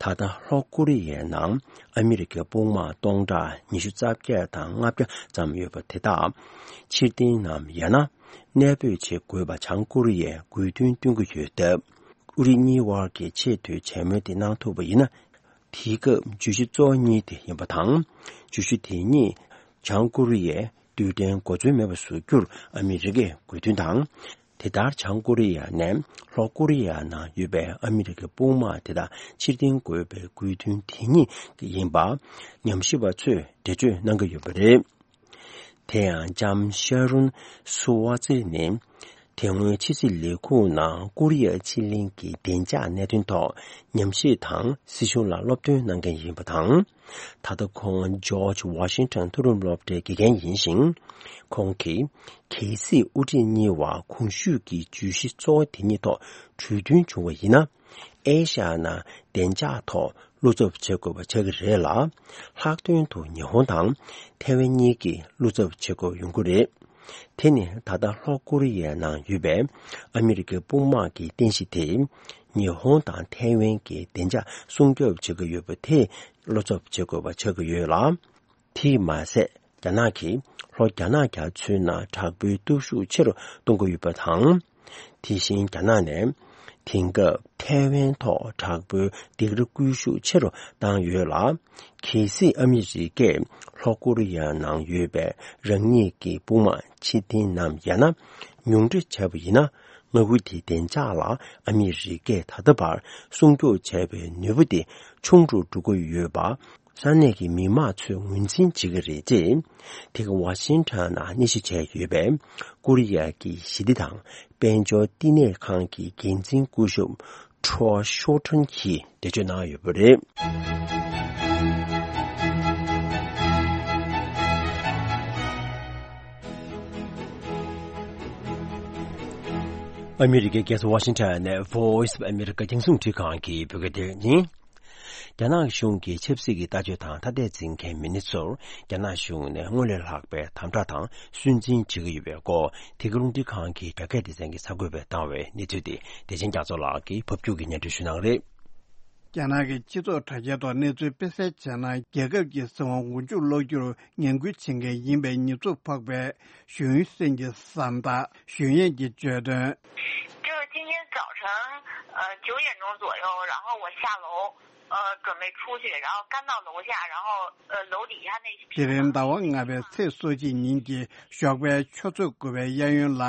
ད་ལྟ་ལྷོ་ཀོ་རི་ཡའི་ནང་ཨ་མི་རི་ཀའི་དཔུང་དམག་སྟོང་ཕྲག་ཉི་ཤུ་རྩ་བརྒྱད་དང་ལྔ་བརྒྱ་ཙམ་ཡོད་པ་དེ་དག་ཕྱིར་འཐེན་ནམ་ཡང་ན་གནས་སྤོས་བྱེད་དགོས་པ་བྱང་ཀོ་རི་ཡས་དགོས་འདུན་བཏོན་གྱི་ཡོད་སྟབས། ཨུ་རི་གཉིས་དབར་གྱི་ཆེས་མཐོའི་མཇལ་མོལ་དེ་གནང་ཐུབ་པ་ཡིན་ན། དེའི་སྐབས་བརྗོད་གཞི་གཙོ་བོ་གཉིས་དེ་ཡིན་པ་དང་། བརྗོད་གཞི་དེ་གཉིས་བྱང་ཀོ་རི་ཡས་རྡུལ་ཕྲན་གོ་མཚོན་མེད་པ་བཟོ་རྒྱུར་ཨ་མི་རི་ཀས་དགོས་འདུན་དང་། དེ་ལྟར་བྱང་ཀོ་རི་ཡ་ནས་ལྷོ་ཀོ་རི་ཡ་ནང་ཡོད་པའི་ཨ་མི་རི་ཀའི་དཔུང་དམག་དེ་དག་ཕྱིར་འཐེན་དགོས་པའི་དགོས་འདུན་དེ་གཉིས་ཡིན་པ་ཉམས་ཞིབ་པ་ཚོས་འགྲེལ་བརྗོད་གནང་གི་ཡོད་པ་རེད། དེ་ཡང་ལྕམ་ཤ་རུན་སུ་ཝ་ཙེ་ནི། དེ་སྔོན་ཕྱི་སྲིད་ལས་ཁུངས་ནང་ཀོ་རི་ཡ་ཕྱེད་གླིང་གི་བདེ་འཇགས་གནད་དོན་ཐོག་ཉམས་ཞིབ་དང་སྲིད་གཞུང་ལ་སློབ་སྟོན་གནང་མཁན་ཡིན་པ་དང་། ད་ལྟ་ཁོང་ཇོརྗ་ཝ་ཤིང་ཊོན་མཐོ་རིམ་སློབ་གྲྭའི་དགེ་རྒན་ཡིན་ཞིང་། ཁོང་གིས། གལ་སྲིད་དབུ་ཁྲིད་གཉིས་བར་གོང་ཞུས་ཀྱི་བརྗོད་གཞི་གཙོ་བོ་དེ་གཉིས་ཐོག་གྲོས་མཐུན་བྱུང་བ་ཡིན་ན། ཨེ་ཤ་ཡ་ནང་བདེ་འཇགས་ཐོག་བློ་འཚབ་བྱེད་དགོས་པ་ཆགས་ཀྱི་རེད་ལ། ལྷག་དོན་དུ་ཉི་ཧོང་དང་ཐའེ་ཝན་གཉིས་ཀྱིས་བློ་འཚབ་བྱེད་དགོས་ཡོང་གི་རེད། དེ་ནི་ད་ལྟ་ལྷོ་ཀོ་རི་ཡའི་ནང་ཡོད་པའི་ཨ་མི་རི་ཀའི་དཔུང་དམག་གི་རྟེན་གཞི་དེ། ཉི་ཧོང་དང་ཐའེ་ཝན་གྱི་བདེ་འཇགས་སྲུང་སྐྱོབ་བྱེད་ཀྱི་ཡོད་པ་དེ་བློ་འཚབ་བྱེད་དགོས་པ་ཆགས་ཀྱི་ཡོད་ལ། དེས་མ་ཟད། རྒྱ་ནག་གིས་ལྷོ་རྒྱ་ནག་རྒྱ་མཚོའི་ནང་དྲག་པོའི་སྟོབས་ཤུགས་ཆེ་རུ་གཏོང་གི་ཡོད་པ་དང་། དེ་བཞིན་རྒྱ་ནག་ནས་དེང་སྐབས་ཐའེ་ཝན་ཐོག་དྲག་པོའི་སྡིགས་ར་སྐུལ་ཤུགས་ཆེ་རུ་བཏང་ཡོད་ལ། གལ་སྲིད་ཨ་མི་རི་ཀས་ལྷོ་ཀོ་རི་ཡ་ནང་ཡོད་པའི་རང་ཉིད་ཀྱི་དཔུང་དམག་ཕྱིར་འཐེན་ནམ་ཡང་ན་ཉུང་འཕྲི་བྱས་པ་ཡིན་ན། མངའ་ཁུལ་དེའི་བདེ་འཇགས་ལ་ཨ་མི་རི་ཀས་ད་ལྟ་བར་སྲུང་སྐྱོབ་བྱས་པའི་ནུས་པ་དེ་ཆུང་དུ་འགྲོ་གི་ཡོད་པ། ས་གནས་ཀྱི་མི་མང་ཚོས་ངོས་འཛིན་བྱེད་ཀྱི་རེད་ཅེས། དེ་ག་ཝ་ཤིང་ཊོན་ནང་གནས་གཞི་བྱས་ཡོད་པའི་ཀོ་རི་ཡ་གི་ཞི་བདེ་དང་དཔལ་འབྱོར་བསྟི་གནས་ཁང་གི་འགན་འཛིན་སྐུ་ཞབས་ཁྲོ་ཤོ་ཁྲོན་གྱིས་འགྲེལ་བརྗོད་གནང་ཡོད་པ་རེད། ཨ་མི་རི་ཀའི་རྒྱལ་ས་ཝ་ཤིང་ཊོན་ནས་Voice of America རྒྱང་སྲིང་འཕྲིན་ཁང་གི་བོད་སྐད་སྡེ་ཚན་ཡིན། རྒྱ་ནག་གཞུང་གི་ཆབ་སྲིད་ཀྱི་ལྟ་སྤྱོད་དང་ཐ་དད་འཛིན་མཁན་མི་སྣ་ཚོར་རྒྱ་ནག་གཞུང་ནས་སྔར་ལས་ལྷག་པའི་དམ་དྲག་དང་སུན་འབྱིན་བྱེད་ཀྱི་ཡོད་པའི་སྐོར། དེ་ག་རླུང་འཕྲིན་ཁང་གི་དྲ་རྒྱ་སྡེ་ཚན་གྱིས་གསར་འགོད་པར་བཏང་བའི་གནས་ཚུལ་དེ་བདེ་ཆེན་རྒྱ་མཚོ་ལགས་ཀྱིས་ཕབ་སྒྱུར་གྱིས་སྙན་སྒྲོན་ཞུ་གནང་གི་རེད། རྒྱ་ནག་གི་སྤྱི་ཚོགས་དྲ་རྒྱའི་ཐོག་གནས་ཚུལ་སྤེལ་གསལ་བྱས་ན། རྒྱལ་ཁབ་ཀྱི་སྲིད་དབང་མགོ་མཇུག་སློག་རྒྱུར་ངན་སྐུལ་བྱེད་མཁན་ཡིན་པའི་ཉེས་འཛུགས་ཕོག་པའི་ཞུས་ཡུན་སྲན་གྱི་ཟམ་ཐག་ཞུས་ཡན་གྱིས་བརྗོད་དོན། 就是今天早晨，呃，九点钟左右，然后我下楼，呃，准备出去，然后刚到楼下，然后，呃，楼底下那 དེ་རིང་ཟླ་བ་ལྔ་པའི་ཚེས་སོ་གཅིག་ཉིན་གྱི་ཞོགས་པའི་ཆུ་ཚོད་དགུ་པའི་གཡས་གཡོན་ལ།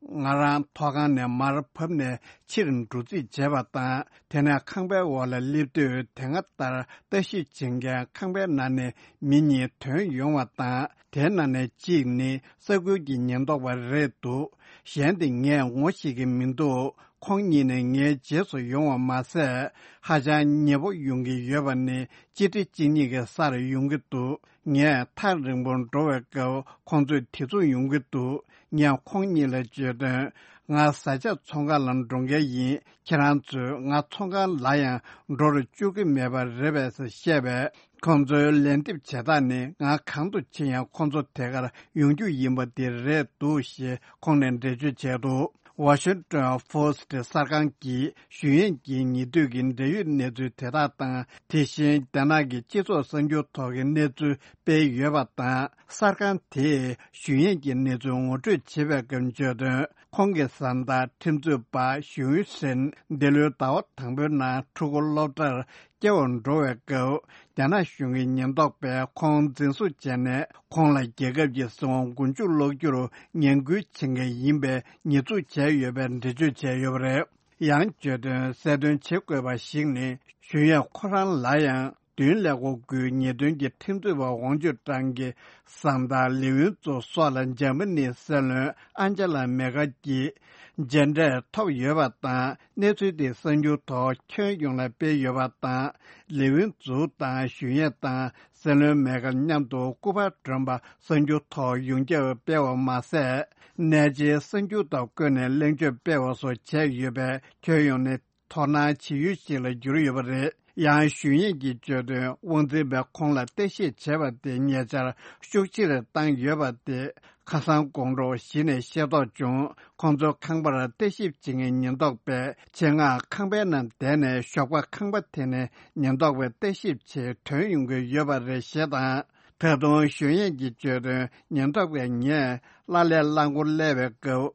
ང་རང་ཐོག་ཁང་ནས་མར་བབས་ནས་ཕྱིར་འགྲོ་རྩིས་བྱས་པ་དང་། དེ་ནས་ཁང་པའི་འོག་ལ་སླེབས་དུས། དེ་སྔ་ལྟར་ལྟ་ཞིབ་བྱེད་མཁན་ཁང་པའི་ནང་ནས་མི་གཉིས་ཐོན་ཡོང་བ་དང་། དེའི་ནང་ནས་གཅིག་ནི་ས་ཁུལ་གྱི་ཉེན་རྟོག་པ་རེད་འདུག་གཞན་དེ་ངས་ངོ་ཤེས་ཀྱི་མི་འདུག་ཁོང་གཉིས་ནི་ངའི་རྗེས་སུ་ཡོང་བ་མ་ཟད། ཧ་ཅང་ཉེ་པོ་ཡོང་གི་ཡོད་པ་ནི་གཅིག་ཁྲི་གཅིག་གཉིས་ཀྱི་སར་ཡོང་གི་འདུག་ངས་ཐག་རིང་པོར་འགྲོ་བའི་སྐབས། ཁོང་ཚོས་དེ་མཚུངས་ཡོང་གི་འདུག་ངས་ཁོང་གཉིས་ལ་བརྗོད་དོན། ང་བཟའ་ཆས་ཚོང་ཁང་ལ་འགྲོ་མཁན་ཡིན། ཁྱེད་རང་ཚོས་ང་ཚོང་ཁང་ལ་ཡང་འགྲོ་རུ་བཅུག་གི་མེད་པ་རེད་པས་ཟེར་བཤད་པས། ཁོང་ཚོའི་ལན་འདེབས་བྱེད་སྟངས་ནི། ང་གང་དུ་ཕྱིན་ཡང་ཁོང་ཚོ་དེ་གར་ཡོང་རྒྱུ་ཡིན་པ་དེ་རེད་འདུག་ཞེས་ཁོང་ནས་འགྲེལ་བརྗོད་བྱས་འདུག་ཝ་ཤིང་ཊོན་ཕོ་སི་ཊི་གསར་ཁང་གིས་ཞུས་ཡན་གྱི་ཉེ་དུས་ཀྱི་འབྲེལ་ཡོད་གནས་ཚུལ་དེ་དག་དང་། དེ་བཞིན་རྒྱ་ནག་གི་སྤྱི་ཚོགས་གསར་འགྱུར་ཐོག་གི་གནས་ཚུལ་སྤེལ་ཡོད་པ་དང་། གསར་ཁང་དེས་ཞུས་ཡན་གྱི་གནས་ཚུལ་ངོ་སྤྲོད་བྱེད་པའི་སྐབས་བརྗོད་དོན། ཁོང་གི་བཟའ་ཟླ་ཁྲིམས་རྩོད་པ་ཞུས་ཧྲིན་འདི་ལོའི་ཟླ་བ་དང་པོའི་ནང་ཕྲུ་གུ་སློབ་གྲྭར་སྐྱེལ་བར་འགྲོ་བའི་སྐབས། རྒྱ་ནག་གཞུང་གི་ཉེན་རྟོག་པས་ཁོང་འཛིན་བཟུང་བྱས་ནས། ཁོང་ལ་རྒྱལ་ཁབ་ཀྱི་སྲིད་དབང་མགོ་མཇུག་སློག་རྒྱུར་ངན་སྐུལ་བྱེད་མཁན་ཡིན་པའི་ཉེས་འཛུགས་བྱས་ཡོད་པའི་འགྲེལ་བརྗོད་བྱས་ཡོད་པ་རེད། ཡང་བརྗོད་དོན་གསལ་སྟོན་བྱེད་དགོས་པ་ཞིག་ནི། ཞུས་ཡན་ཁོ་རང་ལ་ཡང་། བདུན་ཀླད་ཀོར་དགུའི་ཉེས་དོན་གྱི་ཁྲིམས་རྩོད་པ་ཝང་ཅུན་ཀྲང་གི་བཟའ་ཟླ་ལི་ཝུན་ཙུའུ་སོགས་ལ་འཇར་མ་ནིའི་སྲིད་བློན་ཨན་ཅེ་ལ་མེ་ཀལ་གྱིས་མཇལ་འཕྲད་ཐོབ་ཡོད་པ་དང་། གནས་ཚུལ་དེ་གསར་འགྱུར་ཐོག་ཁྱོན་ཡོངས་ལ་སྤེལ་ཡོད་པ་དང་། ལི་ཝུན་ཙུའུ་དང་ཞུས་ཡན་དང་སྲིད་བློན་མེ་ཀལ་མཉམ་དུ་སྐུ་པར་སྒྲོན་པ་གསར་འགྱུར་ཐོག་ཡོངས་ཁྱབ་སྤེལ་བ་མ་ཟད། གནས་ཆེའི་གསར་འགྱུར་དང་བཀོད་ནས་གླེང་བརྗོད་སྤེལ་བ་སོགས་བྱས་ཡོད་པས། ཁྱོན་ཡོངས་ནས། དོ་སྣང་བྱེད་ཡུལ་ཞིག་ལ་གྱུར་ཡོད་པ་རེད། ཡང་ཞུས་ཡན་གྱིས་བརྗོད་དོན། དབང་འཛིན་པས་ཁོང་ལ་བརྟག་ཞིབ་བྱས་པ་དེ་ཉེ་ཆར་ཤུགས་ཆེར་བཏང་ཡོད་པ་དེ་ཁ་སང་དགོང་དྲོ་གཞི་ནས་ཤེས་རྟོགས་བྱུང་། ཁོང་ཚོའི་ཁང་པར་བརྟག་ཞིབ་བྱེད་མཁན་ཉེན་རྟོག་པས་ཆེད་མངགས་ཁང་པའི་ནང་བསྡད་ནས། ཞོགས་པ་ཁང་པ་དེ་ནས་ཉེན་རྟོག་པའི་བརྟག་ཞིབ་ཆེད་ཐོན་ཡོང་གི་ཡོད་པ་རེད་ཞེས་དང་། ད་དུང་ཞུས་ཡན་གྱིས་བརྗོད་དོན། ཉེན་རྟོག་པས་ངས་བླ་ལྷའི་རླངས་འཁོར་སླེབས་པའི་སྐབས་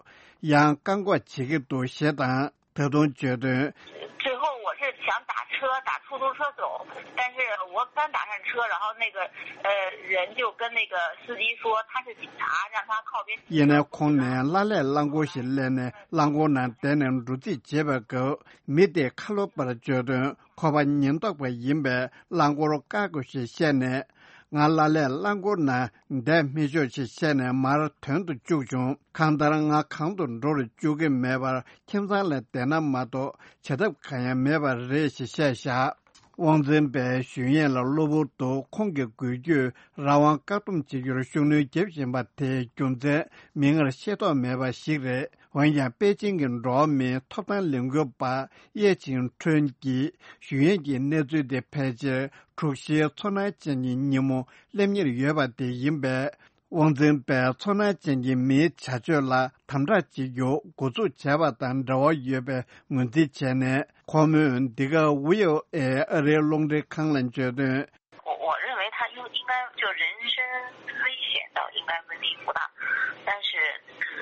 ཡང་བཀག་འགོག་བྱེད་ཀྱི་འདུག་ཞེས་དང་། ད་དུང་བརྗོད་དོན། 最后我是想打车，打出租车走，但是我刚打上车，然后那个，呃，人就跟那个司机说他是警察，让他靠边停车。 ཡིན་ནའི་ཁོང་ནས་བླ་ལྷའི་རླངས་འཁོར་ཞིག་སླེབས་ནས་རླངས་འཁོར་ནང་བསྡད་ནས་འགྲོ་རྩིས་བྱེད་པའི་སྐབས། མི་དེས་ཁ་ལོ་པར་བརྗོད་དོན། ཁོ་པ་ཉེན་རྟོག་པ་ཡིན་པས་རླངས་འཁོར་བཀག་དགོས་ཞེས་བཤད་ནས། ང་བླ་ལྷའི་རླངས་འཁོར་ནང་བསྡད་མི་ཆོག་ཅེས་བཤད་ནས་མར་དོན་དུ་བཅུག་བྱུང་། གང་ལྟར་ང་གང་དུ་འགྲོ་རུ་བཅུག་གི་མེད་པར་ཁྱིམ་ཚང་ལ་བསྡད་ན་མ་གཏོགས་བྱ་ཐབས་གང་ཡང་མེད་པ་རེད་ཞེས་བཤད་བཞག་དབང་འཛིན་པས་ཞུས་ཡན་ལ་གློ་བུར་དུ་ཁོང་གི་འགུལ་སྐྱོད་རང་དབང་བཀག་སྡོམ་བྱེད་རྒྱུར་ཤུགས་སྣོན་བརྒྱབ་བཞིན་པ་དེའི་རྒྱུ་མཚན་མིག་སྔར་ཤེས་རྟོགས་མེད་པ་ཞིག་རེད། འོན་ཀྱང་པེ་ཅིང་གི་འགྲོ་བ་མིའི་ཐོབ་ཐང་ལས་འགུལ་པ་ཡེ་ཆིང་ཁྲོན་གྱིས་ཞུས་ཡན་གྱི་གནས་ཚུལ་དེ་ཕལ་ཆེར་དྲུག་བཞིའི་ཚོར་སྣང་ཅན་གྱི་ཉིན་མོ་སླེབས་ཉེར་ཡོད་པ་དེ་ཡིན་པས། དབང་འཛིན་པས་ཚོར་སྣང་ཅན་གྱི་མིའི་བྱ་སྤྱོད་ལ་དམ་དྲག་བྱེད་རྒྱུ་འགོ་འཛུགས་བྱས་པ་དང་འབྲེལ་བ་ཡོད་པའི་ངོས་འཛིན་བྱས་ནས། ཁོ་མོས་འདི་ག་ཝི་ཨོ་ཨེ་ཨ་རིའི་རླུང་འཕྲིན་ཁང་ལ་བརྗོད་དོན། 我我认为他应应该就人身危险倒应该问题不大，但是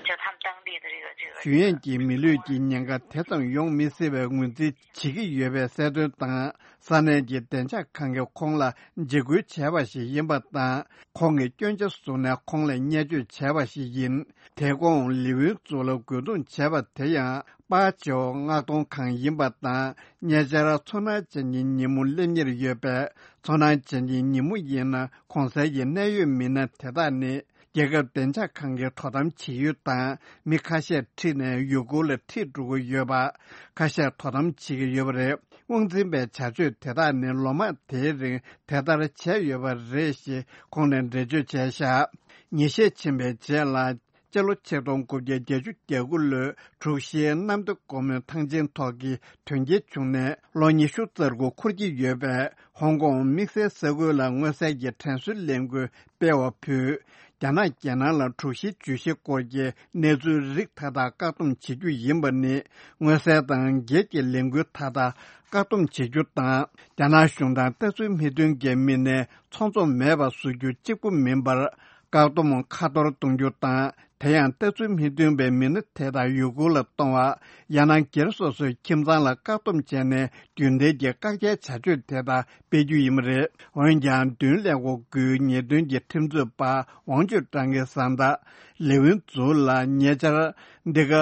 就他们当地的这个这个 ཞུ་ཡས་ཀྱི་མི་ལུས་ཀྱི་ཉེན་ཁ་དེ་ཙམ་ཡོང་མི་སྲིད་པའི་ངོས་འཛིན་བྱེད་ཀྱི་ཡོད་པའི་གསལ་སྟོན་དང་། ས་གནས་ཀྱི་བདེ་འཇགས་ཁང་གིས་ཁོང་ལ་འཇིགས་སྐུལ་བྱས་པ་ཞིག་ཡིན་པ་དང་། ཁོང་གིས་སྐྱོན་ཆ་བཟུང་ནས་ཁོང་ལ་བརྙས་བཅོས་བྱས་པ་ཞིག་ཡིན། དེ་གོང་ལི་ཝིན་ཙུའུ་ལ་རྒོལ་རྡུང་བྱས་པ་དེ་ཡང་པཱ་ཅའོ་མངགས་གཏོང་ཁང་ཡིན་པ་དང་། ཉེ་ཆར་ཚོར་སྣང་ཅན་གྱི་ཉིན་མོ་སླེབས་ཉེར་ཡོད་པས། ཚོར་སྣང་ཅན་གྱི་ཉིན་མོ་ཡིན་ན་གོང་གསལ་གྱི་གནད་ཡོད་མི་སྣ་དེ་དག་ནི། རྒྱལ་ཁབ་བདེ་འཇགས་ཁང་གིས་དོ་དམ་བྱེད་ཡུལ་དང་མི་ཁ་ཤས་ཁྲིད་ནས་ཡུལ་སྐོར་ལ་ཁྲིད་འགྲོ་གི་ཡོད་པ། ཁ་ཤས་དོ་དམ་བྱེད་ཀྱི་ཡོད་པ་རེད། དབང་འཛིན་པའི་བྱ་སྤྱོད་དེ་དག་ནི་ལོ་མང་དེའི་རིང་དེ་ལྟར་བྱས་ཡོད་པ་རེད་ཞེས་ཁོང་ནས་འགྲེལ་བརྗོད་བྱས་བཞག་ཉིན་ཤས་ཕྱིན་པའི་རྗེས་ལ། སྤྱི་ལོ་ཆིག་སྟོང་དགུ་བརྒྱ་བརྒྱད་ཅུ་གྱ་དགུ་ལོའི་དྲུག་བཞིའི་གནམ་བདེ་སྒོ་མོའི་ཐང་ཆེན་ཐོག་གི་དོན་རྐྱེན་བྱུང་ནས་ལོ་ཉི་ཤུ་རྩ་དགུ་འཁོར་གྱི་ཡོད་པས། ཧོང་ཀོང་དམིགས་བསལ་ས་ཁུལ་ལ་མངོན་གསལ་གྱི་དྲན་གསོའི་ལས་འགུལ་སྤེལ་བ་ཕུད། རྒྱ་ནག་རྒྱལ་ནང་ལ་དྲུག་བཞི་བརྗོད་གཞི་སྐོར་གྱི་གནས་ཚུལ་རིགས་མཐའ་དག་བཀག་སྡོམ་བྱེད་རྒྱུ་ཡིན་པ་ནི། མངོན་གསལ་དང་སྒེར་གྱི་ལས་འགུལ་མཐའ་དག་བཀག་སྡོམ་བྱེད་རྒྱུ་དང་། རྒྱ་ནག་གཞུང་དང་ལྟ་ཚུལ་མི་མཐུན་གྱི་མི་སྣའི་ཚོགས་འཛོམས་མེད་པ་བཟོ་རྒྱུ་གཅིག་པུ་མིན་པར། བཀག་སྡོམ་ཁ་གཏོར་གཏོང་རྒྱུ་དང་། དེ་ཡང་ལྟ་ཚུལ་མི་མཐུན་པའི་མི་སྣ་དེ་དག་ཡུལ་སྐོར་ལ་གཏོང་བ། ཡང་ན་སྒེར་སོ་སོའི་ཁྱིམ་ཚང་ལ་བཀག་སྡོམ་བྱས་ནས་རྒྱུན་ལྡན་གྱི་བཀག་རྒྱའི་བྱ་སྤྱོད་དེ་དག་སྤེལ་རྒྱུ་ཡིན་པ་རེད། འོན་ཀྱང་མདུན་ལས་ཁུངས་དགུའི་ཉེས་དོན་གྱི་ཁྲིམས་རྩོད་པ་ཝང་ཅུན་ཀྲང་གིས་གསལ་བསྒྲགས། ལི་ཝིན་ཙུའུ་ལ་ཉེ་ཆར་འདི་ག་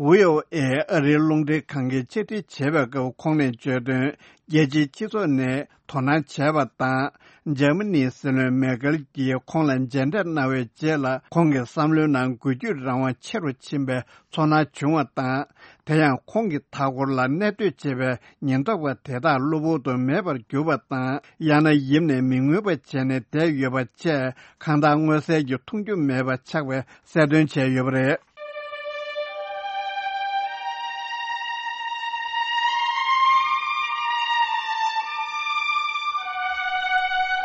ཝི་ཨོ་ཨེ་ཨ་རིའི་རླུང་འཕྲིན་ཁང་གིས་ཕྱིར་དྲན་བྱས་པའི་སྐབས་ཁོང་ནས་བརྗོད་དོན། རྒྱལ་སྤྱིའི་སྤྱི་ཚོགས་ནས་དོ་སྣང་བྱས་པ་དང་། འཇར་མ་ནིའི་སྲིད་བློན་མེར་ཀེལ་གྱིས་ཁོང་ལ་མཇལ་འཕྲད་གནང་བའི་རྗེས་ལ། ཁོང་གི་བསམ་བློའི་ནང་འགུལ་སྐྱོད་རང་དབང་ཆེ་རུ་ཕྱིན་པའི་ཚོར་སྣང་བྱུང་བ་དང་། དེ་ཡང་ཁོང་གི་མཐའ་འཁོར་ལ་གནས་སྡོད་བྱེད་པའི་ཉེན་རྟོག་པ་དེ་དག་གློ་བུར་དུ་མེད་པར་གྱུར་པ་དང་། ཡང་ན་ཡིབ་ནས་མི་མངོན་པ་བྱས་ནས་བསྡད་ཡོད་པ་བཅས་གང་ལྟར་མངོན་གསལ་གྱི་མཐོང་རྒྱུ་མེད་པ་ཆགས་པའི་གསལ་སྟོན་བྱས་ཡོད་པ་རེད།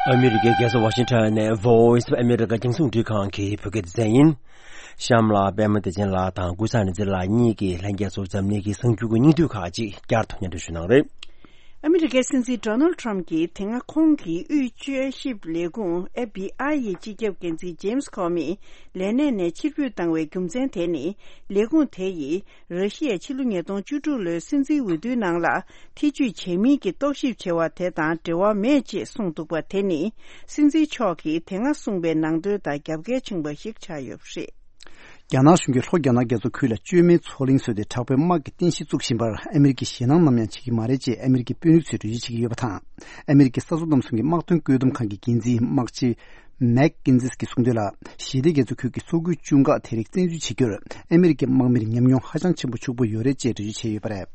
ཨ་མི་རི་ཀའི་རྒྱལ་ས་ཝ་ཤིང་ཊོན་ནས་Voice of America་རྒྱང་སྲིང་འཕྲིན་ཁང་གི་བོད་སྐད་སྡེ་ཚན་ཡིན། གཤམ་ལ་པད་མ་བདེ་ཆེན་ལགས་དང་ཀུན་བཟང་རིག་འཛིན་ལགས་གཉིས་ཀྱིས་ལྷན་རྒྱས་ཚོར་འཛམ་གླིང་གི་གསར་འགྱུར་གྱི་སྙིང་བསྡུས་ཁག་ཅིག་བསྐྱར་དུ་སྙན་སྒྲོན་ཞུ་གནང་རེད། ཨ་མི་རི་ཀའི་སྲིད་འཛིན་Donald Trump་གྱིས་དེ་སྔ་ཁོང་གི་དབུས་དཔྱད་ཞིབ་ལས་ཁུངས་FBI་ཡི་སྤྱི་ཁྱབ་འགན་འཛིན་James Comey་ལས་གནས་ནས་ཕྱིར་འབུད་བཏང་བའི་རྒྱུ་མཚན་དེ་ནི། ལས་ཁུངས་དེ་ཡིས་ར་ཤི་ཡའི་ཕྱི་ལོ་ཉིས་སྟོང་བཅུ་དྲུག་ལོའི་སྲིད་འཛིན་འོས་བསྡུའི་ནང་ལ་ཐེ་ཇུས་བྱས་མིན་གྱི་རྟོག་ཞིབ་བྱ་བ་དེ་དང་འབྲེལ་བ་མེད་ཅེས་གསུངས་འདུག་པ། དེ་ནི་སྲིད་འཛིན་མཆོག་གིས་དེ་སྔ་གསུངས་པའི་ནང་དོན་དང་རྒྱབ་འགལ་ཕྱིན་པ་ཞིག་ཆགས་ཡོད་པ་རེད། རྒྱ་ནག་གཞུང་གིས་ལྷོ་རྒྱ་ནག་རྒྱ་མཚོ་ཁུལ་ལ་བཅོས་མའི་མཚོ་གླིང་བཟོས་ཏེ་དྲག་པོའི་དམག་གི་རྟེན་གཞི་བཙུགས་བཞིན་པར་ཨ་མི་རི་ཀས་ཞེད་སྣང་ནམ་ཡང་བྱེད་ཀྱི་མ་རེད་ཅེས་ཨ་མི་རི་ཀའི་དཔོན་རིགས་ཚོས་འགྲེལ་བརྗོད་བྱེད་ཀྱི་ཡོད་པ་དང་། ཨ་མི་རི་ཀའི་ས་མཚོ་གནམ་གསུམ་གྱི་དམག་དོན་བཀོད་འདོམས་ཁང་གི་འགན་འཛིན་དམག་སྤྱི་མེག་ཀིན་ཛིས་ཀྱིས་གསུངས་དོན་ལ། ཞི་བདེ་རྒྱ་མཚོ་ཁུལ་གྱི་མཚོ་ཁུལ་ཆུང་ཁག་དེ་རིགས་བཙན་འཛུལ་བྱེད་རྒྱུར་ཨ་མི་རི་ཀའི་དམག་མིར་ཉམས་མྱོང་ཧ་ཅང་ཆེན་པོ་ཕྱུག་པོ་ཡོད་རེད་ཅེས་འགྲེལ་བརྗོད་བྱས་ཡོད་པ་རེད།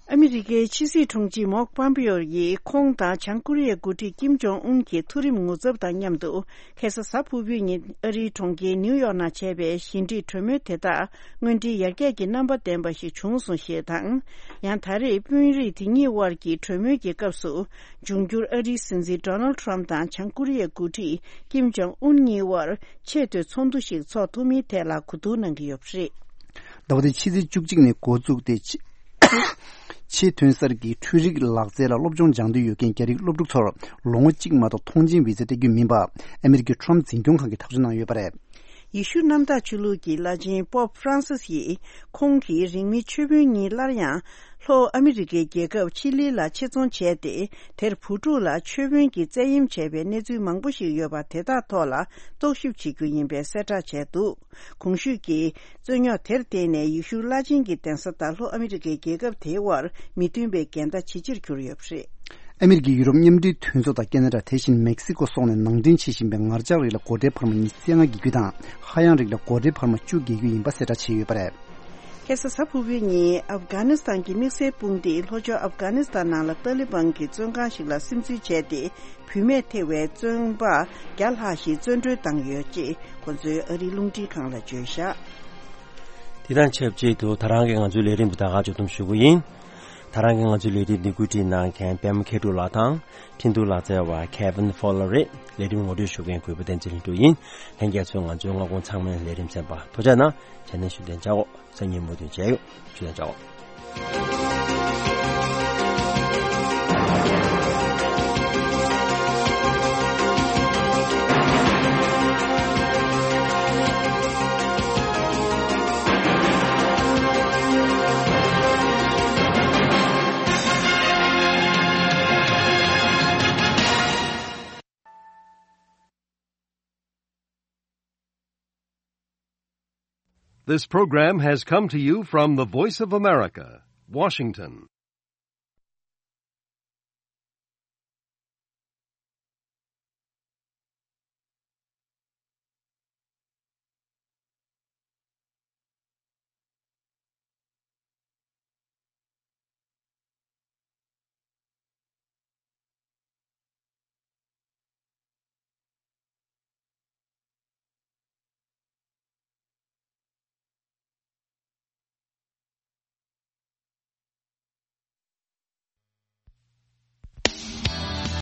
ཨ་མི་རི་ཀའི་ཕྱི་སྲིད་དྲུང་ཆེ་མོག་པམ་པེའོ་ཡིས་ཁོང་དང་བྱང་ཀོ་རི་ཡའི་འགོ་ཁྲིད་ཀིམ་ཇོང་ཨུན་གྱི་མཐོ་རིམ་ངོ་ཚབ་དང་མཉམ་དུ། ཁ་སང་གཟའ་ཕུར་བུའི་ཉིན་ཨ་རིའི་གྲོང་ཁྱེར་ནིའུ་ཡོག་ནང་བྱས་པའི་ཞི་འགྲིག་གྲོས་མོལ་དེ་དག་དངོས་འབྲེལ་ཡར་རྒྱས་ཀྱི་རྣམ་པ་ལྡན་པ་ཞིག་བྱུང་སོང་ཞེས་དང་། ཡང་ད་རེས་དཔོན་རིགས་དེ་གཉིས་དབར་གྱི་གྲོས་མོལ་གྱི་སྐབས་སུ། འབྱུང་འགྱུར་ཨ་རིའི་སྲིད་འཛིན་Donald Trump་དང་བྱང་ཀོ་རི་ཡའི་འགོ་ཁྲིད་ཀིམ་ཇོང་ཨུན་གཉིས་དབར་ཆེས་མཐོའི་ཚོགས་འདུ་ཞིག་འཚོགས་ཐུབ་མིན་ཐད་ལ་གོ་བསྡུར་གནང་གི་ཡོད་པ་རེད། ཟླ་བ་འདིའི་ཕྱི་ཚེས་བཅུ་གཅིག་ནས་འགོ་བཙུགས་ཏེ། ཆེས་ཐོན་གསར་གྱི་འཕྲུལ་རིག་ལག་རྩལ་ལ་སློབ་སྦྱོང་སྦྱང་འདོད་ཡོད་མཁན་རྒྱ་རིགས་སློབ་ཕྲུག་ཚོར་ལོ་ངོ་གཅིག་མ་གཏོགས་ཐོངས་མཆན་བི་ཛ་སྤྲད་རྒྱུ་མིན་པ། ཨ་མི་རི་ཀའི་ཁྲོམ་འཛིན་སྐྱོང་ཁང་གིས་ཐག་གཅོད་གནང་ཡོད་པ་རེད། ཡེ་ཤུ་གནམ་བདག་ཆོས་ལུགས་ཀྱི་བླ་ཆེན་པོབ་ཧྥ་རན་སིས་ཡིས་ཁོང་གིས་རིང་མིན་ཆོས་དཔོན་གཉིས་སླར་ཡང་ལྷོ་ཨ་མི་རི་ཀའི་རྒྱལ་ཁབ་ཆི་ལི་ལ་ཆེད་རྫོང་བྱས་ཏེ། དེར་བུ་ཕྲུག་ལ་ཆོས་དཔོན་གྱི་བཙན་གཡེམ་བྱས་པའི་གནས་ཚུལ་མང་པོ་ཞིག་ཡོད་པ་དེ་དག་ཐོག་ལ་རྟོག་ཞིབ་བྱེད་རྒྱུ་ཡིན་པའི་གསལ་བསྒྲགས་བྱས་འདུག་གོང་ཞུས་ཀྱི་རྩོད་རྙོག་དེར་བརྟེན་ནས་ཡེ་ཤུ་བླ་ཆེན་གྱི་གདན་ས་དང་ལྷོ་ཨ་མི་རི་ཀའི་རྒྱལ་ཁབ་དེའི་དབར་མི་མཐུན་པའི་འགལ་ཟླ་ཇེ་ཆེར་གྱུར་ཡོད་པ་རེད། ཨ་མི་རི་ཀའི་ཡུ་རོབ་མཉམ་འབྲེལ་མཐུན་ཚོགས་དང་ཁེ་ན་ཌ་དེ་བཞིན་མེག་སི་ཀོ་སོགས་ནས་ནང་འདྲེན་བྱེད་བཞིན་པའི་ངར་ལྕགས་རིགས་ལ་སྒོ་ཁྲལ་འཕར་མ་ཉི་ཤུ་རྩ་ལྔ་བརྒལ་རྒྱུ་དང་། ཧ་ཡང་རིགས་ལ་སྒོ་ཁྲལ་འཕར་མ་བཅུ་བརྒལ་རྒྱུ་ཡིན་པ་གསལ་བསྒྲགས་བྱས་ཡོད་པ་རེད། ཁ་སང་གཟའ་ཕུར་བུའི་ཉིན་ཨབ་གྷ་ནི་སི་ཐན་གྱི་དམིགས་བསལ་དཔུང་སྡེས་ལྷོ་ཕྱོགས་ཨབ་གྷ་ནི་སི་ཐན་ནང་ལ་ཏཱ་ལི་བན་གྱི་བཙོན་ཁང་ཞིག་ལ་སིམ་འཛུལ་བྱས་ཏེ། བུད་མེད་ཐེ་བའི་བཙོན་པ་བརྒྱ་ལྷག་ཞིག་བཙོན་གྲོལ་བཏང་ཡོད་ཅེས་ཁོ་ཚོས་ཨ་རིའི་རླུང་འཕྲིན་ཁང་ལ་བརྗོད་བཞག་དེ་དང་ཆབས་ཅིག་ཏུ་ད་རང་གི་ང་ཚོའི་ལས་རིམ་འདི་ད་ག་མཇུག་བསྡོམས་ཞུ་གི་ཡིན། ད་རང་གི་ང་ཚོའི་ལས་རིམ་འདི་བཀོད་སྒྲིག་གནང་མཁན་པད་མ་མཁས་གྲུབ་ལགས་དང་། འཕྲིན་གཏོང་ལག་རྩལ་བ་Kevin Fowler་རེད། ལས་རིམ་ངོ་སྤྲོད་ཞུ་མཁན་གུས་པ་བསྟན་འཛིན་ལྷུན་གྲུབ་ཡིན། ལྷན་རྒྱས་ཚོས་ང་ཚོའི་སྔ་དགོང་ཚང་མའི་ལས་རིམ་གསན་པར་ཐུགས་རྗེ་གནང་། དེ་ནས་ཞུ་དོན་བྱའོ། སང་ཉིན་མུ་མཐུད་མཇལ་ཡོང་། ཞུ་དོན་བྱའོ། This program has come to you from the Voice of America, Washington.